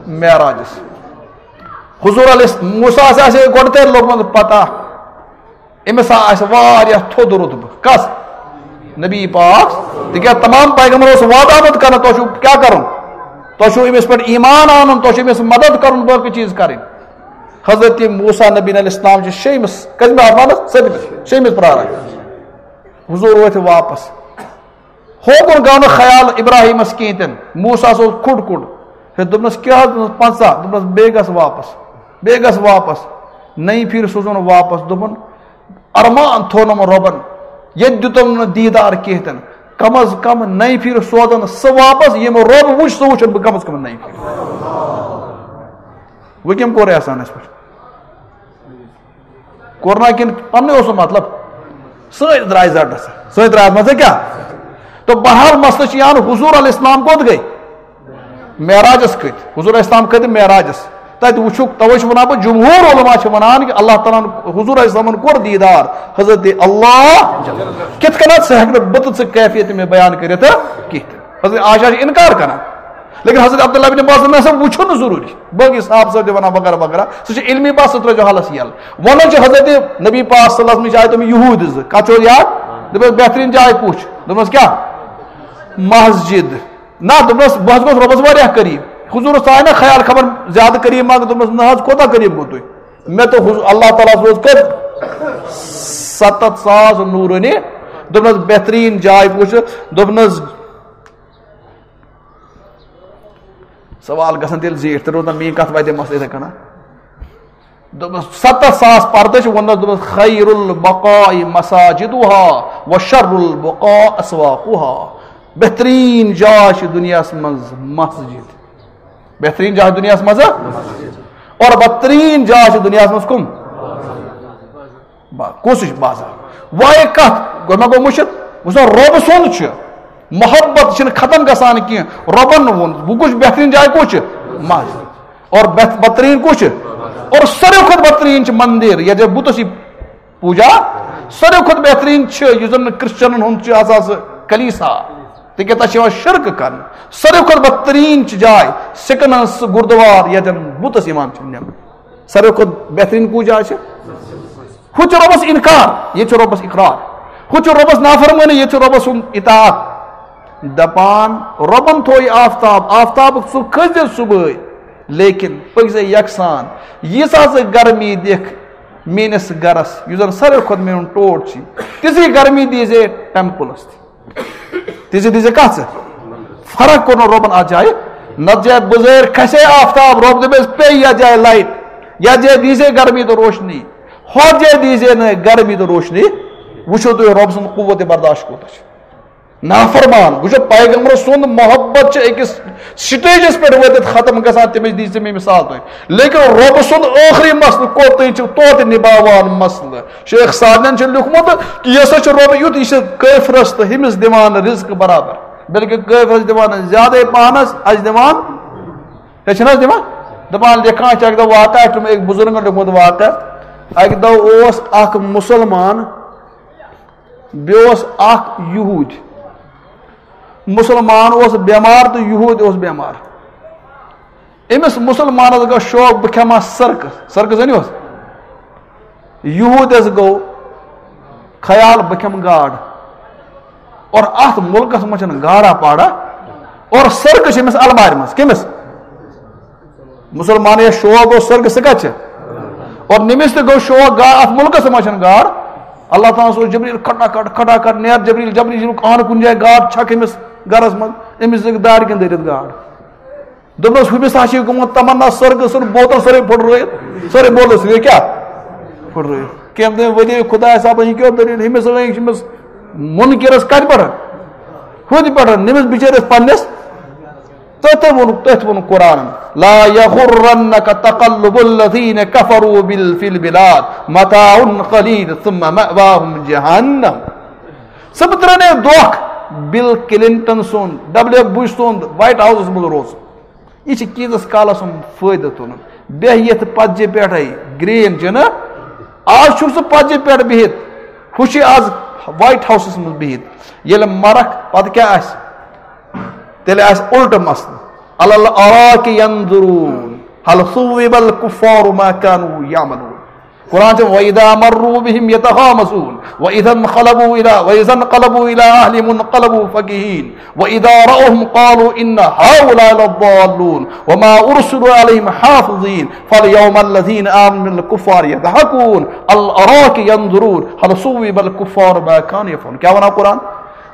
معراجَس۔ حضور علیہ الس-، موسیٰ ہَس آسہِ ہے گۄڈٕ تیٚلہِ لوٚگمُت پَتہ، أمِس ہا آسہِ واریاہ تھوٚد رُتبہٕ۔ کَس؟ نبی پاک۔ تِکیٛازِ تمام پیغمبر اوس وعدٕ آمُت کرنہٕ، تۄہہِ چھُو کیٛاہ کَرُن؟ تۄہہِ چھُو أمِس پٮ۪ٹھ ایمان اَنُن، تۄہہِ چھُو أمِس مدد کَرُن، باقٕے چیٖز کَرٕنۍ۔ حضرت موسیٰ نبی علیہ السلام چھِ شیٚیمِس، کٔژمہِ آسمانَس؟ سٔتمِس، شیٚیمِس پرٛاران۔ حضور وٲتۍ واپس۔ ہوکُن گوٚو نہٕ خیال ابراہیمس کینٛہہ تہِ نہٕ۔ موسیٰ ہس اوس کھُڑ کھُڑ۔ ہے، دوٚپنس، کیٛاہ حظ؟ دوٚپنس، پنٛژاہ۔ دوٚپنس، بیٚیہِ گژھ واپس، بیٚیہِ گژھ واپس۔ نَیہِ پھِرِ سوٗزُن واپس۔ دوٚپُن، ارمان تھوٚونم رۄبن، ییٚتہِ دیُتم نہٕ دیٖدار کینٛہہ تہِ نہٕ۔ کم از کم نَیہِ پھِرِ سوزن سُہ واپس، ییٚمۍ رۄب وُچھ، سُہ وُچھن بہٕ کم از کم نَیہِ پھِرِ۔ وۄنۍ کٔمۍ کوٚر احسان اَسہِ پٮ۪ٹھ؟ کوٚر نا کِنہٕ پننُے اوس سُہ مطلب؟ سٲنۍ درٛاے زَڈَس، سٲنۍ درٛاے اَتھ منٛز کیٛاہ؟ تہٕ بہرحال مسلہٕ چھِ یہِ ہن حضور علیہ السلام کوٚت گٔے؟ معراجس کھٔتۍ۔ حضور علیہ السلام کھٔتۍ معراجس۔ تَتہِ وٕچھُکھ، تَوَے چھُ وَنان بہٕ، جمہوٗر علماء چھِ وَنان کہِ اللہ تعالیٰ ہن، حضور علیہ السلامن کوٚر دیٖدار حضرت اللہ۔ کِتھ کٔنۍ؟ سُہ ہٮ۪کہٕ نہٕ بہٕ تہٕ ژٕ کیفیت مےٚ بیان کٔرِتھ کِہیٖنۍ۔ حضرت عائشہ چھِ اِنکار کران۔ لیکن حضرت عبداللہ بن عباس دوٚپ، نہ سا وٕچھُن نہٕ ضروٗری، باقٕے صحابہٕ صٲب تہِ وَنان وغیرہ وغیرہ، سُہ چھُ علمی بحث، سُہ ترٲیزیو حلس یَلہٕ۔ وَنان چھِ حضرت نبی پاک صلی اللہ علیہ وسلم، چھِ آیہِ تِم یہوٗدۍ زٕ، کَتھ چھِ یاد؟ دوٚپمَس، بہتریٖن جاے کُس چھِ؟ دوٚپمَس، کیٛاہ؟ مسجد۔ نہ، دوٚپمَس، بہٕ حظ گوٚوُس رۄبَس واریاہ قریٖب۔ حضوٗرَس آے نہ خیال خبر زیادٕ قریٖب ما گوٚو؟ دوٚپمَس، نہ حظ، کوٗتاہ قریٖب گوٚو تُہۍ؟ مےٚ تہٕ حضوٗ-، اللہ تعالیٰ ہَس روز کٔژ؟ سَتَتھ ساس نوٗرٲنی۔ دوٚپمَس، بہتریٖن جاے کُس چھِ؟ دوٚپنَس، سوال گژھن تیٚلہِ زیٖٹھۍ، تیٚلہِ روزن میٛٲنۍ کَتھ وَتہِ مَس یِتھَے کٔنۍ۔ دوٚپمَس، سَتَتھ ساس پردٕ چھِ، ووٚنمَس، دوٚپمَس، خیر البقاء مساجدها و شر البقاء اسواقها۔ بہتریٖن جاے چھِ دُنیاہَس منٛز مسجد۔ بہتریٖن جاے دُنیاہَس منٛز، اور بدتریٖن جاے چھِ دُنیاہَس منٛز کٕم؟ با-، کُس چھُ بازار؟ وۄنۍ کَتھ؟ گوٚو مےٚ گوٚو مٔشِتھ؟ وٕچھ سا، رۄب سُنٛد چھُ، محبت چھِنہٕ ختم گژھان کینٛہہ۔ رۄبَن ووٚن، وۄنۍ کُس چھُ بہتریٖن جاے، کُس چھُ؟ مسجد۔ اور بہت-، بدترین کُس چھُ؟ اور ساروی کھۄتہٕ بدترین چھُ مندر، ییٚتہِ بُتس یہِ پوٗجا۔ ساروی کھۄتہٕ بہترین چھُ، یُس زن کرسچنن ہُنٛد چھُ آسان سُہ کلیسا، تِکیٛازِ تَتہِ چھِ یِوان شرک کرنہٕ۔ ساروی کھۄتہٕ بدترین چھِ جاے سِکن ہٕنٛز سُہ گُردوار، ییٚتٮ۪ن بُتس یِوان چھِ نِنہٕ۔ ساروی کھۄتہٕ بہترین کُس جاے چھِ؟ ہُہ چھُ رۄبس انکار، ییٚتہِ چھُ رۄبس اقرار۔ ہُہ چھُ رۄبس نافرمٲنی، ییٚتہِ چھُ رۄبس سُنٛد اطاعت۔ دپان، رۄبن تھوو یہِ آفتاب، آفتابُک ژٕ کھٔسۍ زِ صُبحٲے، لیکن پٔکۍ زِ یکسان۔ ییٖژاہ ژٕ گرمی دِکھ میٲنِس گرس، یُس زن ساروی کھۄتہٕ میون ٹوٹھ چھُ، تِژھٕے گرمی دیٖزے ٹیمپلس تہِ۔ تِژھٕے دیٖزے کتھ ژٕ؟ فرق کوٚر نہٕ رۄبن اتھ جایہِ۔ نتہٕ جایہِ بُزٲرۍ کھسے آفتاب، رۄب دپیس پیٚیہِ یتھ جایہِ لایٹ، یتھ جایہِ دیٖزے گرمی تہٕ روشنی، ہۄتھ جایہِ دیٖزے نہٕ گرمی تہٕ روشنی۔ وٕچھِو تُہۍ رۄب سُنٛد قوت برداشت کوٗتاہ چھُ۔ نافرمان، وٕچھو، پیغمبر سُنٛد محبت چھِ أکِس سٹیجس پٮ۪ٹھ وٲتِتھ ختم گژھان، تٔمِس دِژ مےٚ مثال تۄہہِ۔ لیکن رۄبہٕ سُنٛد ٲخری مسلہٕ کوٚت تام چھُ توتہِ نباوان مسلہٕ۔ شیخ سعدین چھُ لیوٗکھمُت کہِ یہِ ہسا چھُ رۄبہٕ یُتھ، یہِ چھُ کٲفرس تہٕ ہُمِس دِوان رزق برابر، بلکہِ کٲفرس دِوان زیادَے پہنس، اَسہِ دِوان، ہے چھِنہٕ حظ دِوان؟ دَپان لیکھان چھِ اَکہِ دۄہ واقعہ، اَسہِ چھُ أکۍ بُزرگن لیوٗکھمُت واقعہ۔ اَکہِ دۄہ اوس اکھ مُسلمان، بیٚیہِ اوس اکھ یہوٗدۍ۔ مُسلمان اوس بٮ۪مار تہٕ یہوٗدۍ اوس بٮ۪مار۔ أمِس مُسلمانس گوٚو شوق، بہٕ کھٮ۪مہٕ ہا سرکہٕ، سرکہٕ زٲنِو حظ؟ یہوٗدس گوٚو خیال، بہٕ کھٮ۪مہٕ گاڈ۔ اور اتھ مُلکس منٛز چھنہٕ گاڈا پاڈا۔ اور سرکہٕ چھِ أمِس المارِ منٛز۔ کٔمِس؟ مُسلمان یَس شوق گوٚو سرکہٕ، سُہ کتہِ چھِ؟ اور نٔمِس تہِ گوٚو شوق گا-، اتھ مُلکس منٛز چھنہٕ گاڈ۔ اللہ تعالیٰ ہس اوس جبریل کھٹا کھٹ، کھٹا کھٹ، نیر جبریل، جبریل، جبریل، اہن کُنہِ جایہِ گاڈ چھکھ أمِس گرس منٛز۔ أمِس دِژٕکھ دارِ کِنۍ دٲرِتھ گاڈ۔ دوٚپنَس، ہُمِس ہا چھِ گوٚمُت تمنا سرگہٕ سُنٛد بوتل سٲرٕے پھُٹرٲیِتھ، سٲرٕے بوتل سۭتۍ کیٛاہ؟ پھُٹرٲیِتھ۔ کیٚنٛہہ دوٚپُن، ؤلِو خۄدایَس، اَپٲرۍ یہِ کیٛاہ دٔلیٖل؟ ہُمِس لٲگۍ چھِ أمِس مُنکِرَس کَتہِ پٮ۪ٹھ؟ ہُتہِ پٮ۪ٹھ، نٔمِس بِچٲرِس پنٛنِس۔ تہٕ تٔمۍ ووٚن، تٔتھۍ ووٚن قرآنَن، "لا يغرنك تقلب الذين كفروا بال-، في البلاد، متاع قليل ثم مأواهم جهنم۔" ژٕ مہٕ ترٛاو نہٕ دھوکھ بِل کِلِنٹن سُنٛد، ڈبلیو بُش سُنٛد وایٹ ہاوسَس منٛز روزُن۔ یہِ چھِ کیٖژَس کالَس ہُنٛد فٲیدٕ تُلُن۔ بیٚہہ یَتھ پَتجہِ پٮ۪ٹھَے، گرٛین چھِ نہ؟ آز چھُکھ ژٕ پَتجہِ پٮ۪ٹھ بِہِتھ، ہُہ چھُ آز وایٹ ہاوسَس منٛز بِہِتھ۔ ییٚلہِ مَرَکھ، پَتہٕ کیٛاہ آسہِ؟ تیٚلہِ آسہِ اُلٹہٕ مسلہٕ۔ على الأرائك ينظرون هل ثوب الكفار ما كانوا يعملون۔ قرآن چھُ، "وإذا مروا بهم يتغامزون وإذا انقلبوا إلى، وإذا انقلبوا إلى أهلهم انقلبوا فكهين وإذا رأوهم قالوا إن هؤلاء لضالون وما أرسلوا عليهم حافظين فاليوم الذين آمنوا من الكفار يضحكون على الأرائك ينظرون هل ثوب الكفار ما كانوا يفعلون۔" کیٛاہ وَنان قرآن؟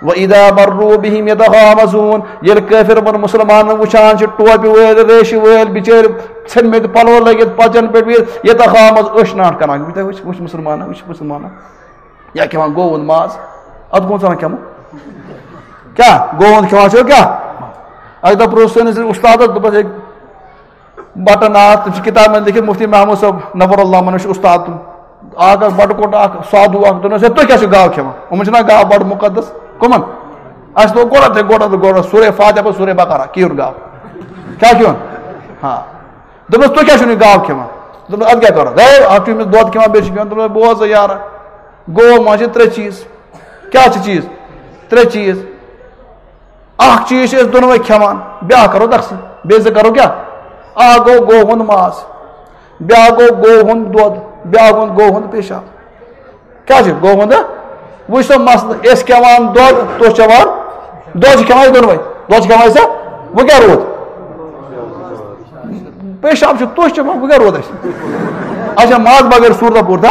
"وإذا مروا بهم يتغامزون"، ییٚلہِ کٲفِر یِمَن مُسلمانَن وٕچھان چھِ، ٹوپہِ وٲلۍ، ریشہِ وٲلۍ، بِچٲرۍ ژھیٚنمٕتۍ پَلو لٲگِتھ پَتجَن پٮ۪ٹھ بِہِتھ، "يتغامز"، أچھ ناٹھ کَران، وٕچھ، وٕچھ، وٕچھ مُسلمانہ، وٕچھ مُسلمانہ۔ یا کھٮ۪وان گوٚو ہُنٛد ماز، اَتھ گوٚو ژٕ وَنان کھٮ۪مو؟ کیٛاہ؟ گوٚو ہُنٛد کھٮ۪وان چھُ کیٛاہ؟ اَکہِ دۄہ پرٛوژھ سٲنِس اُستادَس، دوٚپُس، "ہے، بٹن آ، تِم چھِ کِتابہِ منٛز لیٚکھِتھ، مُفتی محمود صٲب نفر اللہ منش چھُ اُستاد تِم۔ اکھ، اکھ بٹہٕ کوٚٹ، اکھ سادھو اکھ، دوٚپنَس، "ہے، تُہۍ کیٛاہ چھِو گاو کھٮ۪وان؟ یِمَن چھِنہ گاو بَڑٕ مُقدس؟" کٕمَن؟ اَسہِ لوگ گۄڈٕ تہِ، گۄڈٕ تہٕ گۄڈٕ سورہ فاتحہ پَتہٕ سورہ بقرہ، کِہیٖنۍ گاو۔ کیٛاہ کھیوٚن؟ ہاں۔ دوٚپنَس، "تُہۍ کیٛاہ چھِو نہٕ گاو کھٮ۪وان؟" دوٚپنَس، "اَدٕ کیٛاہ کَرو؟ ہے، اَکھ چھُ أمِس دۄد کھٮ۪وان، بیٚیہِ چھِ کھٮ۪وان۔" دوٚپنَس، "بوز سا یارٕ، گوٚو منٛز چھِ ترٛےٚ چیٖز۔" کیٛاہ چھِ چیٖز؟ ترٛےٚ چیٖز۔ اکھ چیٖز چھِ أسۍ دۄنوَے کھٮ۪وان، بیٛاکھ کَرو تقسیٖم، بیٚیہِ زٕ کَرو کیٛاہ؟ اکھ گوٚو گوٚو ہُنٛد ماز، بیٛاکھ گوٚو گوٚو ہُنٛد دۄد، بیٛاکھ گوٚو گوٚو ہُنٛد پیشاب۔ کیٛاہ چھِ گوٚو ہُنٛد؟ وٕچھ سا مسلہٕ، أسۍ کھٮ۪وان دۄد، تُہۍ چٮ۪وان دۄد، چھِ کھٮ۪وان أسۍ دۄنوَے، دۄد چھِ کھٮ۪وان أسۍ، وۄنۍ کیٛاہ روٗد؟ پیشاب چھُ تُہۍ چٮ۪وان، وۄنۍ کیٛاہ روٗد اَسہِ؟ اچھا، ماز بغٲر صوٗرتہ پوٗرتہ؟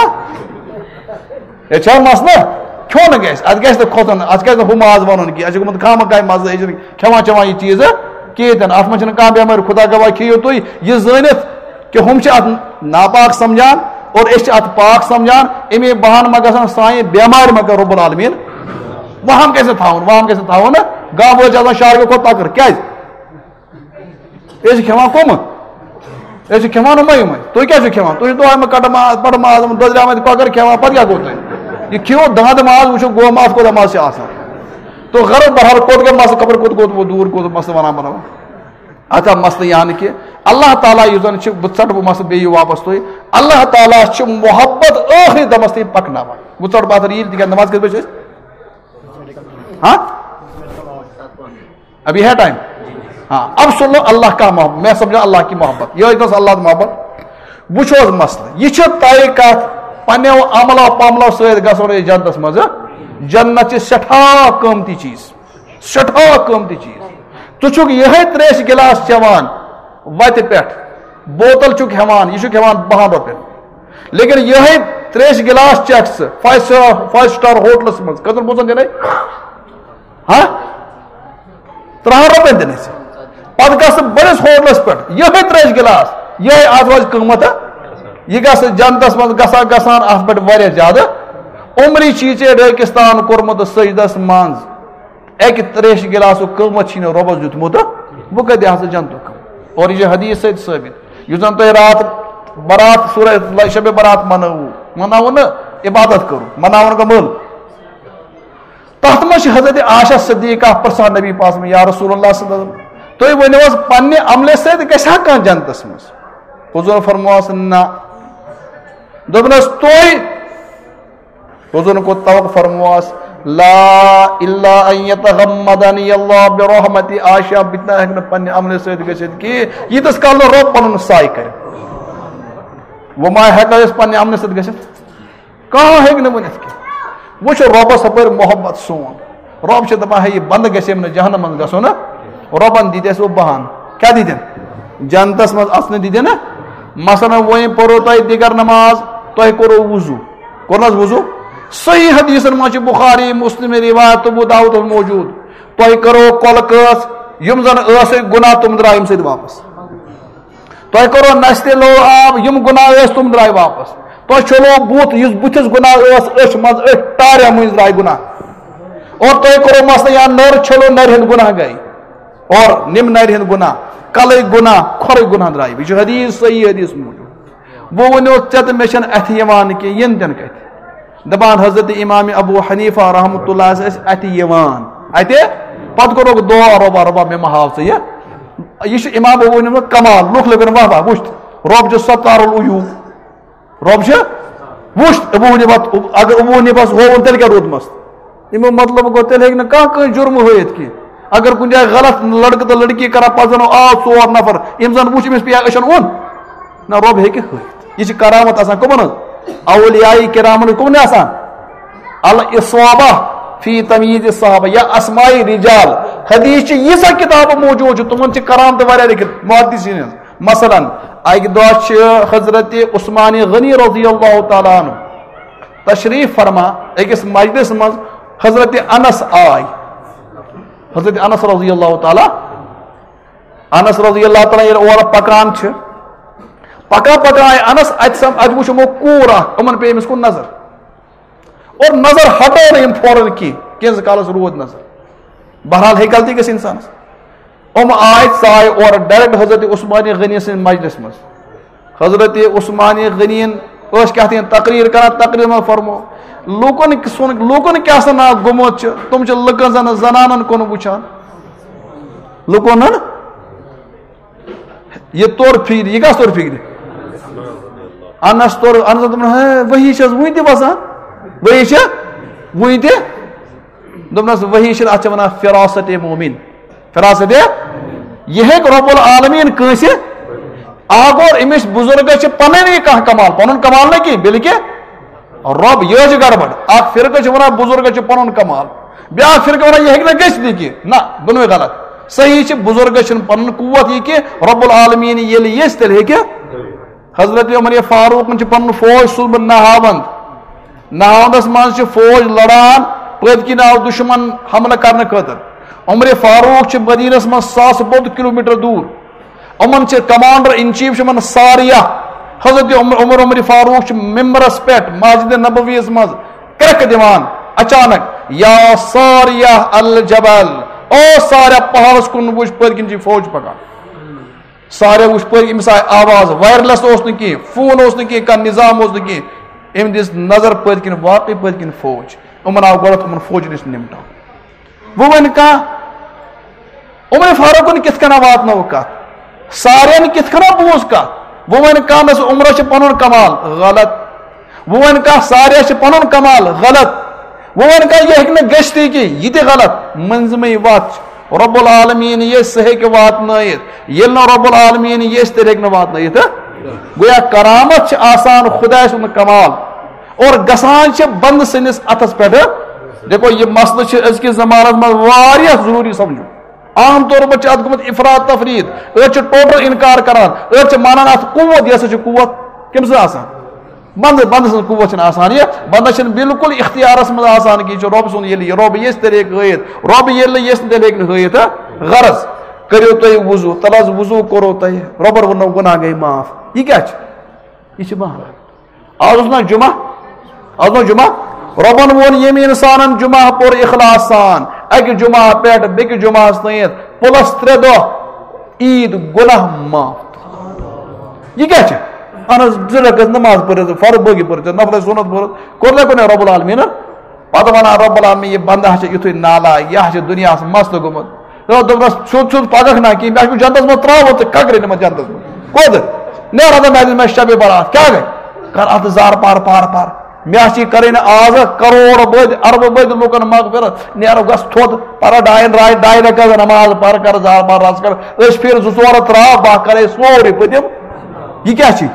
ہے، چھا مسلہٕ؟ کھیوٚو نہٕ گژھِ، اَتھ گژھِ نہٕ کھۄژُن، اَتھ گژھِ نہٕ ہُہ ماز وَنُن کینٛہہ، اَسہِ چھُ گوٚمُت خامہ کامہِ مَزٕ، أسۍ چھِنہٕ کھٮ۪وان چٮ۪وان یہِ چیٖزٕ کِہیٖنۍ تہِ نہٕ۔ اَتھ منٛز چھِنہٕ کانٛہہ بٮ۪مٲرۍ، خۄدا گواہ کھیٚیِو تُہۍ یہِ زٲنِتھ کہِ ہُم چھِ اَتھ ناپاک سَمجھان اور أسۍ چھِ اَتھ پاک سَمجھان۔ اَمے بہانہٕ ما گژھن سانہِ بٮ۪مارِ ما کَرِ رۄب العالمیٖن وَہَم گژھِ نہٕ تھاوُن، وَہَم گژھِ نہٕ تھاوُن نہ، گاہ وٲلۍ چھِ آسان شہرٕ کھۄتہٕ تَکٕر۔ کیٛازِ؟ أسۍ چھِ کھٮ۪وان کٕمہٕ؟ أسۍ چھِ کھٮ۪وان یِمَے یِمَے۔ تُہۍ کیٛاہ چھِو کھٮ۪وان؟ تُہۍ چھِو دۄہَے یِمَے کَٹہٕ ماز، بَٹہٕ ماز، یِم دۄدریمٕتۍ کۄکَر کھٮ۪وان، پَتہٕ کیٛاہ گوٚو تۄہہِ؟ یہِ کھیٚیِو دانٛدٕ ماز، وٕچھِو گوٚو ماز کوٗتاہ مَزٕ چھِ آسان۔ تو غرض بہرحال کوٚت گوٚو مَسلہٕ، خبر کوٚت گوٚو، دوٗر گوٚو مَسلہٕ وَنان بَناوان۔ اَتھ آو مَسلہٕ یعنی کہِ اللہ تعالیٰ یُس زن چھُ، بہٕ ژٹہٕ بہٕ مسلہٕ بیٚیہِ یہِ واپس تُہۍ۔ اللہ تعالیٰ چھُ محبت ٲخری دمس تام پکناوان۔ بہٕ ژٹہٕ بہٕ اتھ ریٖل تِکیٛازِ نماز کٔژِ بجہِ چھِ أسۍ؟ ہاں؟ ابھی ہے ٹائم؟ ہاں، اب سن لو اللہ کا محبت، میں سمجھا اللہ کی محبت، یہ اتنا اللہ محبت۔ وچھو حظ مسئلہ، یہ چھِ طے کتھ، پننیو عملو پملو سۭتۍ گژھو نہٕ أسۍ جنتس منٛز۔ جنت چھِ سٮ۪ٹھاہ قۭمتی چیٖز، سٮ۪ٹھاہ قۭمتی چیٖز۔ ژٕ چھُکھ یِہے تریش گلاس چٮ۪وان وتہِ پٮ۪ٹھ، بوتل چھُکھ ہٮ۪وان، یہِ چھُکھ ہٮ۪وان بہن رۄپین، لیکن یِہے تریش گلاس چکھ ژٕ فایو سٹار، فایو سٹار ہوٹلس منٛز، کٔژن پونٛسن دِنے؟ ہاں؟ ترٛہن رۄپین دِنے ژٕ۔ پتہٕ گژھ ژٕ بٔڑِس ہوٹلس پٮ۪ٹھ، یِہے تریش گلاس، یِہے اتھ روزِ قۭمتھ، ہا؟ یہِ گژھ جنتس منٛز گژھان گژھان اتھ پٮ۪ٹھ واریاہ زیادٕ عمری چھی ژےٚ ریگستان کوٚرمُت سجدس منٛز۔ اکہِ تریشہِ گلاسُک قۭمتھ چھی نہٕ رۄبس دیُتمُت، بہٕ کتہِ دِہا ژٕ جنتُک؟ اور یہِ چھِ حدیث سۭتۍ ثٲبت۔ یُس زن تۄہہِ راتھ برات، سورہ شب برات منٲوٕ، مناوٕ نہٕ، عبادت کٔرٕو، مناوُن گوٚو مٲلہٕ۔ تتھ منٛز چھِ حضرت عائشہ صدیقہ پرژھان نبی پاک صلی اللہ علیہ وسلم، یا رسول اللہ صلی اللہ علیہ وسلم، تُہۍ ؤنِو حظ، پننہِ عملہِ سۭتۍ گژھِ ہا کانٛہہ جنتس منٛز؟ حضور فرموس، نہ۔ دوٚپنس، تُہۍ؟ حضورن کوٚر توقع، فرموس، لا الا ان یتغمدنی اللہ برحمتی، عائشہ، بہٕ تہِ نہ ہیٚکہٕ نہٕ پننہِ عملہِ سۭتۍ گٔژھِتھ کینٛہہ، ییٖتِس کال نہٕ رۄب پنُن سایہِ کرِ۔ وۄنۍ ما ہیٚکو أسۍ پننہِ عملہِ سۭتۍ گٔژھِتھ؟ کانٛہہ ہیٚکہِ نہٕ ؤنِتھ کینٛہہ۔ وۄنۍ چھُ رۄبس ہپٲرۍ محبت سون۔ رۄب چھُ دپان، ہے، یہِ بندٕ گژھِ أمۍ نہٕ جہنم منٛز گژھُن نہٕ۔ رۄبن دِتۍ اَسہِ وۄنۍ بہان۔ کیٛاہ دِتِن؟ جنتس منٛز اژنہٕ دِتِن نہٕ۔ مثلاً، وۄنۍ پوٚرُو تۄہہِ دِگر نماز، تۄہہِ کوٚروُ وضوٗ۔ کوٚر نہٕ حظ وضوٗ؟ صحیح حدیثن منٛز چھِ بخاری، مسلم روایت، ابو داؤدس موجود۔ تۄہہِ کٔرٕو کۄلہٕ کٲژ، یِم زن ٲسٕکۍ گناہ، تِم درٛاے اَمہِ سۭتۍ واپس۔ تۄہہِ کوٚرو نستہِ لو آب، یِم گناہ ٲسۍ، تِم درٛاے واپس۔ تۄہہِ چھوٚلو بُتھ، یُس بُتھِس گناہ ٲس، أچھ منٛز، أچھ ٹارٮ۪ن مٔنٛزۍ درٛاے گناہ۔ اور تۄہہِ کوٚرو مثلاً یا نٔر چھٔلو، نرِ ہٕنٛدۍ گناہ گٔے۔ اور نِم نرِ ہٕنٛدۍ گناہ، کلٕکۍ گناہ، کھۄرٕکۍ گناہ درٛاے۔ یہِ چھُ حدیث، صحیح حدیث موٗجوٗب۔ بہٕ ؤنِو ژےٚ تہٕ مےٚ چھَنہٕ اَتھِ یِوان کینٛہہ، یِن تِن کَتہِ؟ دَپان حضرت امام ابو حنیفہ رحمۃ اللہ ٲسۍ اَتھِ یِوان۔ اَتہِ؟ پَتہٕ کوٚرُکھ دُعا، رۄبا، رۄبا، مےٚ مہ ہاو ژٕ یہِ۔ یہِ چھُ امام ابو حنیفہ کمال، لُکھ لٔگن واہ واہ، وٕچھ، رۄب چھُ ستار العیوب۔ رۄب چھُ، وٕچھ، ابو حنیفہ، اگر ابو حنیفس ہووُن، تیٚلہِ کیٛاہ روٗدمَس؟ اَمیُک مطلب گوٚو، تیٚلہِ ہیٚکہِ نہٕ کانٛہہ کٲنٛسہِ جُرمہٕ ہٲیِتھ کینٛہہ۔ اگر کُنہِ جایہِ غلط لڑکہٕ تہٕ لڑکی کران، پتہٕ زن آو ژور نفر، یِم زن وٕچھ أمِس پیٚیہِ أچھن اوٚن۔ نہ، رۄب ہیٚکہِ ہٲیِتھ۔ یہِ چھِ کرامت آسان کٕمن ہٕنٛز؟ اولیاء کرامن ہٕنٛز۔ کٕمن آسان؟ الاصابہ فی تمییز الصحابہ یا اسماء رجال۔ حدیث چھِ ییٖژاہ کتابہٕ موجود چھِ، تِمن چھِ کرامتہٕ واریاہ لیکھِتھ محدثین ہٕنٛز۔ مثلاً، اکہِ دۄہ چھِ حضرت عثمان غنی رضی اللہ تعالیٰ عنہ تشریف فرما أکِس مجلس منٛز، حضرت انس آے۔ حضرت انس رضی اللہ تعالیٰ، انس رضی اللہ تعالیٰ ییٚلہِ اورٕ پکان چھِ، پکان پکان آے انس، اتہِ سم-، اتہِ وُچھ یِمو کوٗر اکھ، یِمن پیٚیہِ أمِس کُن نظر۔ اور نظر ہٹو نہٕ یِم فوراً کینٛہہ، کینٛژھس کالس روٗد نظر۔ بہرحال، ہیٚکہِ غلطی گٔژھِتھ انسانس۔ یِم آے، ژاے اورٕ ڈائریکٹ حضرت عثمان غنی سٕنٛدِ مجلس منٛز۔ حضرت عثمان غنین ٲسۍ کیٛاہ تام تقریر کران، تقریر منٛز فرمو، لوٗکن سُنٛد، لوٗکن کیٛاہ سا ناو گوٚمُت چھُ، تِم چھِ لُکن زن زنانن کُن وٕچھان۔ لوٗکن نہ، یہِ توٚر فِکرِ، یہِ کَس توٚر فِکرِ؟ انس توٚر، انس دوٚپُن، ہے، وحی چھَس وُنہِ تہِ وَسان، وحی چھِ وُنہِ تہِ۔ دوٚپنَس، وحی چھِنہٕ، اَتھ چھِ وَنان فراست مومن۔ فراست، یہِ ہیٚکہِ رب العالمین کٲنٛسہِ، اَکھ گوٚو أمِس بُزرگس چھِ پَنٕنۍ یہِ کانٛہہ کمال، پَنُن کمال نہٕ کینٛہہ، بلکہِ رۄب، یہِ حظ چھِ گڑبڑ۔ اکھ فرقہٕ چھُ وَنان بُزرگس چھُ پَنُن کمال، بیٛاکھ فرقہٕ وَنان یہِ ہیٚکہِ نہٕ گٔژھِتھ یہِ کینٛہہ۔ نہ، دۄنوَے غلط۔ صحیح چھِ، بُزرگس چھُنہٕ پَنُن قوت یہِ کینٛہہ، رب العالمین ییٚلہِ یژھِ تیٚلہِ ہیٚکہِ۔ حضرت عمر فاروقن چھُ پَنُن فوج سوٗزمُت نہاوند۔ نہاوندس منٛز چھِ فوج لڑان، پٔتۍ کِنۍ آو دُشمن حملہٕ کرنہٕ خٲطرٕ۔ عمر فاروق چھِ مدینس منٛز ساسہٕ بوٚد کلوٗمیٹر دوٗر۔ یِمن چھِ commander in chief چھِ یِمن ساریہ۔ حضرت عمر، عمر، عمر فاروق چھِ ممبرس پٮ۪ٹھ مسجد نبویس منٛز کرٛٮ۪کھ دِوان اچانک، یا ساریہ الجبل، او ساریہ پہاڑس کُن وٕچھ، پٔتۍ کِنۍ چھِ فوج پکان۔ ساریہ وٕچھ پٔتۍ، أمِس آیہِ آواز، wireless اوس نہٕ کینٛہہ، فون اوس نہٕ کینٛہہ، کانٛہہ نظام اوس نہٕ کینٛہہ۔ أمۍ دِژ نظر پٔتۍ کِنۍ، واقعٕے پٔتۍ کِنۍ فوج۔ یِمن آو گۄڈٕ یِمن فوجن نِش نِمٹاو۔ وۄنۍ وَنہِ کانٛہہ، عمر فاروقن کِتھ کٔنۍ واتنٲو کتھ؟ سارن کِتھ کٔنۍ بوٗز کتھ؟ وۄنۍ ونہِ کانٛہہ، نس عمرس چھُ پنُن کمال، غلط۔ وۄنۍ ونہِ کانٛہہ، ساریس چھُ پنُن کمال، غلط۔ وۄنۍ ونہِ کانٛہہ، یہِ ہیٚکہِ نہٕ گٔژھتھٕے کینٛہہ، یہِ تہِ غلط۔ مٔنٛزمٕے وتھ چھِ۔ رب العالمین یژھِ، سُہ ہیٚکہِ واتنٲیِتھ۔ ییٚلہِ نہٕ رب العالمین یژھِ، تیٚلہِ ہیٚکہِ نہٕ واتنٲیِتھ۔ گویا کرامت چھِ آسان خدایہِ سُنٛد کمال، اور گژھان چھِ بندٕ سٕنٛدِس اتھس پٮ۪ٹھ۔ دیکھو، یہِ مسلہٕ چھُ أزکِس زمانس منٛز واریاہ ضروٗری سمجھُن۔ عام طور پر چھُ اتھ گوٚمُت افراط تفریط۔ أڑۍ چھِ ٹوٹل انکار کران، أڑۍ چھِ مانان اتھ قوت۔ یہِ ہسا چھِ قوت کٔمۍ سٕنٛز آسان؟ بندٕ، بندٕ سٕنٛز قوت چھنہٕ آسان۔ یہِ بندس چھنہٕ بالکل اختیارس منٛز آسان کہِ یہِ چھُ رۄب سُنٛد، ییٚلہِ یہِ رۄب یژھِ تیٚلہِ ہیٚکہِ ہٲیِتھ، رۄب ییٚلہِ نہٕ یژھِ تیٚلہِ ہیٚکہِ نہٕ ہٲیِتھ۔ ہاں؟ غرض، کٔرِو تُہۍ وضو، تَلہٕ حظ وضو کوٚرو تۄہہِ، رۄبن ووٚنُو گۄناہ گٔے معاف۔ یہِ کیٛاہ چھُ؟ یہِ چھُ بہانہٕ۔ آز اوس نا جمعہ؟ آز اوس جمعہ؟ رۄبن ووٚن، ییٚمۍ انسانن جمعہ پوٚر اخلاص سان، اکہِ جمعہ پٮ۪ٹھ بیٚکہِ جمعہس تام، پلس ترٛےٚ دۄہ عید، گۄناہ معاف۔ یہِ کیٛاہ چھِ؟ اہن حظ، زٕ رکعت نماز پٔرِتھ، فرض باقی پٔرِتھ، نفل سنت پٔرِتھ، کوٚر نہ کُنہِ رب العالمینن؟ پتہٕ ونان رب العالمین، یہِ بندہ چھُ یُتھُے نالایق، یہِ ہا چھُ دُنیاہس مست گوٚمُت۔ دوٚپ-، دوٚپنس، سیوٚد سیوٚد پککھ نا کِہیٖنۍ، مےٚ چھُ جنتس منٛز ترٛاوُن، ژٕ ککھ رٔنِتھ جنتس منٛز۔ کوٚت؟ نیرا تہٕ مےٚ دِژ مےٚ شبِ برات، کیٛاہ گٔے؟ کر اتھ زار پار، پار، پار۔ مےٚ چھِ کرٕنۍ آز کروڑ بٔدۍ، اربہٕ بٔدۍ لوٗکن مغفرت۔ نیرو گژھ تھوٚد، پرٕ ڈاین راے، ڈاے رکعت نماز پر، کر زار پار رژھ کھنڈ۔ أسۍ پھِرِ زٕ ژور ترٛاو، بہٕ کرے سورُے، بہٕ دِمہٕ۔ یہِ کیٛاہ چھِ؟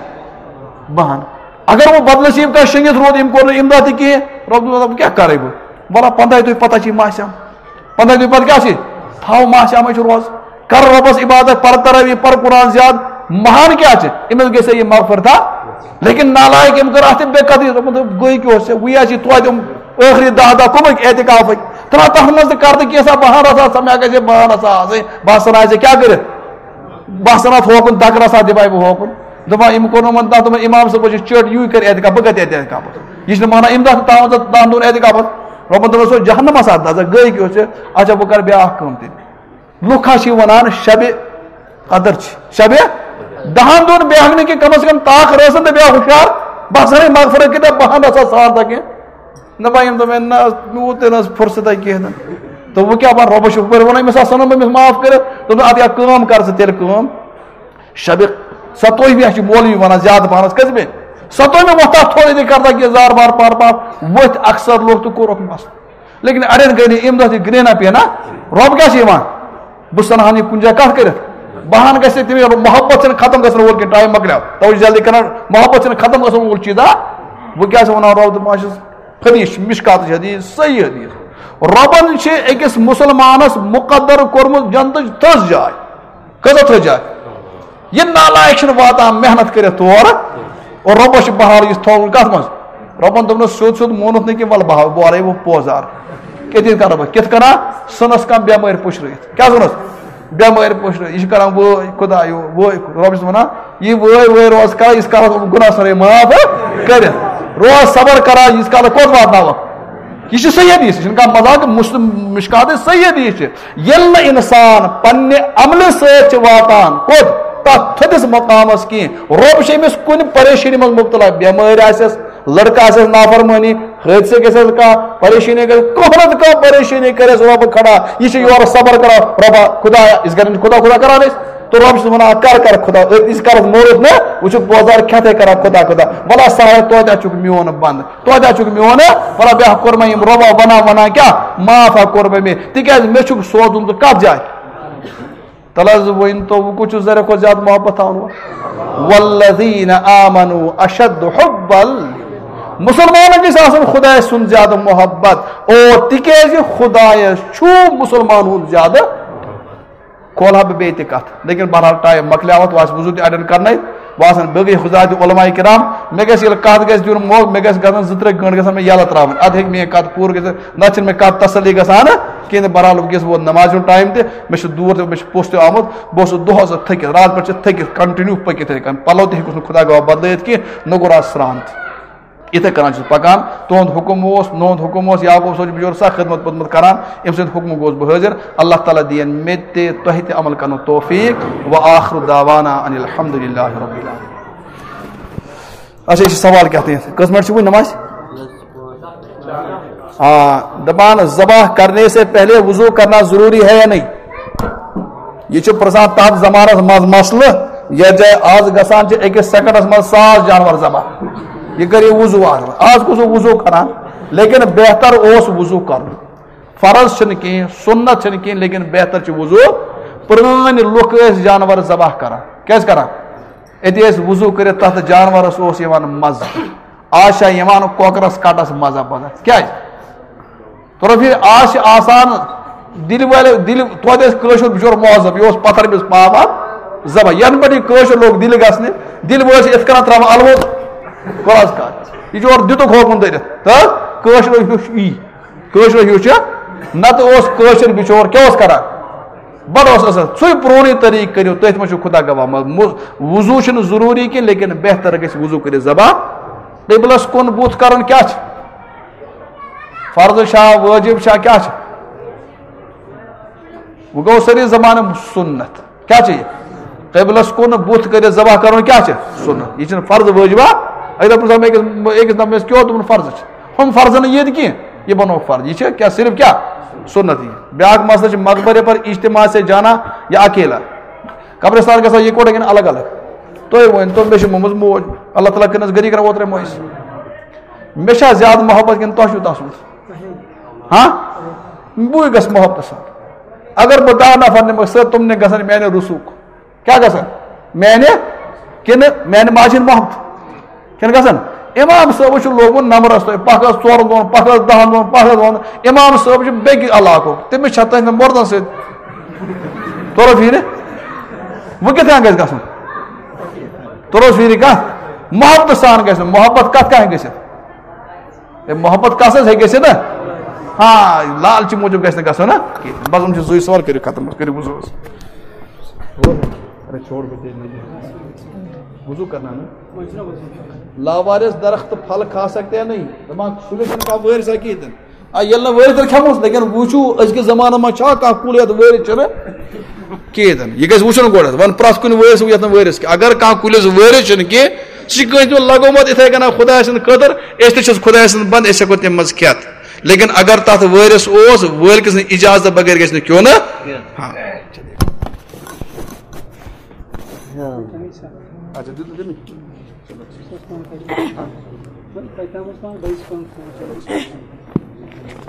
بہانہٕ۔ اگر وۄنۍ بدنصیب کانٛہہ شٔنگِتھ روٗد، أمۍ کوٚر نہٕ اِمداد تہِ کِہیٖنۍ، رۄب دوٚپُن، "وۄنۍ کیٛاہ کرے بہٕ؟ وَلہ، پنٛداہہِ دۄہہِ پتہ چھِ ماہ صیام۔ پنٛداہہِ دۄہہِ پتہٕ کیٛاہ چھِ؟ تھاو ماہ صیامٕچ روزٕ۔" کر رۄبس عبادت، پر تراویح، پر قرآن زیاد، مہان کیٛاہ چھِ؟ أمِس گژھِ یہِ مغفرت، ہا؟ لیکن نالایق أمۍ کٔر اَتھ تہِ بے قدری، دوٚپُن، دوٚپ، گٔے کیٛاہ اوس ژےٚ؟ وٕے ہا چھِ توتہِ یِم ٲخری دَہ دۄہ کُمٕکۍ اعتکافٕکۍ۔ ترٛاو تَتھ منٛز تہِ کر تہٕ کینٛژھا بہانہٕ رژھا، ژٕ مےٚ گژھِ بہانہٕ رژھا آسٕنۍ، بہٕ ہسا آسہِ کیٛاہ کٔرِتھ؟ بہٕ ہسا اَتھ ہوکُن دَکہٕ رژھا دِمہٕ ہا بہٕ ہوکُن۔ دَپان، أمۍ کوٚر نہٕ یِمَن دَتھ، دوٚپُن، امام صٲب چھِ چٔٹ، یوٗے کَرِ اعتکاف، بہٕ کَتہِ اعتکاف؟ یہِ چھِ نہٕ مانان، أمۍ دَتھ تھاوان ژٕ دَہَن دۄہَن اعتکافَس۔ رۄبَن دوٚپُن، سُہ جہنمَس اَتھ نظر گٔے کیٛاہ اوس ژےٚ؟ اچھا، بہٕ کَرٕ بیٛاکھ کٲم تیٚلہِ۔ لُکھ ہا چھِ وَنان شبِ قدر چھِ۔ شبِ دَہَن دۄہَن بیٚہمہٕ نہٕ کینٛہہ، کَم از کَم تاکھ رٲژَن تہٕ بیٚہہ ہُشار، بہٕ ہسا ہے مغفرت کِتاب بہانہٕ آسان سان تہٕ کینٛہہ۔ نہ بہٕ یِم دوٚپ مےٚ، نہ، مےٚ ووت تیٚلہِ نہٕ حظ فرصتہ کینٛہہ نہٕ۔ دوٚپُن، وۄنۍ کیٛاہ بَنہٕ، رۄبَس چھُ ہُپٲرۍ وَنان، أمِس آسان نہٕ أمِس معاف کٔرِتھ۔ دوٚپُن، اَدٕ یا کٲم کَر ژٕ تیٚلہِ کٲم۔ شبِ ستووِمہِ چھِ مولوی وَنان زیادٕ پَہنَس، کٔژمہِ؟ ستووِمہِ وۄتھ تَتھ تھوڑا تہِ کَر تَتھ یہِ زار بار پار پار، ؤتھۍ اَکثر لُکھ تہٕ کوٚرُکھ مَس۔ لیکن اَڑٮ۪ن گٔے نہٕ اَمہِ دۄہ تہِ گرٛینا پینا۔ رۄب کیٛاہ چھِ یِوان؟ بہٕ سَنہٕ ہَن یہِ کُنہِ جایہِ کَتھ کٔرِتھ۔ بہان گژھِ تٔمِس محبت چھَنہٕ ختم گژھن وول کینٛہہ، ٹایم مۄکلیو۔ تَوَے چھُ جلدی کَران، محبت چھَنہٕ ختم گژھن وول چیٖزا۔ وۄنۍ کیٛاہ چھِ وَنان رۄب، دَپان چھُس، حدیث چھُ، مشکاتٕچ حدیث، صحیح حدیث۔ رۄبن چھِ أکِس مُسلمانس مُقدر کوٚرمُت جنتٕچ تھٔز جاے۔ کۭژاہ تھٔز جاے؟ یہِ نالایق چھُنہٕ واتان محنت کٔرِتھ تور۔ اور رۄبس چھُ بہار یُس تھوٚوُن کتھ منٛز؟ رۄبن دوٚپنس سیوٚد سیوٚد مونُتھ نہٕ کینٛہہ، وَلہٕ بہار، بہٕ وَرے وۄنۍ پوزار۔ کِتھ کٔنۍ کرٕ بہٕ؟ کِتھ کٔنۍ؟ سٕنس کانٛہہ بٮ۪مٲرۍ پُشرٲیِتھ۔ کیٛاہ سٕنس؟ بٮ۪مٲرۍ پُشرٲیِتھ۔ یہِ چھُ کران وٲے خۄدایو، وٲے۔ رۄب چھُس وَنان، یہِ وٲے وٲے روز کر، یہِ چھُ کران گۄناہ سارے معاف کٔرِتھ۔ روز صبر کران، یہِ چھُ کران کوٚت واتناوان؟ یہِ چھُ صحیح حدیث، یہِ چھُنہٕ کانٛہہ مذاق، مسلم مشکات صحیح حدیث چھِ۔ ییٚلہِ نہٕ اِنسان پننہِ عملہِ سۭتۍ چھِ واتان کوٚت؟ تتھ تھٔدِس مقامس کینٛہہ۔ رۄب چھُ أمِس کُنہِ پریشٲنی منٛز مبتلا، بٮ۪مٲرۍ آسٮ۪س، لڑکہٕ آسٮ۪س نافرمٲنی، حٲدثہٕ گژھٮ۪س کانٛہہ پریشٲنی گژھِ، کانٛہہ نتہٕ کانٛہہ پریشٲنی کریس رۄب کھڑا۔ یہِ چھُ یورٕ صبر کران، رۄبا خدایا، یِتھ کٔنۍ خدا خدا کران أسۍ۔ تہٕ رۄب چھُ وَنان، کر کر خدا، أتۍ نِش کرس مورُت نہ، وۄنۍ چھُ بوزان کھٮ۪تھے کران خدا خدا۔ وَلہ سایا، توتہِ چھُکھ میون بنٛد، توتہِ چھُکھ میون، وَلہ بیٛاکھ کوٚر مےٚ یِم رۄبا وَنان وَنان کیٛاہ، معاف ہا کوٚر مےٚ مےٚ، تِکیٛازِ مےٚ چھُکھ سوزُن ژٕ کَتھ جایہِ؟ تَلہٕ حظ ؤنۍ تو، وۄنۍ کُس چھُ ساروی کھۄتہٕ زیادٕ محبت تھاوان وول؟ والذین آمنوا اشد حبا۔ مُسلمانن گژھِ آسُن خدایہِ سُنٛد زیادٕ محبت، اور تِکیٛازِ خدایس چھُ مُسلمان ہُنٛد زیادٕ۔ کھولہٕ ہا بہٕ بیٚیہِ تہِ کتھ، لیکن بہرحال ٹایم مۄکلیو، وۄنۍ آسہِ وضو تہِ اڑٮ۪ن کرنے، وۄنۍ آسن باقٕے حضرات علماء کرام۔ مےٚ گژھِ ییٚلہِ کتھ گژھِ دیُن موقعہٕ، مےٚ گژھِ گژھن زٕ ترٛےٚ گٲنٛٹہٕ گژھن مےٚ یلہٕ ترٛاوٕنۍ، ادٕ ہیٚکہِ میٲنۍ کتھ پوٗرٕ گٔژھِتھ، نتہٕ چھنہٕ مےٚ کتھ تسلی گژھان کینٛہہ۔ تہٕ بہرحال وٕنکیٚس ووت نمازِ ہُنٛد ٹایم تہِ، مےٚ چھُ دوٗر تہِ، مےٚ چھُ پوٚژھ تہِ آمُت، بہٕ اوسُس دۄہس تھٔکِتھ، راتھ پٮ۪ٹھ چھِ تھٔکِتھ، کنٹِنیو پٔکِتھ یِتھَے کٔنۍ، پلو تہِ ہیٚکُس نہٕ خۄدا گواہ بدلٲیِتھ کینٛہہ، نہ کوٚر آز سرٛان تہِ۔ یِتھَے کٔنۍ چھُس پَکان۔ تُہُنٛد حُکُم اوس، نُہُنٛد حُکُم اوس، یعقوب صٲب چھُ بِچور سَخ خدمت پٔتمُت کَران، أمۍ سٕنٛدِ حُکمُک گوس بہٕ حٲضِر۔ اللہ تعالیٰ دِیِن مےٚ تہِ تۄہہِ تہِ عمل کَرنُک توفیٖق۔ وآخر دعوانا ان الحمد للہ رب العالمین۔ اچھا، یہِ چھُ سوال کیٛاہ تام؟ کٔژ منٹ چھِ وٕنہِ نمازِ؟ آ، دَپان، ذبح کرنے سے پہلے وضو کرنا ضروری ہے یا نہیں؟ یہِ چھُ پرٛژھان تَتھ زمانَس منٛز مسلہٕ، یَتھ جایہِ آز گژھان چھِ أکِس سیکنڈَس منٛز ساس جانور ذبح۔ یہِ کٔرِو وضوٗ اَتھ منٛز۔ آز کُس اوس وضوٗ کران؟ لیکن بہتر اوس وضوٗ کرُن۔ فرض چھِنہٕ کِہیٖنۍ، سُنت چھِنہٕ کِہیٖنۍ، لیکن بہتر چھُ وضوٗ۔ پرٛٲنۍ لُکھ ٲسۍ جانور ذبح کران۔ کیٛازِ کران؟ أتی ٲسۍ وضوٗ کٔرِتھ تَتھ جانورَس اوس یِوان مَزٕ۔ آز چھا یِوان کۄکرَس کَٹَس مَزٕ پَزَس؟ کیٛازِ؟ ترٛوفی آز چھِ آسان دِلہِ وٲلۍ، دِلہِ، توتہِ ٲسۍ کٲشُر بِچور مہذب، یہِ اوس پَتھر أمِس پاپان زَبر۔ یَنہٕ پٮ۪ٹھ یہِ کٲشُر لوگ دِلہِ گژھنہِ، دِلہِ وٲلۍ چھِ یِتھ کَنۍ ترٛاوان اَلوُت، کۄس کَتھ؟ یہِ چھُ اورٕ دِتُکھ ہوکُن دٔرِتھ، تہٕ کٲشرو ہیوٚچھ یی، کٲشرو ہیوٚچھ یہِ۔ نَتہٕ اوس کٲشُر بِچور کیٛاہ اوس کَران؟ بَڑٕ اوس اَصٕل۔ سُے پرٛونُے طریٖقہٕ کٔرِو، تٔتھۍ منٛز چھُ خۄدا گواہ۔ مَ-، مُ-، وضوٗ چھُنہٕ ضروٗری کینٛہہ، لیکن بہتر گژھِ وضوٗ کٔرِتھ ذبح۔ قبلَس کُن بُتھ کَرُن کیٛاہ چھُ؟ فرض چھا، وٲجِب چھا، کیٛاہ چھُ؟ وۄنۍ گوٚو سٲری زمانہٕ سُنت۔ کیٛاہ چھُ یہِ؟ قبلس کُن بُتھ کٔرِتھ ذبح کرُن کیٛاہ چھُ؟ سُنت۔ یہِ چھُنہٕ فرض وٲجِبہ۔ اَکہِ دۄہ پرٛژھو مےٚ أکِس، أکِس نفرس، کیٛاہ اوس؟ دوٚپُن، فرض چھُ۔ ہُم فرض نہٕ ییٚتہِ کینٛہہ، یہِ بنوو فرض۔ یہِ چھُ کیٛاہ؟ صرف کیٛاہ؟ سُنت۔ یہِ بیٛاکھ مسئلہٕ چھُ مقبرے پر اجتماع سے جانا یا اکیلا؟ قبرستان گژھان یِکوٹے کِنہٕ الگ الگ؟ تُہۍ ؤنۍ تو، مےٚ چھِ مٔمٕژ موج، اللہ تعالیٰ کٔرنَس غریٖق رَحمت اوترَے مٔنٛزۍ۔ مےٚ چھا زیادٕ محبت کِنہٕ تۄہہِ چھُو تَس سۭتۍ؟ ہاں؟ بٕے گژھٕ محبتہٕ سان۔ اگر بہٕ دَہ نفر نِمہٕ، سۭتۍ تِم نہٕ گژھن میانہِ رسوٗخ۔ کیٛاہ گژھن؟ میانہِ کِنہٕ میانہِ ماجہِ ہِنٛدۍ محبت؟ کِنہٕ گژھن؟ امام صٲبَس چھُ لوگمُت نمبرَس تۄہہِ، پَکھ حظ ژورَن دۄہَن، پَکھ حظ دَہَن دۄہَن، پَکھ حظ وَنُن۔ امام صٲب چھُ بیٚکہِ علاقُک، تٔمِس چھا تٔہٕنٛدٮ۪ن مردَن سۭتۍ؟ توٚرُس فِکرِ؟ وۄنۍ کِتھ کٔنۍ گژھِ گژھُن؟ توٚرُس فِکرِ کَتھ؟ محبتہٕ سان گژھِ نہٕ۔ محبت کَتھ کَتھِ گژھِ؟ ہے، محبت کَس حظ ہیٚکہِ گٔژھِتھ نا؟ ہاں، لالچہِ موٗجوٗب گژھِ نہٕ گژھُن نا کینٛہہ۔ بس یِم چھِ زٕے سوال، کٔرِو ختم، کٔرِو وضوٗ حظ۔ اَرے چھوڑ بہٕ تیٚلہِ نہٕ۔ وضوٗ کرنا نا؟ لاوارث درخت پھل کھا سکتے ہیں نہیں؟ دَپان، سُہ گژھِ نہٕ کانٛہہ وٲرِث ہا کِہیٖنۍ تہِ نہٕ۔ آ، ییٚلہِ نہٕ وٲرِث تیٚلہِ کھٮ۪موس، لیکن وٕچھِو، أزکِس زمانَس منٛز چھا کانٛہہ کُل یَتھ وٲرِث چھُنہٕ کِہیٖنۍ تہِ نہٕ؟ یہِ گژھِ وٕچھُن گۄڈٕ، وۄنۍ پرٛٮ۪تھ کُنہِ وٲرِث یَتھ نہٕ وٲرِث کینٛہہ۔ اگر کانٛہہ کُلِس وٲرِث چھُنہٕ کینٛہہ، سُہ چھُ کٲنٛسہِ دیُن لگومُت یِتھَے کٔنۍ خۄداے سٕنٛدِ خٲطرٕ، أسۍ تہِ چھِس خۄداے سٕنٛدۍ بنٛدٕ، أسۍ ہٮ۪کو تَمہِ منٛز کھٮ۪تھ۔ لیکن اگر تَتھ وٲرِث اوس، وٲلۍ کِس نہٕ اِجازت بغٲر گژھِ نہٕ کھیوٚن۔ ہاں۔ اچھا، دیُت نہٕ تٔمۍ؟ چلو، ٹھیٖک۔ بہٕ تَتہِ تام اوس پانہٕ بیٚیِس پانَس فون۔